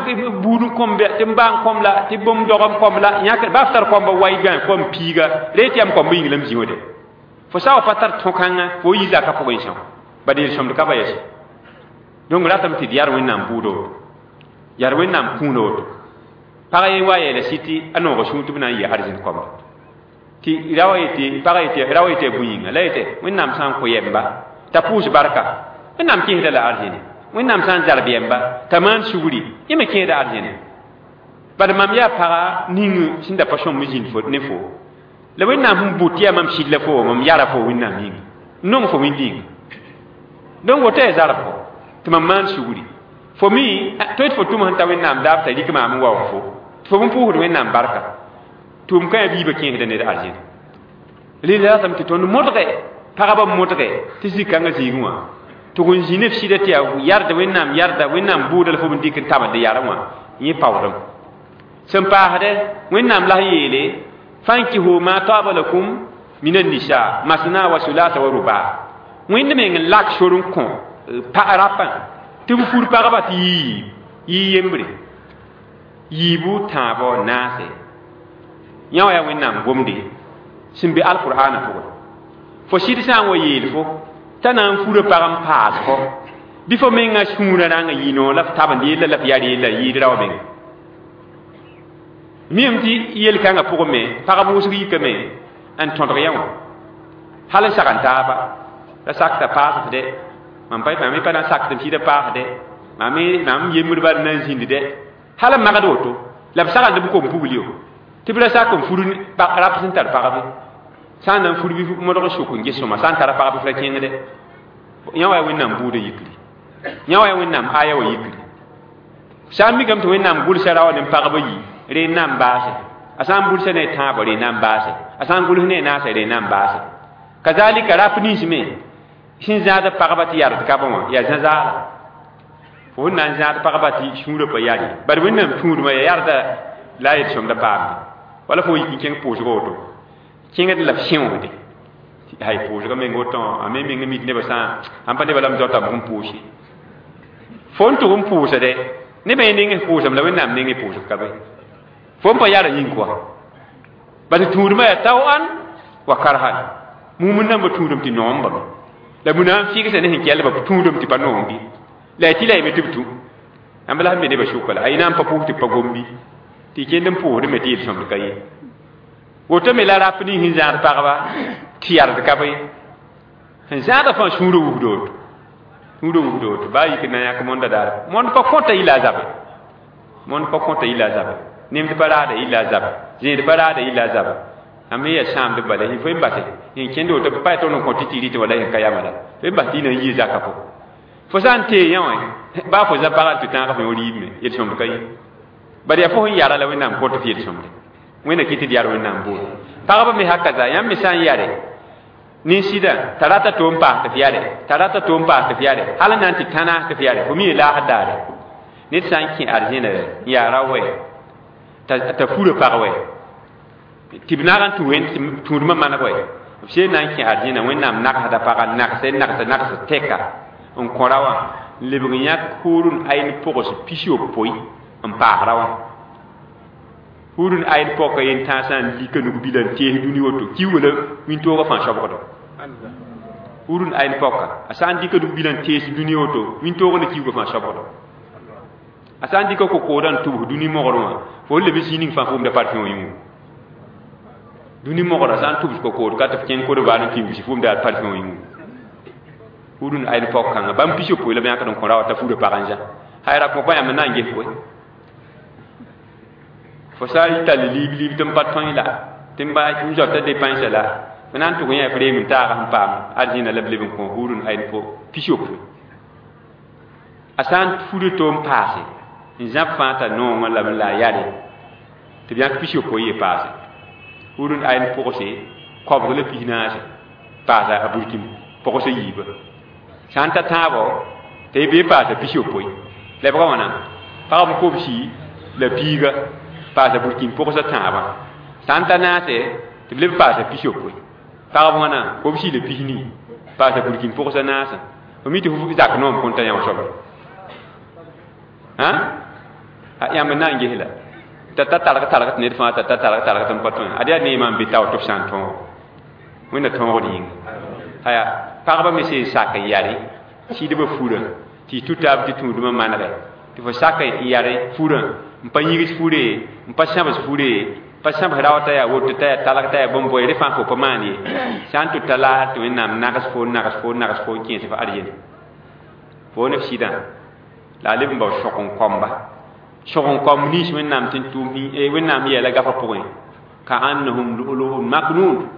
buud n kõm tɩ m baa n kõm la tɩ bũmb dog n kõm la yãk baa f tar koamba wa y kom piiga re tɩ yam koamba yĩng la m zĩ wã de fo sã wa pa tar tõ-kãngã fo yi zakã pʋgẽ são bad yel-sõmd ka ba yɛs donc ratame tɩ d yar wẽnnaam bʋʋda woto yar wẽnnaam kũuna woto pag yen wa yeela sɩ tɩ a nooga sũur tɩ b na n yɩ arzẽn koamba tɩ ra wa yetɩ pagã yetɩ ra wa yetɩ a bũ-yĩnga la yetɩ wẽnnaam sã n kõ yɛmba t'a pʋʋs barka wẽnnaam kẽesda la arzẽne wẽnnaam sã n zarb yɛmba t'a maan sugri yẽ me kẽeda arzẽne bad mam yaa paga ning sẽn da pa sõm zĩnd fo ne fo la wẽnnaam sẽn bʋ tɩ yaa mam sɩd la fo mam yara fo wẽnnaam yĩnga n nong fo wẽnd-yĩnga donc woto yaa zarb fo tɩ mam maan sugri fo mi tõe tɩ fo tʋm sẽn ta wẽnnaam daab t'a rɩk maam n waoog fo tɩ fo bũmb pʋʋsd wẽnnaam barka tʋʋm kã yaa biibã kẽesda ned arzẽne rɩla ratame tɩ tõnd modge pagba modge tɩ zĩ-kãngã zĩigẽ wã tɩ n zĩ ne f sɩda tɩ yaa yarda wẽnnaam yarda wẽnnaam bʋʋda la fo b dɩk n tabend yarẽ wã yẽ paoodem sẽn paasdɛ wẽnnaam la sẽn yeele fankihu ma taaba lakum min annisa masna wa sulasa wa ruba wẽnd meng n lak sor n kõ rapã tɩ b fur pagba tɩ yiib yɩ yembre yiibu tãabo naase Yã wã yaa Wẽnnaam gomde sẽn be alqur'ana pʋgẽ. Fo sɩd sã n wa yeel fo t'a na n fura pag n paas fo bɩ fo mengã sũurã rãng n yɩ noor la f tabend yella la f yar yella n yɩɩd rao menga. Miame tɩ yel-kãngã pʋgẽ me pagb wʋsg yikame n tõdg yã wã hal n sag n taaba la sakta paasd dɛ mam pa mam pa na n sakd m sɩda paasdɛ mam yembd bal na n zĩnd dɛ hal n magd woto la b sagend b kom pugl yo tɩ b ra sak n fur rap sẽn tar pagbe sã n na n fur bɩ modg sʋk n ges sõma sã n tara pagb f ra kẽngdɛ yã wa yaa Wẽnnaam buudã yikri yã wa yaa Wẽnnaam aya wã yikri sã n mikame tɩ Wẽnnaam gʋlsa ra wa ne pagba yi rẽ n na n baase a sã n gʋlsa ne a tãabã rẽ n na n baase a sã n gʋls ne a naasã rẽ n na n baase kazalika rap nins me sẽn zãad pagba tɩ yard ka bã wã yaa zã-zaala fo sẽn na n zãad pagba tɩ sũurã pa yar ye bad Wẽnnaam tũudmã yaa yarda la a yel-sõmda paamde wala fo yik n kẽng pʋʋsg woto kẽngd la f sẽoogde hay pʋʋsga meng woto a me meng mik nebã sã sãn pa nebã la m zaotame n pʋʋse fo n tʋg n pʋʋsde nebã yẽ neng pʋʋsame la Wẽnnaam neng pʋʋsg ka be fo n pa yara yĩng kɔa bas tũudmã yaa tao-an wa karhan mumund nambã tũudum tɩ noom bame la bu na n fɩgsa ne sẽn kɛldbã tũudum tɩ pa noom bɩ la ya tɩ la yeme tɩ b tũ ãmb la sẽn be nebã sʋka la a na n pa pʋʋs tɩ b pa gom bɩ tɩ kend n pʋʋsd me tɩ yel-sõmd ka ye woto me la rap ning sẽn zãad pagba tɩ yard ka be sẽn zãada fãa sũurã wusd woto sũurã wusd woto baa yik n na yãk mõnda daar mõnd pa kõta yɩla a zabe mõnd pa kõta yɩla a zabe nemd pa raada yɩla a zabe zẽed pa raada yɩla a zabe a me yaa sãamd bala fo n base n kẽnd woto pa yaa tõnd n kõ tɩ tɩ rɩt wala sẽn ka yama la fo n bas tɩ y na n yɩ zaka pʋgẽ fo sã n tee yã wã baa fo zã pagã n tɩ tãag fo yõ riib me yel-sõmd ka ye bad yaa fo sẽn yara la Wẽnnaam kõt f yel-sõmde Wẽnna kɩ tɩ d yar Wẽnnaam boore pagba me haka za yãmb me sã n yare nin-sɩdã t'a rata to n paas tɩ f yare t'a rata to n paas tɩ f yare hal n na n tɩ tãnaas tɩ f yare fo mi laasd daare ned sã n kẽ arzẽna n yaa ra wɛ t'a fura pag wɛ tɩ b nag n tũ wẽnd tũudmã maneg wɛ b seen na n kẽ arzẽna Wẽnnaam nagsda paga nagsɛ nags nags tɛka n kõ ra wã n lebg n yãk hurun ayn pʋgs 60 n paas ra wã hurun ayn pɔka yen tãasã n lika nug-bila n tees dũni woto kiuugã la wĩntoogã fãa sobgdo hurun ayn pɔka a sã n dɩka nug-bila n tees dũni woto wĩntoogã la kiuugã fãa sobgdo a sã n dɩka kokoodã n tʋbs dũni mogr wã fo n leb n zĩig ning fãa fo wʋmda parfum wã yĩngu dũni mogra sã n tʋbs kokood ka tɩ f kẽng kodbaar n kĩubs fo wʋmda parfum wã yĩngu hurun ayn pɔk kãngã bãmb 60 la b yãkd n kõ ra wa t'a fura pag n zã hay ra kõ pa yãmb n na n ges koe fo sã n tall liib liib tɩ n pa tõe la tɩ n ba tɩ n zoata dépensã la fo na n tʋg yã f reem n taag sẽn paam arzẽna la b leb n kõ hurun ayn po 60 a sã n fura to n paase n zãb fãa t'a noongã lame la a yare tɩ b yãk 60 ye paase hurun ayn pʋgse 124 paasa a burkim pʋgsa yiiba sã n ta tãabɔ tɩ y bee paasa 60 lebga wãna pagb kobsi la piiga paasa burkin pʋgsa tãabã sã n ta naase tɩ b leb paasa 60 pagb wãna kobsi la 14 paasa burkin pʋgsa naasã fo mi tɩ f zak noom kõn ta yã wã soaba a yãmb n na n ges la t'a ta targ targ tɩ ned fãa t'a ta targ targ tɩ n pa tõe ad yaa neemã n be tao tɩ f sã n tõog Wẽnna tõogd yĩnga aya pagba me sẽn sak n yare sɩdbã furã tɩ y tũ taab tɩ tũudmã manegɛ tɩ fo sak n yare furã n pa yĩgs fure n pa sãbs fure pa sãbs rao t'a yaa woto t'a yaa talg t'a yaa bõn-boe rẽ fãa fo pa maan ye sã n tʋ ta laar tɩ Wẽnnaam nags fo nags fo nags fo n kẽes f arzẽna fo ne f sɩdã la a leb n bao sõk n kõmba sõk n kõmb nins Wẽnnaam tɩ n tʋʋm Wẽnnaam yeela gafã pʋgẽ ka annahum lu'lu'un maknun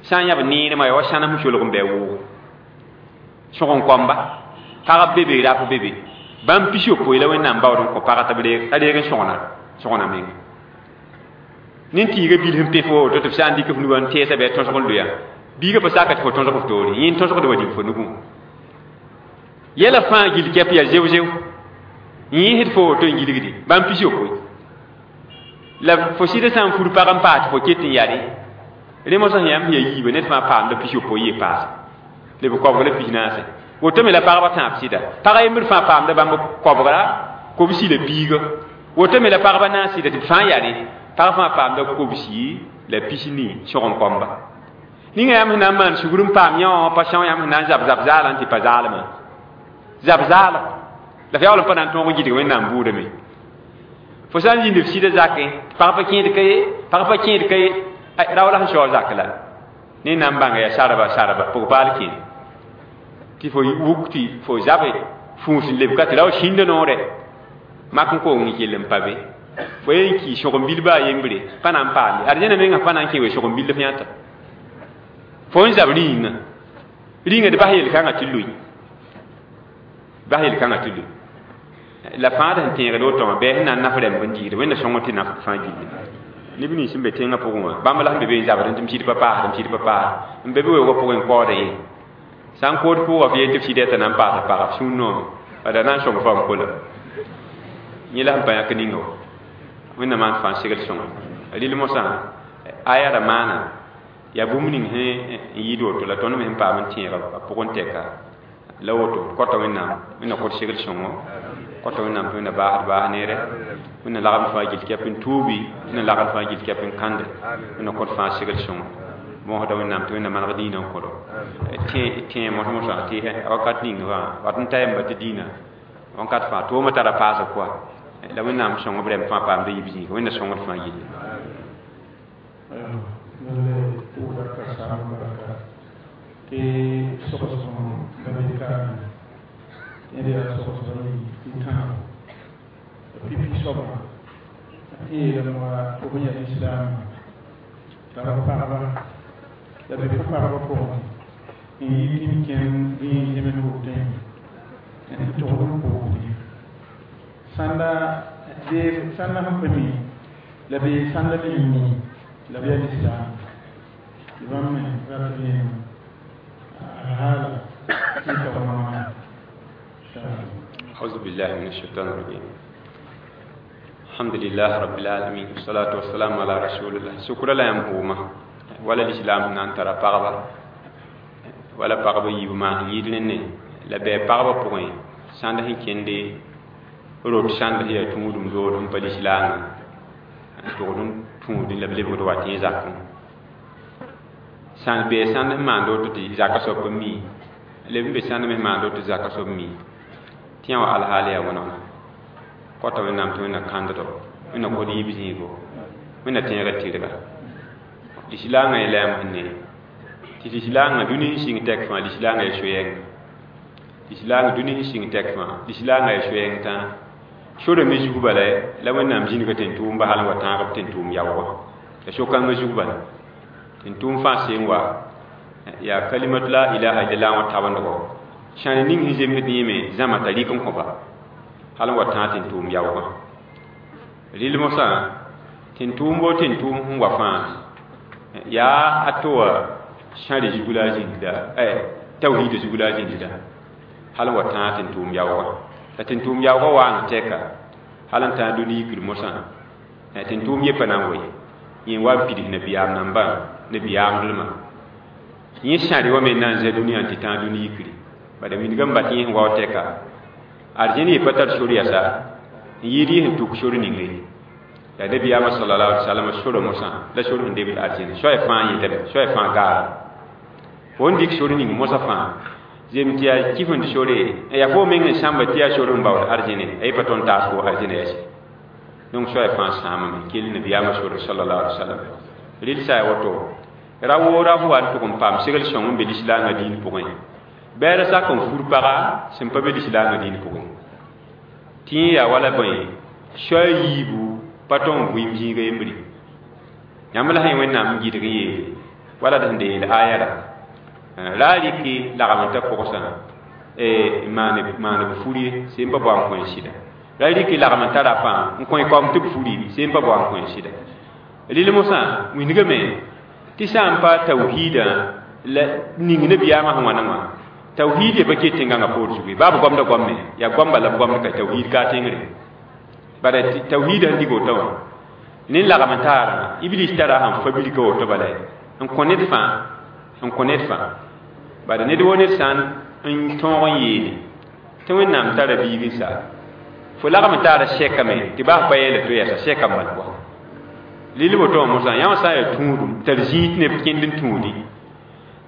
sã n yãb neermã yaa wa sãnem solg n bɩ a wʋʋgo sõk n kõmba pagb be be rap be be bãmb 60 la Wẽnnaam baood n kõ paga tɩ b reeg n sõgna menga nin-tɩɩgã bil sẽn pẽ fo woto tɩ f sã n dɩk f nugã n tɛɛsa bɩ a tõsg n loya biigã pa saka tɩ fo tõsg f toore yẽ n tõsgd wa dĩm fo nugẽ yɛla fãa gil kɛp yaa zeo-zeo yẽesd fo woto n gilgde bãmb 60 la fo sɩda sã n fur pag n paas tɩ fo ket n yare rẽ mosã sẽn yãmb sẽn yaa yiiba ned fãa paamda 60 ye paase leb 124 woto me la pagba tãab sɩda pag a yembr fãa paamda bãmb koabgra kobsi la piiga woto me la pagba naas sɩda tɩ b fãa yare Pag fãa paamda kobsi la pisni sõgen kõmba ninga yãmb sẽn na n maan sugr n paam yã wã pa são yãmb sẽn na n zab zab zaalã tɩ pa zaalmã zab zaala la f yaool n pa na n tõog n gɩdg Wẽnnaam bʋʋdame fo sã n zĩnd f sɩda zakẽ pag pa kẽed ka ye pag pa kẽed ka ye rao la sẽn sao zak la ne na n bãnga yaa sarba sarba pʋg paal kẽed tɩ fo wuk tɩ fo zabe fũus n lebka tɩ rao sĩnda noore mak n koong n kell n pa be fo yen ki sõgen-bil baa yembre pa na n paam ye arzẽna menga pa na n kẽ we sõgen-bil f yãta fo n zab rĩinga rĩinga d bas yel-kãngã tɩ lʋɩ bas yel-kãngã tɩ lʋɩ la fãa d sẽn tẽegd woto wã bɩ sẽn na n naf rɛmb n diigd Wẽnna sõng tɩ naf fãa gilli neb nins sẽn be tẽngã pʋgẽ wã bãmb la sẽn be be n zabd tɩ m sɩd pa paasd m sɩd pa paasd n be be weoogã pʋgẽ n kaood ye sã n kood pʋʋga f yeel tɩ f sɩda t'a na n paasa paga f sũur noome bala na n sõng fa n kola yẽ la sẽn pa yãk ninga wa Wẽnnaam maan fãa segl sõnga rɩl mosã aya ra maana yaa bũmb ning sẽn n yɩɩd woto la tõnd me sẽn paam n tẽega a pʋgẽ tɛka la woto kõta Wẽnnaam Wẽnna kõt segl sõngo kõta Wẽnnaam tɩ Wẽnna baasd baas neere Wẽnna lagem fãa gill kɛp n tuubi Wẽnna lagem fãa gill kɛp n kãnde Wẽnna kõt fãa segl sõngo bõosda Wẽnnaam tɩ Wẽnna maneg dĩinã n kõdo tẽ mos mosã tɩ wakat ning fãa wat n ta yamba tɩ dĩinã wãnkat fãa toomã tara paasg koa la Wẽnnaam sõng b rɛm fãa paamda yib zĩiga Wẽnna sõngd fãa gilli. Lallai pʋʋda ka saam barka tɩ sogsg la be kaame yẽd yaa sogsg n tãabo pipi soabã tɩ yeelame wa fo sẽn yaa lislaamã tara pagba la be fo pagba pʋgẽ n yi tɩ b kẽnd rĩig zems wotẽ n togd n poogde sãnda bee sãnda sẽn pa mi la bee sãnda me n mi la b yaa lislaam tɩ bãmb me rat rẽem alhaala tɩ tag wãna. أعوذ بالله من الشيطان الرجيم. الحمد لله رب العالمين، والصلاة والسلام على رسول الله. سكر لا يمهوما ولا الإسلام نان ترى پغبا ولا پغبا يبما يدلن la bɛ pagba pʋgẽ sãnd sẽn kẽnde rot sãnd sẽn yaa tũudum dood n pa lislaangã n tʋgd n tũudẽ la b lebgd wa tẽ zakẽ sãn bee sãnd sẽn maand woto tɩ zaka soab n mi leb n be sãnd me sẽn maand woto tɩ zaka soab mi tɩ yã wa alhaal yaa wẽna kõta Wẽnnaam tɩ Wẽnna kãnddo Wẽnna kod yib zĩigo Wẽnna tẽegd tɩrga lislaangã yẽla yãmb sẽn ne tɩ lislaangã dũni sẽn sɩng tɛk fãa lislaangã yaa so-yɛng lislaangã dũni sẽn sɩng tɛk fãa lislaangã yaa so-yɛng tã sora me zug bala la Wẽnnaam zĩnga tẽn-tʋʋmba hal n wa tãag b tẽn-tʋʋm yaoogã la so-kãngã zug bala tẽn-tʋʋm fãa seen wa yaa kalimatu la ilaha illallah wã tabendgo sãn ning sẽn zemsd yẽme zãma t'a rɩk n kõba hal n wa tãag tẽn-tʋʋm yaoogã rɩl mosã tẽn-tʋʋm bo tẽn-tʋʋm sẽn wa fãa yaa a to wã sãre zug la a zĩndda tawhiida zug la a zĩndda hal n wa tãag tẽn-tʋʋm yaoogã la tẽn-tʋʋm yaoogã waang tɛka hal n tãag dũni yikr mosã tẽn-tʋʋm ye pa na n wa ye yẽ wa n pids nabiyaam nambã nabiyaamdlmã yẽ sãre wa me na n zã dũniyã tɩ tãag dũni yikri bala wilgame bat yẽ sẽn wao tɛka arzẽn ye pa tar sor yasa n yɩɩd yẽ sẽn tuk sor ninga ye la nabiyaamã sallallahu alaihi wasallam sora mosã la sor sẽn debd arzẽn soaya fãa yẽtame soaya fãa gaara fo n dɩk sor ning mosã fãa zem tɩ yaa kifend sore yaa fo meng n sãmba tɩ yaa sor n baood arzẽne a ye pa tõnd taas fo arzẽna yɛse donc soaya fãa sãamame kell nabiyaamã sore sallallahu alaihi wasallam rɩl sa ya woto ra woora fo wa n tʋg n paam segl sõng n be lislaangã dĩin pʋgẽ bɛɛra sak n fur paga sẽn pa be lislaangã dĩin pʋgẽ tɩ yẽ yaa wala bõe soa yiibu pa tõng n vɩɩm zĩiga yembre yãmb la sẽn Wẽnnaam n gɩdg n yeele wala d sẽn da yeel aya ra ra a rɩk lagem n ta pʋgsã maan b fur ye sẽn pa bao n kõ sɩda ra rɩk lagem n ta rafã n kõ kaoom tɩ b furi sẽn pa bao n kõ sɩda rɩl mosã wĩndgame tɩ sã n pa tawhiidã la ning nabiyaamã sẽn wãna wã tawhiid ye pa ket tẽngãngã poor zugu ye baa b goamda goame yaa goam bala b goamd ka tawhiid ka tẽngre bara tawhiidã sẽn dig woto wã ne lagem n taarã iblis tara sẽn fa bilka woto bala n kõ ned fãa n kõ ned fãa bala ned wo ned sã n tõog n yeele tɩ Wẽnnaam tara biig n sa fo lagem n taara sɛkame tɩ baa pa yeela to yɛsa sɛka n bal pʋga Lili woto mosã yã wã sã n yaa tũudum tar zĩig tɩ neb kẽnd n tũudi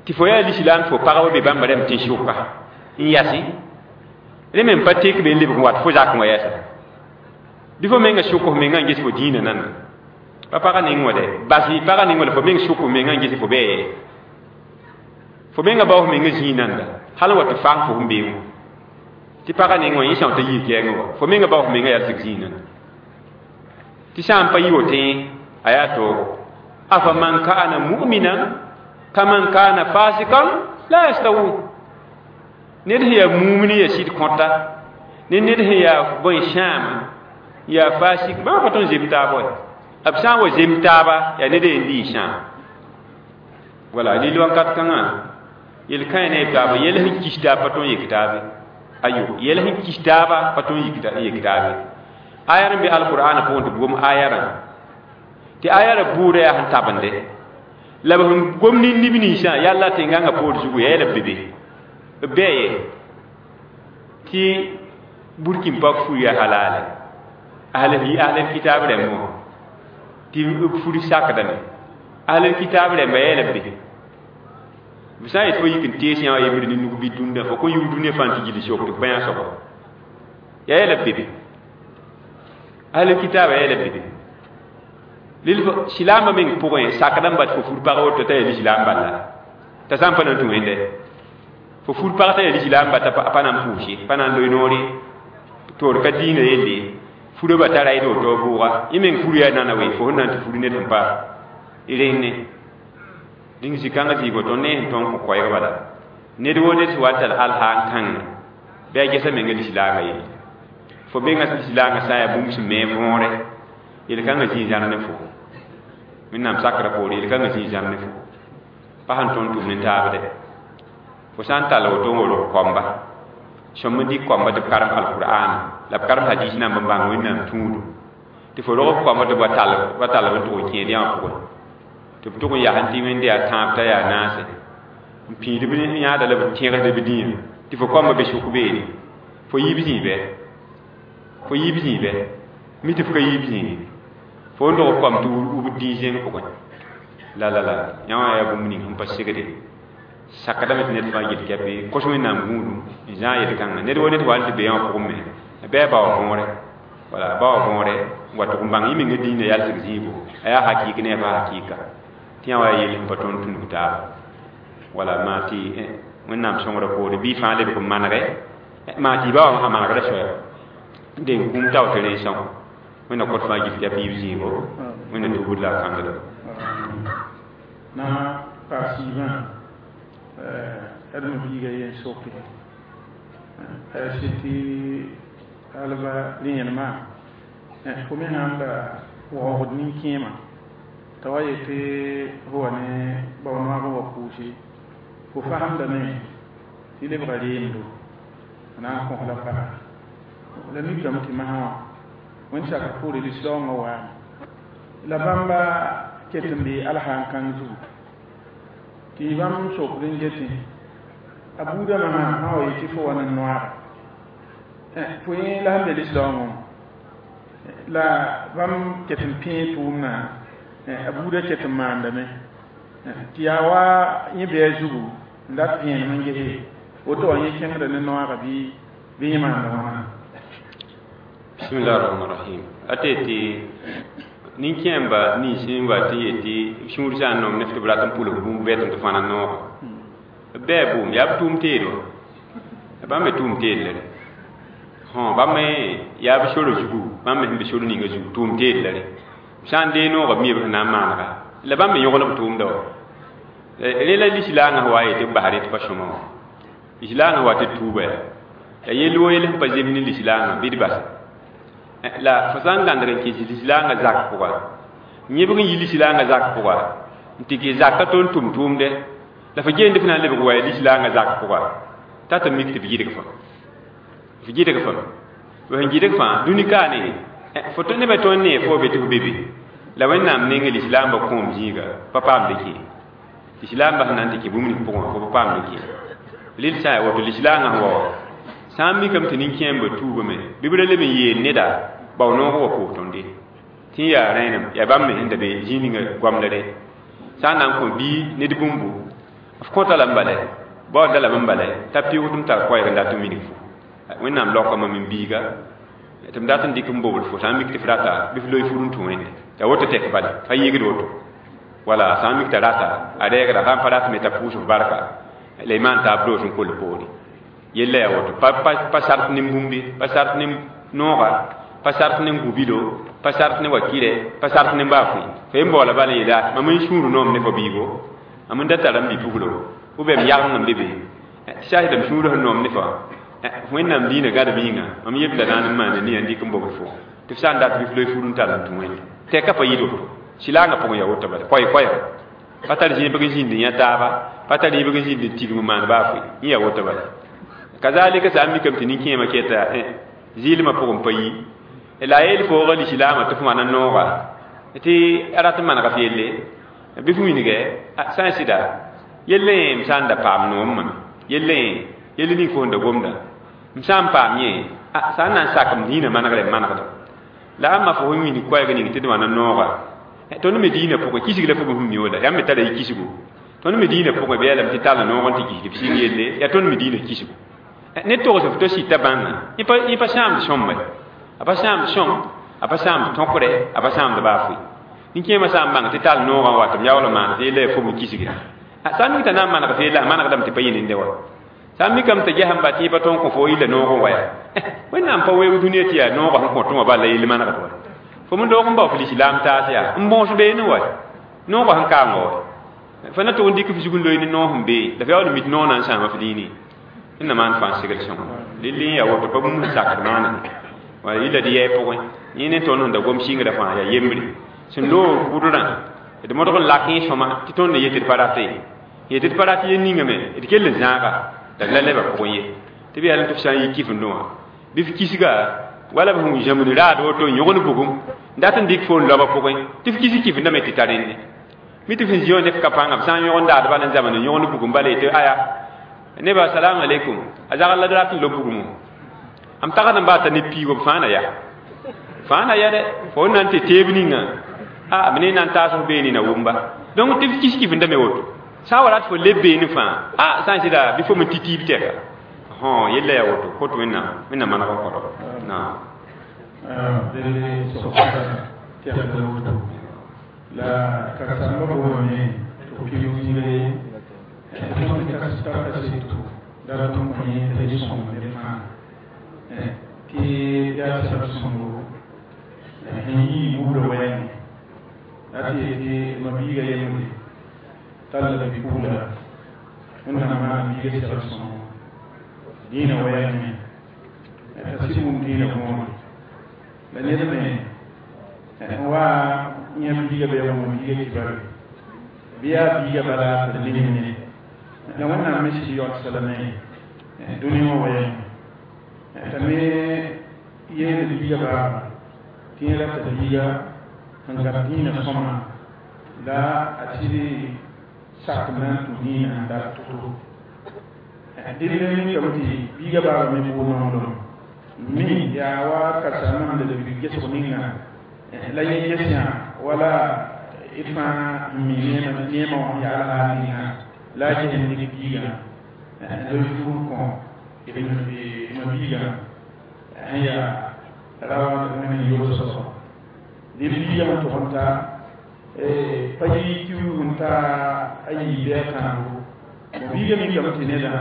tɩ fo yaa lislaam fo pagba be bãmba rãmb tẽn-sʋka n yasẽ rẽ me n pa tek be n lebg n wat fo zakẽ wã yɛsa bɩ fo menga sʋk f menga n ges fo dĩinã nanda pa pagã ning wã dɛ bas pagã ning wã la fo meng sʋk f menga n ges fo bɛɛ fo menga bao f menga zĩig nanda hal n wa tɩ fang fo sẽn bee wã tɩ pagã ning wã yẽ sã t'a yii kɛɛngẽ wã fo menga bao f menga yalsg zĩig nanda tɩ sã n pa yɩ woto a yaa toogo afaman kana mu'minan kaman kana fasikan la yastawun ned sẽn yaa mumini yaa sɩd kõta ne ned sẽn yaa bõe sãama yaa fasik bãmb pa tõnd zem taab wa b sã n wa zem taaba yaa ned yen lii sãam wala lil wakat kãngã yel-kãe ne taaba yɛl sẽn kis taab pa tõnd yek taabe ayo yɛl sẽn kis taaba pa tõnd yek taabe aya n be alqur'ana pʋgẽ tɩ b gom aya rã tɩ aya ra buudã yaa sẽn tabende la b sẽn gom ne nib ninsã yalla tẽngãngã poor zugu yaa yɛla be be b bɛɛ tɩ burkin pak fur yaa halale ahlel kitab rãmb wã tɩ b fur sakdame ahlel kitab rãmba yɛla be b sã n yet fo yik n tees yã wã yembr ne nug bɩ dũnda fo kõ yug dũniyã fãa tɩ gil sok tɩ b bãyã soaba yaa yɛla be be ahlel kitab yɛla be be lil silaambã meng pʋgẽ sakdã n bat fo fur pag woto t'a yaa lislaam bala t'a sã n pa na n tũ wẽnde fo fur pag t'a yaa lislaam ba t'a pa na n pʋʋse pa na n loe noore toor ka diinã yelle furã ba tara d woto bʋʋga yẽ meng fur yaa nana we fo sẽn na n tɩ fur ned sẽn pa rẽnne dĩng zĩ-kãngã zĩig woto ne sẽn tõnd kõ koɛɛg bala ned woo ned sẽn wa n tar alhaa n kãngẽ bɩ a gesa menga lislaangã yelle fo menga lislaangã sã n yaa bũmb sẽn me võore yel-kãngã zĩig zãr ne fo wẽnnaam sakrã poore yel-kãngã zĩig zãr ne fo pa sẽn tõnd tʋm ne taabdɛ fo sã n tall woto n wolg koamba sõm n dɩk koamba tɩ b karem alqur'ana la b karem hadis namb n bãng wẽnnaam tũudu tɩ fo rog b koamba tɩ ba tall b n tʋg n kẽed yã wã pʋgẽ tɩ b tʋg n yaa tɩ wẽnde yaa tãab t'a yaa naase n pĩid b yãada la b tẽgsd b dĩyã tɩ fo koamba be sʋk beene fo yiib zĩig bɛ fo yiib zĩig bɛ mi tɩ f ka yiib zĩig fo n dog koam tɩ wub dĩig zẽng pʋgẽ la la la yã wã yaa bũmb ning sẽn pa segde sakdame tɩ ned fãa yel kɛpe kos wẽnnaam gũudum n zãag yel-kãngã ned wo ned wa n tɩ be yã wã pʋgẽ me bɩ a bao võore wala a bao võore n wa tʋg n bãng yẽ menga dĩinã yalsg zĩigo a yaa hakɩɩk ne a pa hakɩɩka tɩ yã wa yaa yel sẽn pa tõnd tũnug taaba wala maa tɩ wẽnnaam sõngrã poore bɩ fãa lebg n manege maa tɩ y ba wã sã manegrã soya den kũum tao tɩ rẽ sõng wẽnna kõt fãa gil tɩ a piib zĩigo wẽnna tubd la a kãngda na paas yiibã adma biiga yen soke a sɩ tɩ alba rẽenema fo me sãn la waoogd nin-kẽemã t'a wa yetɩ fo wa ne bao-noag n wa pʋʋse fo fasemdame tɩ lebga reemdo a na n kõs la paga la mikame tɩ masã wã wẽnd sakr poore lislaoongã waame la bãmba ket n bee alsã n kãng zugu tɩ bãmb sokd n getẽ a buudã masã sã wa yetɩ fo wa ne noaaga fo yẽ la sẽn be lislaoongẽ la bãmb ket n pẽe tʋʋmdã a buudã ket n maandame tɩ yaa wa yẽ bɩ a zugu n dat vẽenem n gese woto wã yẽ kẽngda ne noaaga bɩ bɩ yẽ maanda wãna. Bismillah rahman rahim a tɩ tɩ nin-kẽemba nins n wa tɩ yetɩ b sũur sã n nom ne f tɩ b rat n pʋlg bũmb bɛt tɩ fãna nooga b bɛɛ bʋʋm yaa b tʋʋm teedo bãmb me tʋʋm teed la re bãmb me yaa b sor zugu bãmb me sẽn be sor ninga zugu tʋʋm teed la re b sã n dee nooga b mi b sẽn na n maanega la bãmb me yõgl b tʋʋmda wa rẽ la lislaangã wa yetɩ b bas rẽ tɩ pa sõma wã lislaangã wa tɩ tuuba yaa la yell wo yell sẽn pa zems ne lislaangã bɩ d basa la fo sã n gãndg n kɩs lislaangã zak pʋga yẽbg n yi lislaangã zak pʋga n tɩ kɩ zakã tõnd tʋm tʋʋmdɛ la fo geend f na n lebg wa ya lislaangã zak pʋga t'a tɩ mik tɩ b gɩdg fã f gɩdg fãme f sẽn gɩdg fãa dũni kaane fo tɩ nebã tõnd nee fo be tɩ f be be la wẽnnaam neng lislaambã kõom zĩiga pa paamd kẽ lislaambã sẽn na n tɩ kẽ bũmb ning pʋgẽ fo pa paamd kẽ lel sã n yaa woto lislaangã sẽn wa wã sã n mikame tɩ nin-kẽembã tuubame bɩ b ra leb n yeel neda bao noog wa pʋʋs tõnde Tɩ n yaa rẽenem yaa bãmb me sẽn da be zĩig ninga goamdre sã n na n kõ bii ned bũmbu f kõta lame bala baoodda lame n bala t'a pɩʋʋg tɩ m tar koɛɛg n dat n wilg fo Wẽnnaam laoka mam n biiga tɩ m dat n dɩk n bobl fo sã n mik tɩ f rata bɩ f loe fur n tũ Wẽnde t'a woto tɛk bala pa yɩgd woto wala sã n mik t'a rata a rɛɛgda sã n pa rat me t'a pʋʋs f barka la y maan taab doos n kol poore yella yaa woto pa sart ne bũmb ye pa sart ne nooga pa sart ne gubilo pa sart ne wakirɛ pa sart ne baa fʋɩ fo yen baoola bala yeela mam n sũur noom ne fo biigo mam n da tara m bi-puglo ou bien m yageng n be be tɩ saasdame sũur sẽn noom ne fa Wẽnnaam diinã gãdem yĩnga mam yebla naan n maana nia n dɩk n bobl fo tɩ f sã n dat bɩ f loe fur n tar n tũ Wẽnde tɛka pa yɩd woto sɩlaangã pʋgẽ yaa woto bala koɛɛ-koɛɛga pa tar zĩebg n zĩnd n yã taaba pa tar yẽbg n zĩnd n tigm n maan baa fʋɩ yẽ yaa woto bala kazalika sã n mikame tɩ nin-kẽemã keta zɩɩlmã pʋgẽ pa yi la a yeel foogã lislaamã tɩ f wãna nooga tɩ a rat n manega f yelle bɩ f wilgɛ sã n sɩda yell yẽ m sã n da paam noom mam yell yẽ yell ning fo sẽn da gomda m sã n paam yẽ sã n na n sak m dĩinã manegre m manegda la ãmba fo sẽn wilg koɛɛg ning tɩ d wãna nooga tõnd me dĩinã pʋgẽ kisg la fo sẽn mi wala yãmb me tara y kisgo tõnd me dĩinã pʋgẽ bɩ yaa lame tɩ tall noog n tɩ kisd f sɩng yelle yaa tõnd me dĩinã kisgo ne togs f to sɩta bãnga yẽ pa sãamd sõmba a pa sãamd sõm a pa sãamd tõkre a pa sãamd baa fʋɩ nin-kẽemã sã n bãng tɩ tall noogã n wat m yaool n maan tɩ yella yaa fo n kisgra sã n mik t'a na n maneg f yella a manegdame tɩ pa yẽ wa sã n mikame t'a gesẽm ba tɩ yẽ pa tõog n kõ fo yilla noog n wa yaa Wẽnnaam pa weoog dũniyã tɩ yaa noogã sẽn kõt wã bal la yell manegd wa fo m doog n bao f lislaam taas yaa n bõos beene wa noogã sẽn kaam wa fa na tʋg n dɩk f zug n loe ne noog sẽn bee la f yaool n mit noog na n sãama f dĩinẽ Wẽnnaam maan fãa segl sõngo lille yẽ yaa woto pa bũmb sẽn sakd maana wala yilla d yɛɛ pʋgẽ yẽ ne tõnd sẽn da gom sɩngrã fãa yaa yembre sẽn loog pʋdrã d modg n lak yẽ sõma tɩ tõnd yetɩ d pa rate yetɩ d pa rat yel ningame d kell n zãaga la d la lebã pʋgẽ ye tɩ b yaa tɩ f sã n yi kifendẽ wã bɩ f kisga wala b sẽn zãmb raad woto n yõgn bugum n dat n dɩk fo n laoba pʋgẽ tɩ f kis kifendame tɩ ta rẽnne mi tɩ f sẽn zĩ wã ne f ka pãnga b sã n yõgn daad bala n zãmnd n yõgn bugum bala yetɩ aya neba assalamu alaikum a zagl la d rat n lob bugmo am tagd n baata ne piigo b fãa na yaa fãa na ya dɛ fo n na n tɩ teeb ninga a b ne na n taas f beene na wʋmba donc tɩ f kis kifendame woto sã n wa rat fo leb beene fãa a sã n sɩda bɩ fo me tɩ tiib tɛka yella yaa woto kot Wẽnnaam Wẽnnaam maneg n kõdo naam. La karsamba boome tɩ pɩʋʋg zĩiga ye tõnd tara kaseto la tõnd kõ yẽ t'a yɩ sõng ned fãa tɩ yaa sɛb sõngo sẽn yii buudã wɛɛngẽ la tɩ yetɩ ma biiga yembre tall la bi-pugla Wẽnnaam maan biiga segl sõngo dĩinã wɛɛngẽ t'a sɩd wʋm dĩinã võore la ned me n wa yã biiga bɩ a wʋm biiga kibare bɩ yaa biiga bala tɩ nemne la Wẽnnaam me sɩd yaoodsa lame dũni wã wɛɛngẽ t'a me yeel biiga baaba tɩ yẽ rata biiga sẽn gab dĩinã sõma la a sɩd sak n na n tũ dĩinã n dat to-to dẽnd mikame tɩ biiga baaba me bool nonglem mi yaa wa karen-saambã la bi gesg ninga la yẽ ges yã wala d fãa n mi neemã wã yaal haal ninga la a ges n dɩk biigã n loe fur n kõ ma biigã sẽn yaa rawa Wẽnd yʋls soaba dẽ biigã n tʋg n ta pa yi tɩ n ta a yii bɩ a tãabo biigã mikame tɩ nedã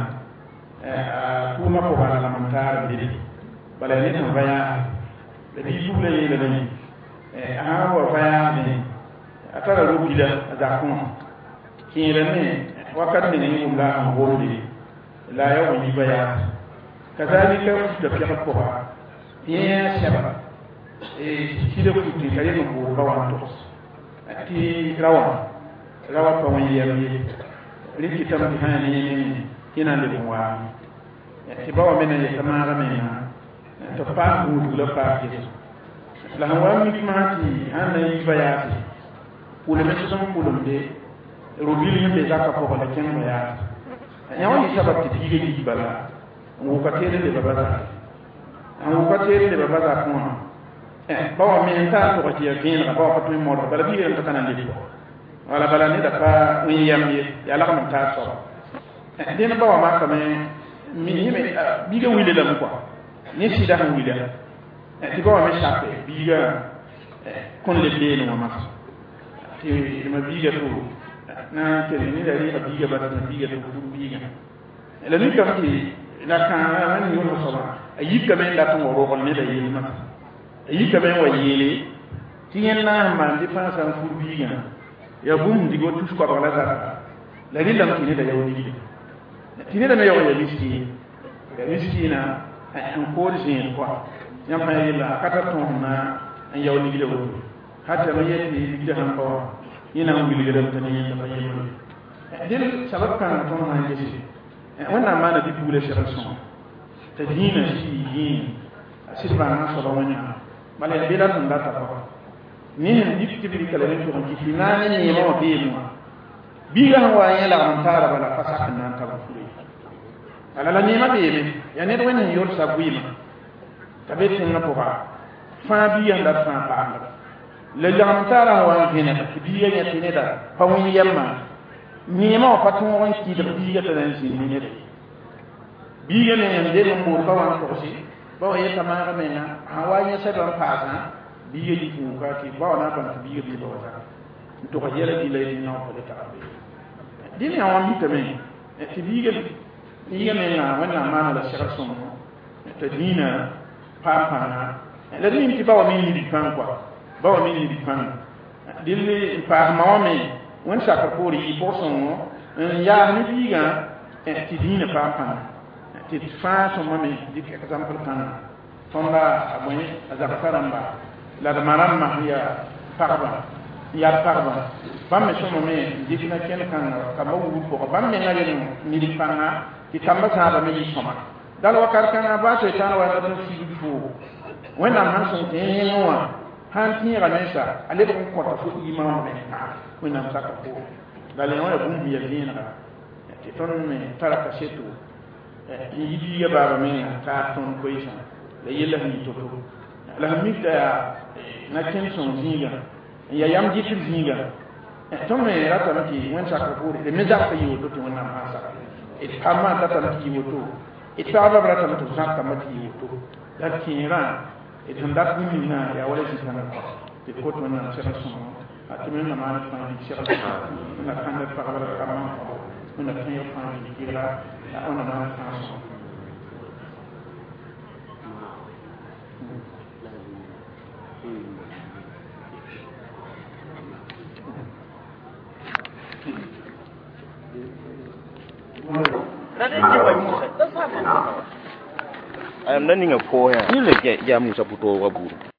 a tʋʋmã pʋgã la lam n taar bede bala ned sẽn va yaase la bi-pugla yeelame a sã n wa va yaasẽ a tara ro-bila a zakẽ wã kẽerame wakat ning yẽ wʋm la a sẽn gomde la a yaa wa yiba yaase kazalika futa pɛgd pʋga yẽ yaa sɛba sɩda futẽ ka yeng n bool ba wã n togs tɩ ra wã ra wã pa wẽ yɛm ye rẽ kɩtame tɩ sã yaa ne yẽ nengẽ yẽ na n leb n waame tɩ ba wã me na n yeta maaga menga tɩ b paas gũudg la paas ges la sẽn wa n mik masã tɩ sãn na n yiba yaase pʋlem sẽn pʋlemde ro-bil sẽn be zakã pʋgẽ la kẽng ba yaase yã wã yɩ sabab tɩ biiga yi bala n wʋka teed n leba ba zak n wʋka teed n leba ba zakẽ wã. Ba wã me n tar tʋg tɩ yaa vẽenega, ba wã pa tõe n modg, bala biiga rãmb t'a ka na n leb wala bala neda pa wẽ yam ye, yaa lagm n taar soaba. Dẽn ba wã makame yẽme biiga wile lame kɔa ne sɩda sẽn wila tɩ ba wã me sape biiga kõn leb leene wã masã tɩ ma biiga to na n kell neda rɩɩga biiga bas ma biiga to fur biigã la mikame tɩ la kãaga wẽnd yõlg soabã a yikame n dat n wa rogl neda yell masã, a yikame n wa yeele tɩ yẽnd na n maan dépensã n fur biigã yaa bũmb dig wa tus koabg la zata la rɩllame tɩ neda yao ligda tɩ neda me yaoog ya miskiin, ya miskiina n kood zẽed kɔa yãmb fãa yella a ka tar tõog na n yao ligda woto hata me yet tɩ ligda sãn pa wã yẽ na n wilgrame t'a ne yẽnda pa yembre. Dẽn sabab kãngã tõnd sã n gese Wẽnnaam maana bi-pugla segl sõma t'a dĩinã sɩd yɩ yĩing a sɩd bãngã soaba Wẽnnaam bala yaa bela sẽn data pʋga ne sẽn dɩk tɩ b rɩka la rẽ tʋg n kɩt tɩ na ne neemã wã beeme wã biiga sẽn wa yẽ lagm n taara bala pa sak n na n tab n fure bala la neemã beeme yaa ned Wẽnd sẽn yolsa vɩɩmã t'a be tẽngã pʋga fãa biiga sẽn dat fãa paamda la lagm taarã sẽn wa n vẽneg tɩ biiga yẽ tɩ neda pa wẽ yɛmã neemã wã pa tõog n kɩdg biiga t'a na n zĩnd ne neda ye. Biiga me n deng n bood ba wã n togse ba wã yeta maaga menga sãn wa yẽ sɛbã n paasã biiga yik n wuka tɩ ba wã na n bãng tɩ biiga bee ba wa zaka n togs yɛla gilla yetɩ nao pa le tagr be dẽn yaa wã mikame tɩ biiga menga Wẽnnaam maana la segl sõngo t'a dĩinã paam pãnga la d mim tɩ ba wã me nid pãng kɔa ba wã me nid pãnga dɩl n paas ma wã me Wẽnd sakr poore yɩ pʋg-sõngo n yaas ne biigã tɩ dĩinã paam pãnga tɩ fãa sõma me dɩk exemple kãnga tõnda a bõe a zagsã rãmba la d ma rãmbã sẽn yaa pagba n yaa pagba bãmb me sõma me n dɩk na kẽnd kãnga kamba wugr pʋga bãmb menga reng nid pãnga tɩ kamba zãaba me yɩ sõma dal wakat kãngã baa soetãan wa n dat n figd foogo Wẽnnaam sãn sõng tɩ yẽngẽ wã sãn tẽega mensa a lebg n kõta fo iimã wã me Wẽnnaam saka poore bala yẽ wã yaa bũmb ya vẽenega tɩ tõnd me tara kaseto n yi biiga baaba menga taar tõnd koeesã la yella sẽn yɩ to-to la sẽn mik t'a yaa na kẽnd sõng zĩigã n yaa yam dɩtr zĩigã tõnd me ratame tɩ Wẽnd sakr poore d me zagsa yɩ woto tɩ Wẽnnaam sãn saka d pamã datame tɩ yɩ woto d pagba b ratame tɩ b zãb kamba tɩ yɩ woto la d kẽerã d sẽn dat bũmb ninga yaa wala zĩ-kãngã tɩ d kot Wẽnnaam segl sõngo tɩ me na maan fãa dig segl sõngo na kãnd d pagba la d kambã n kõbo Wẽnna tẽeg fãa dig gɩlga wẽnna maan fãa sõngo. Ayam na ninga po ya. Ni le ya Musa puto wa buru.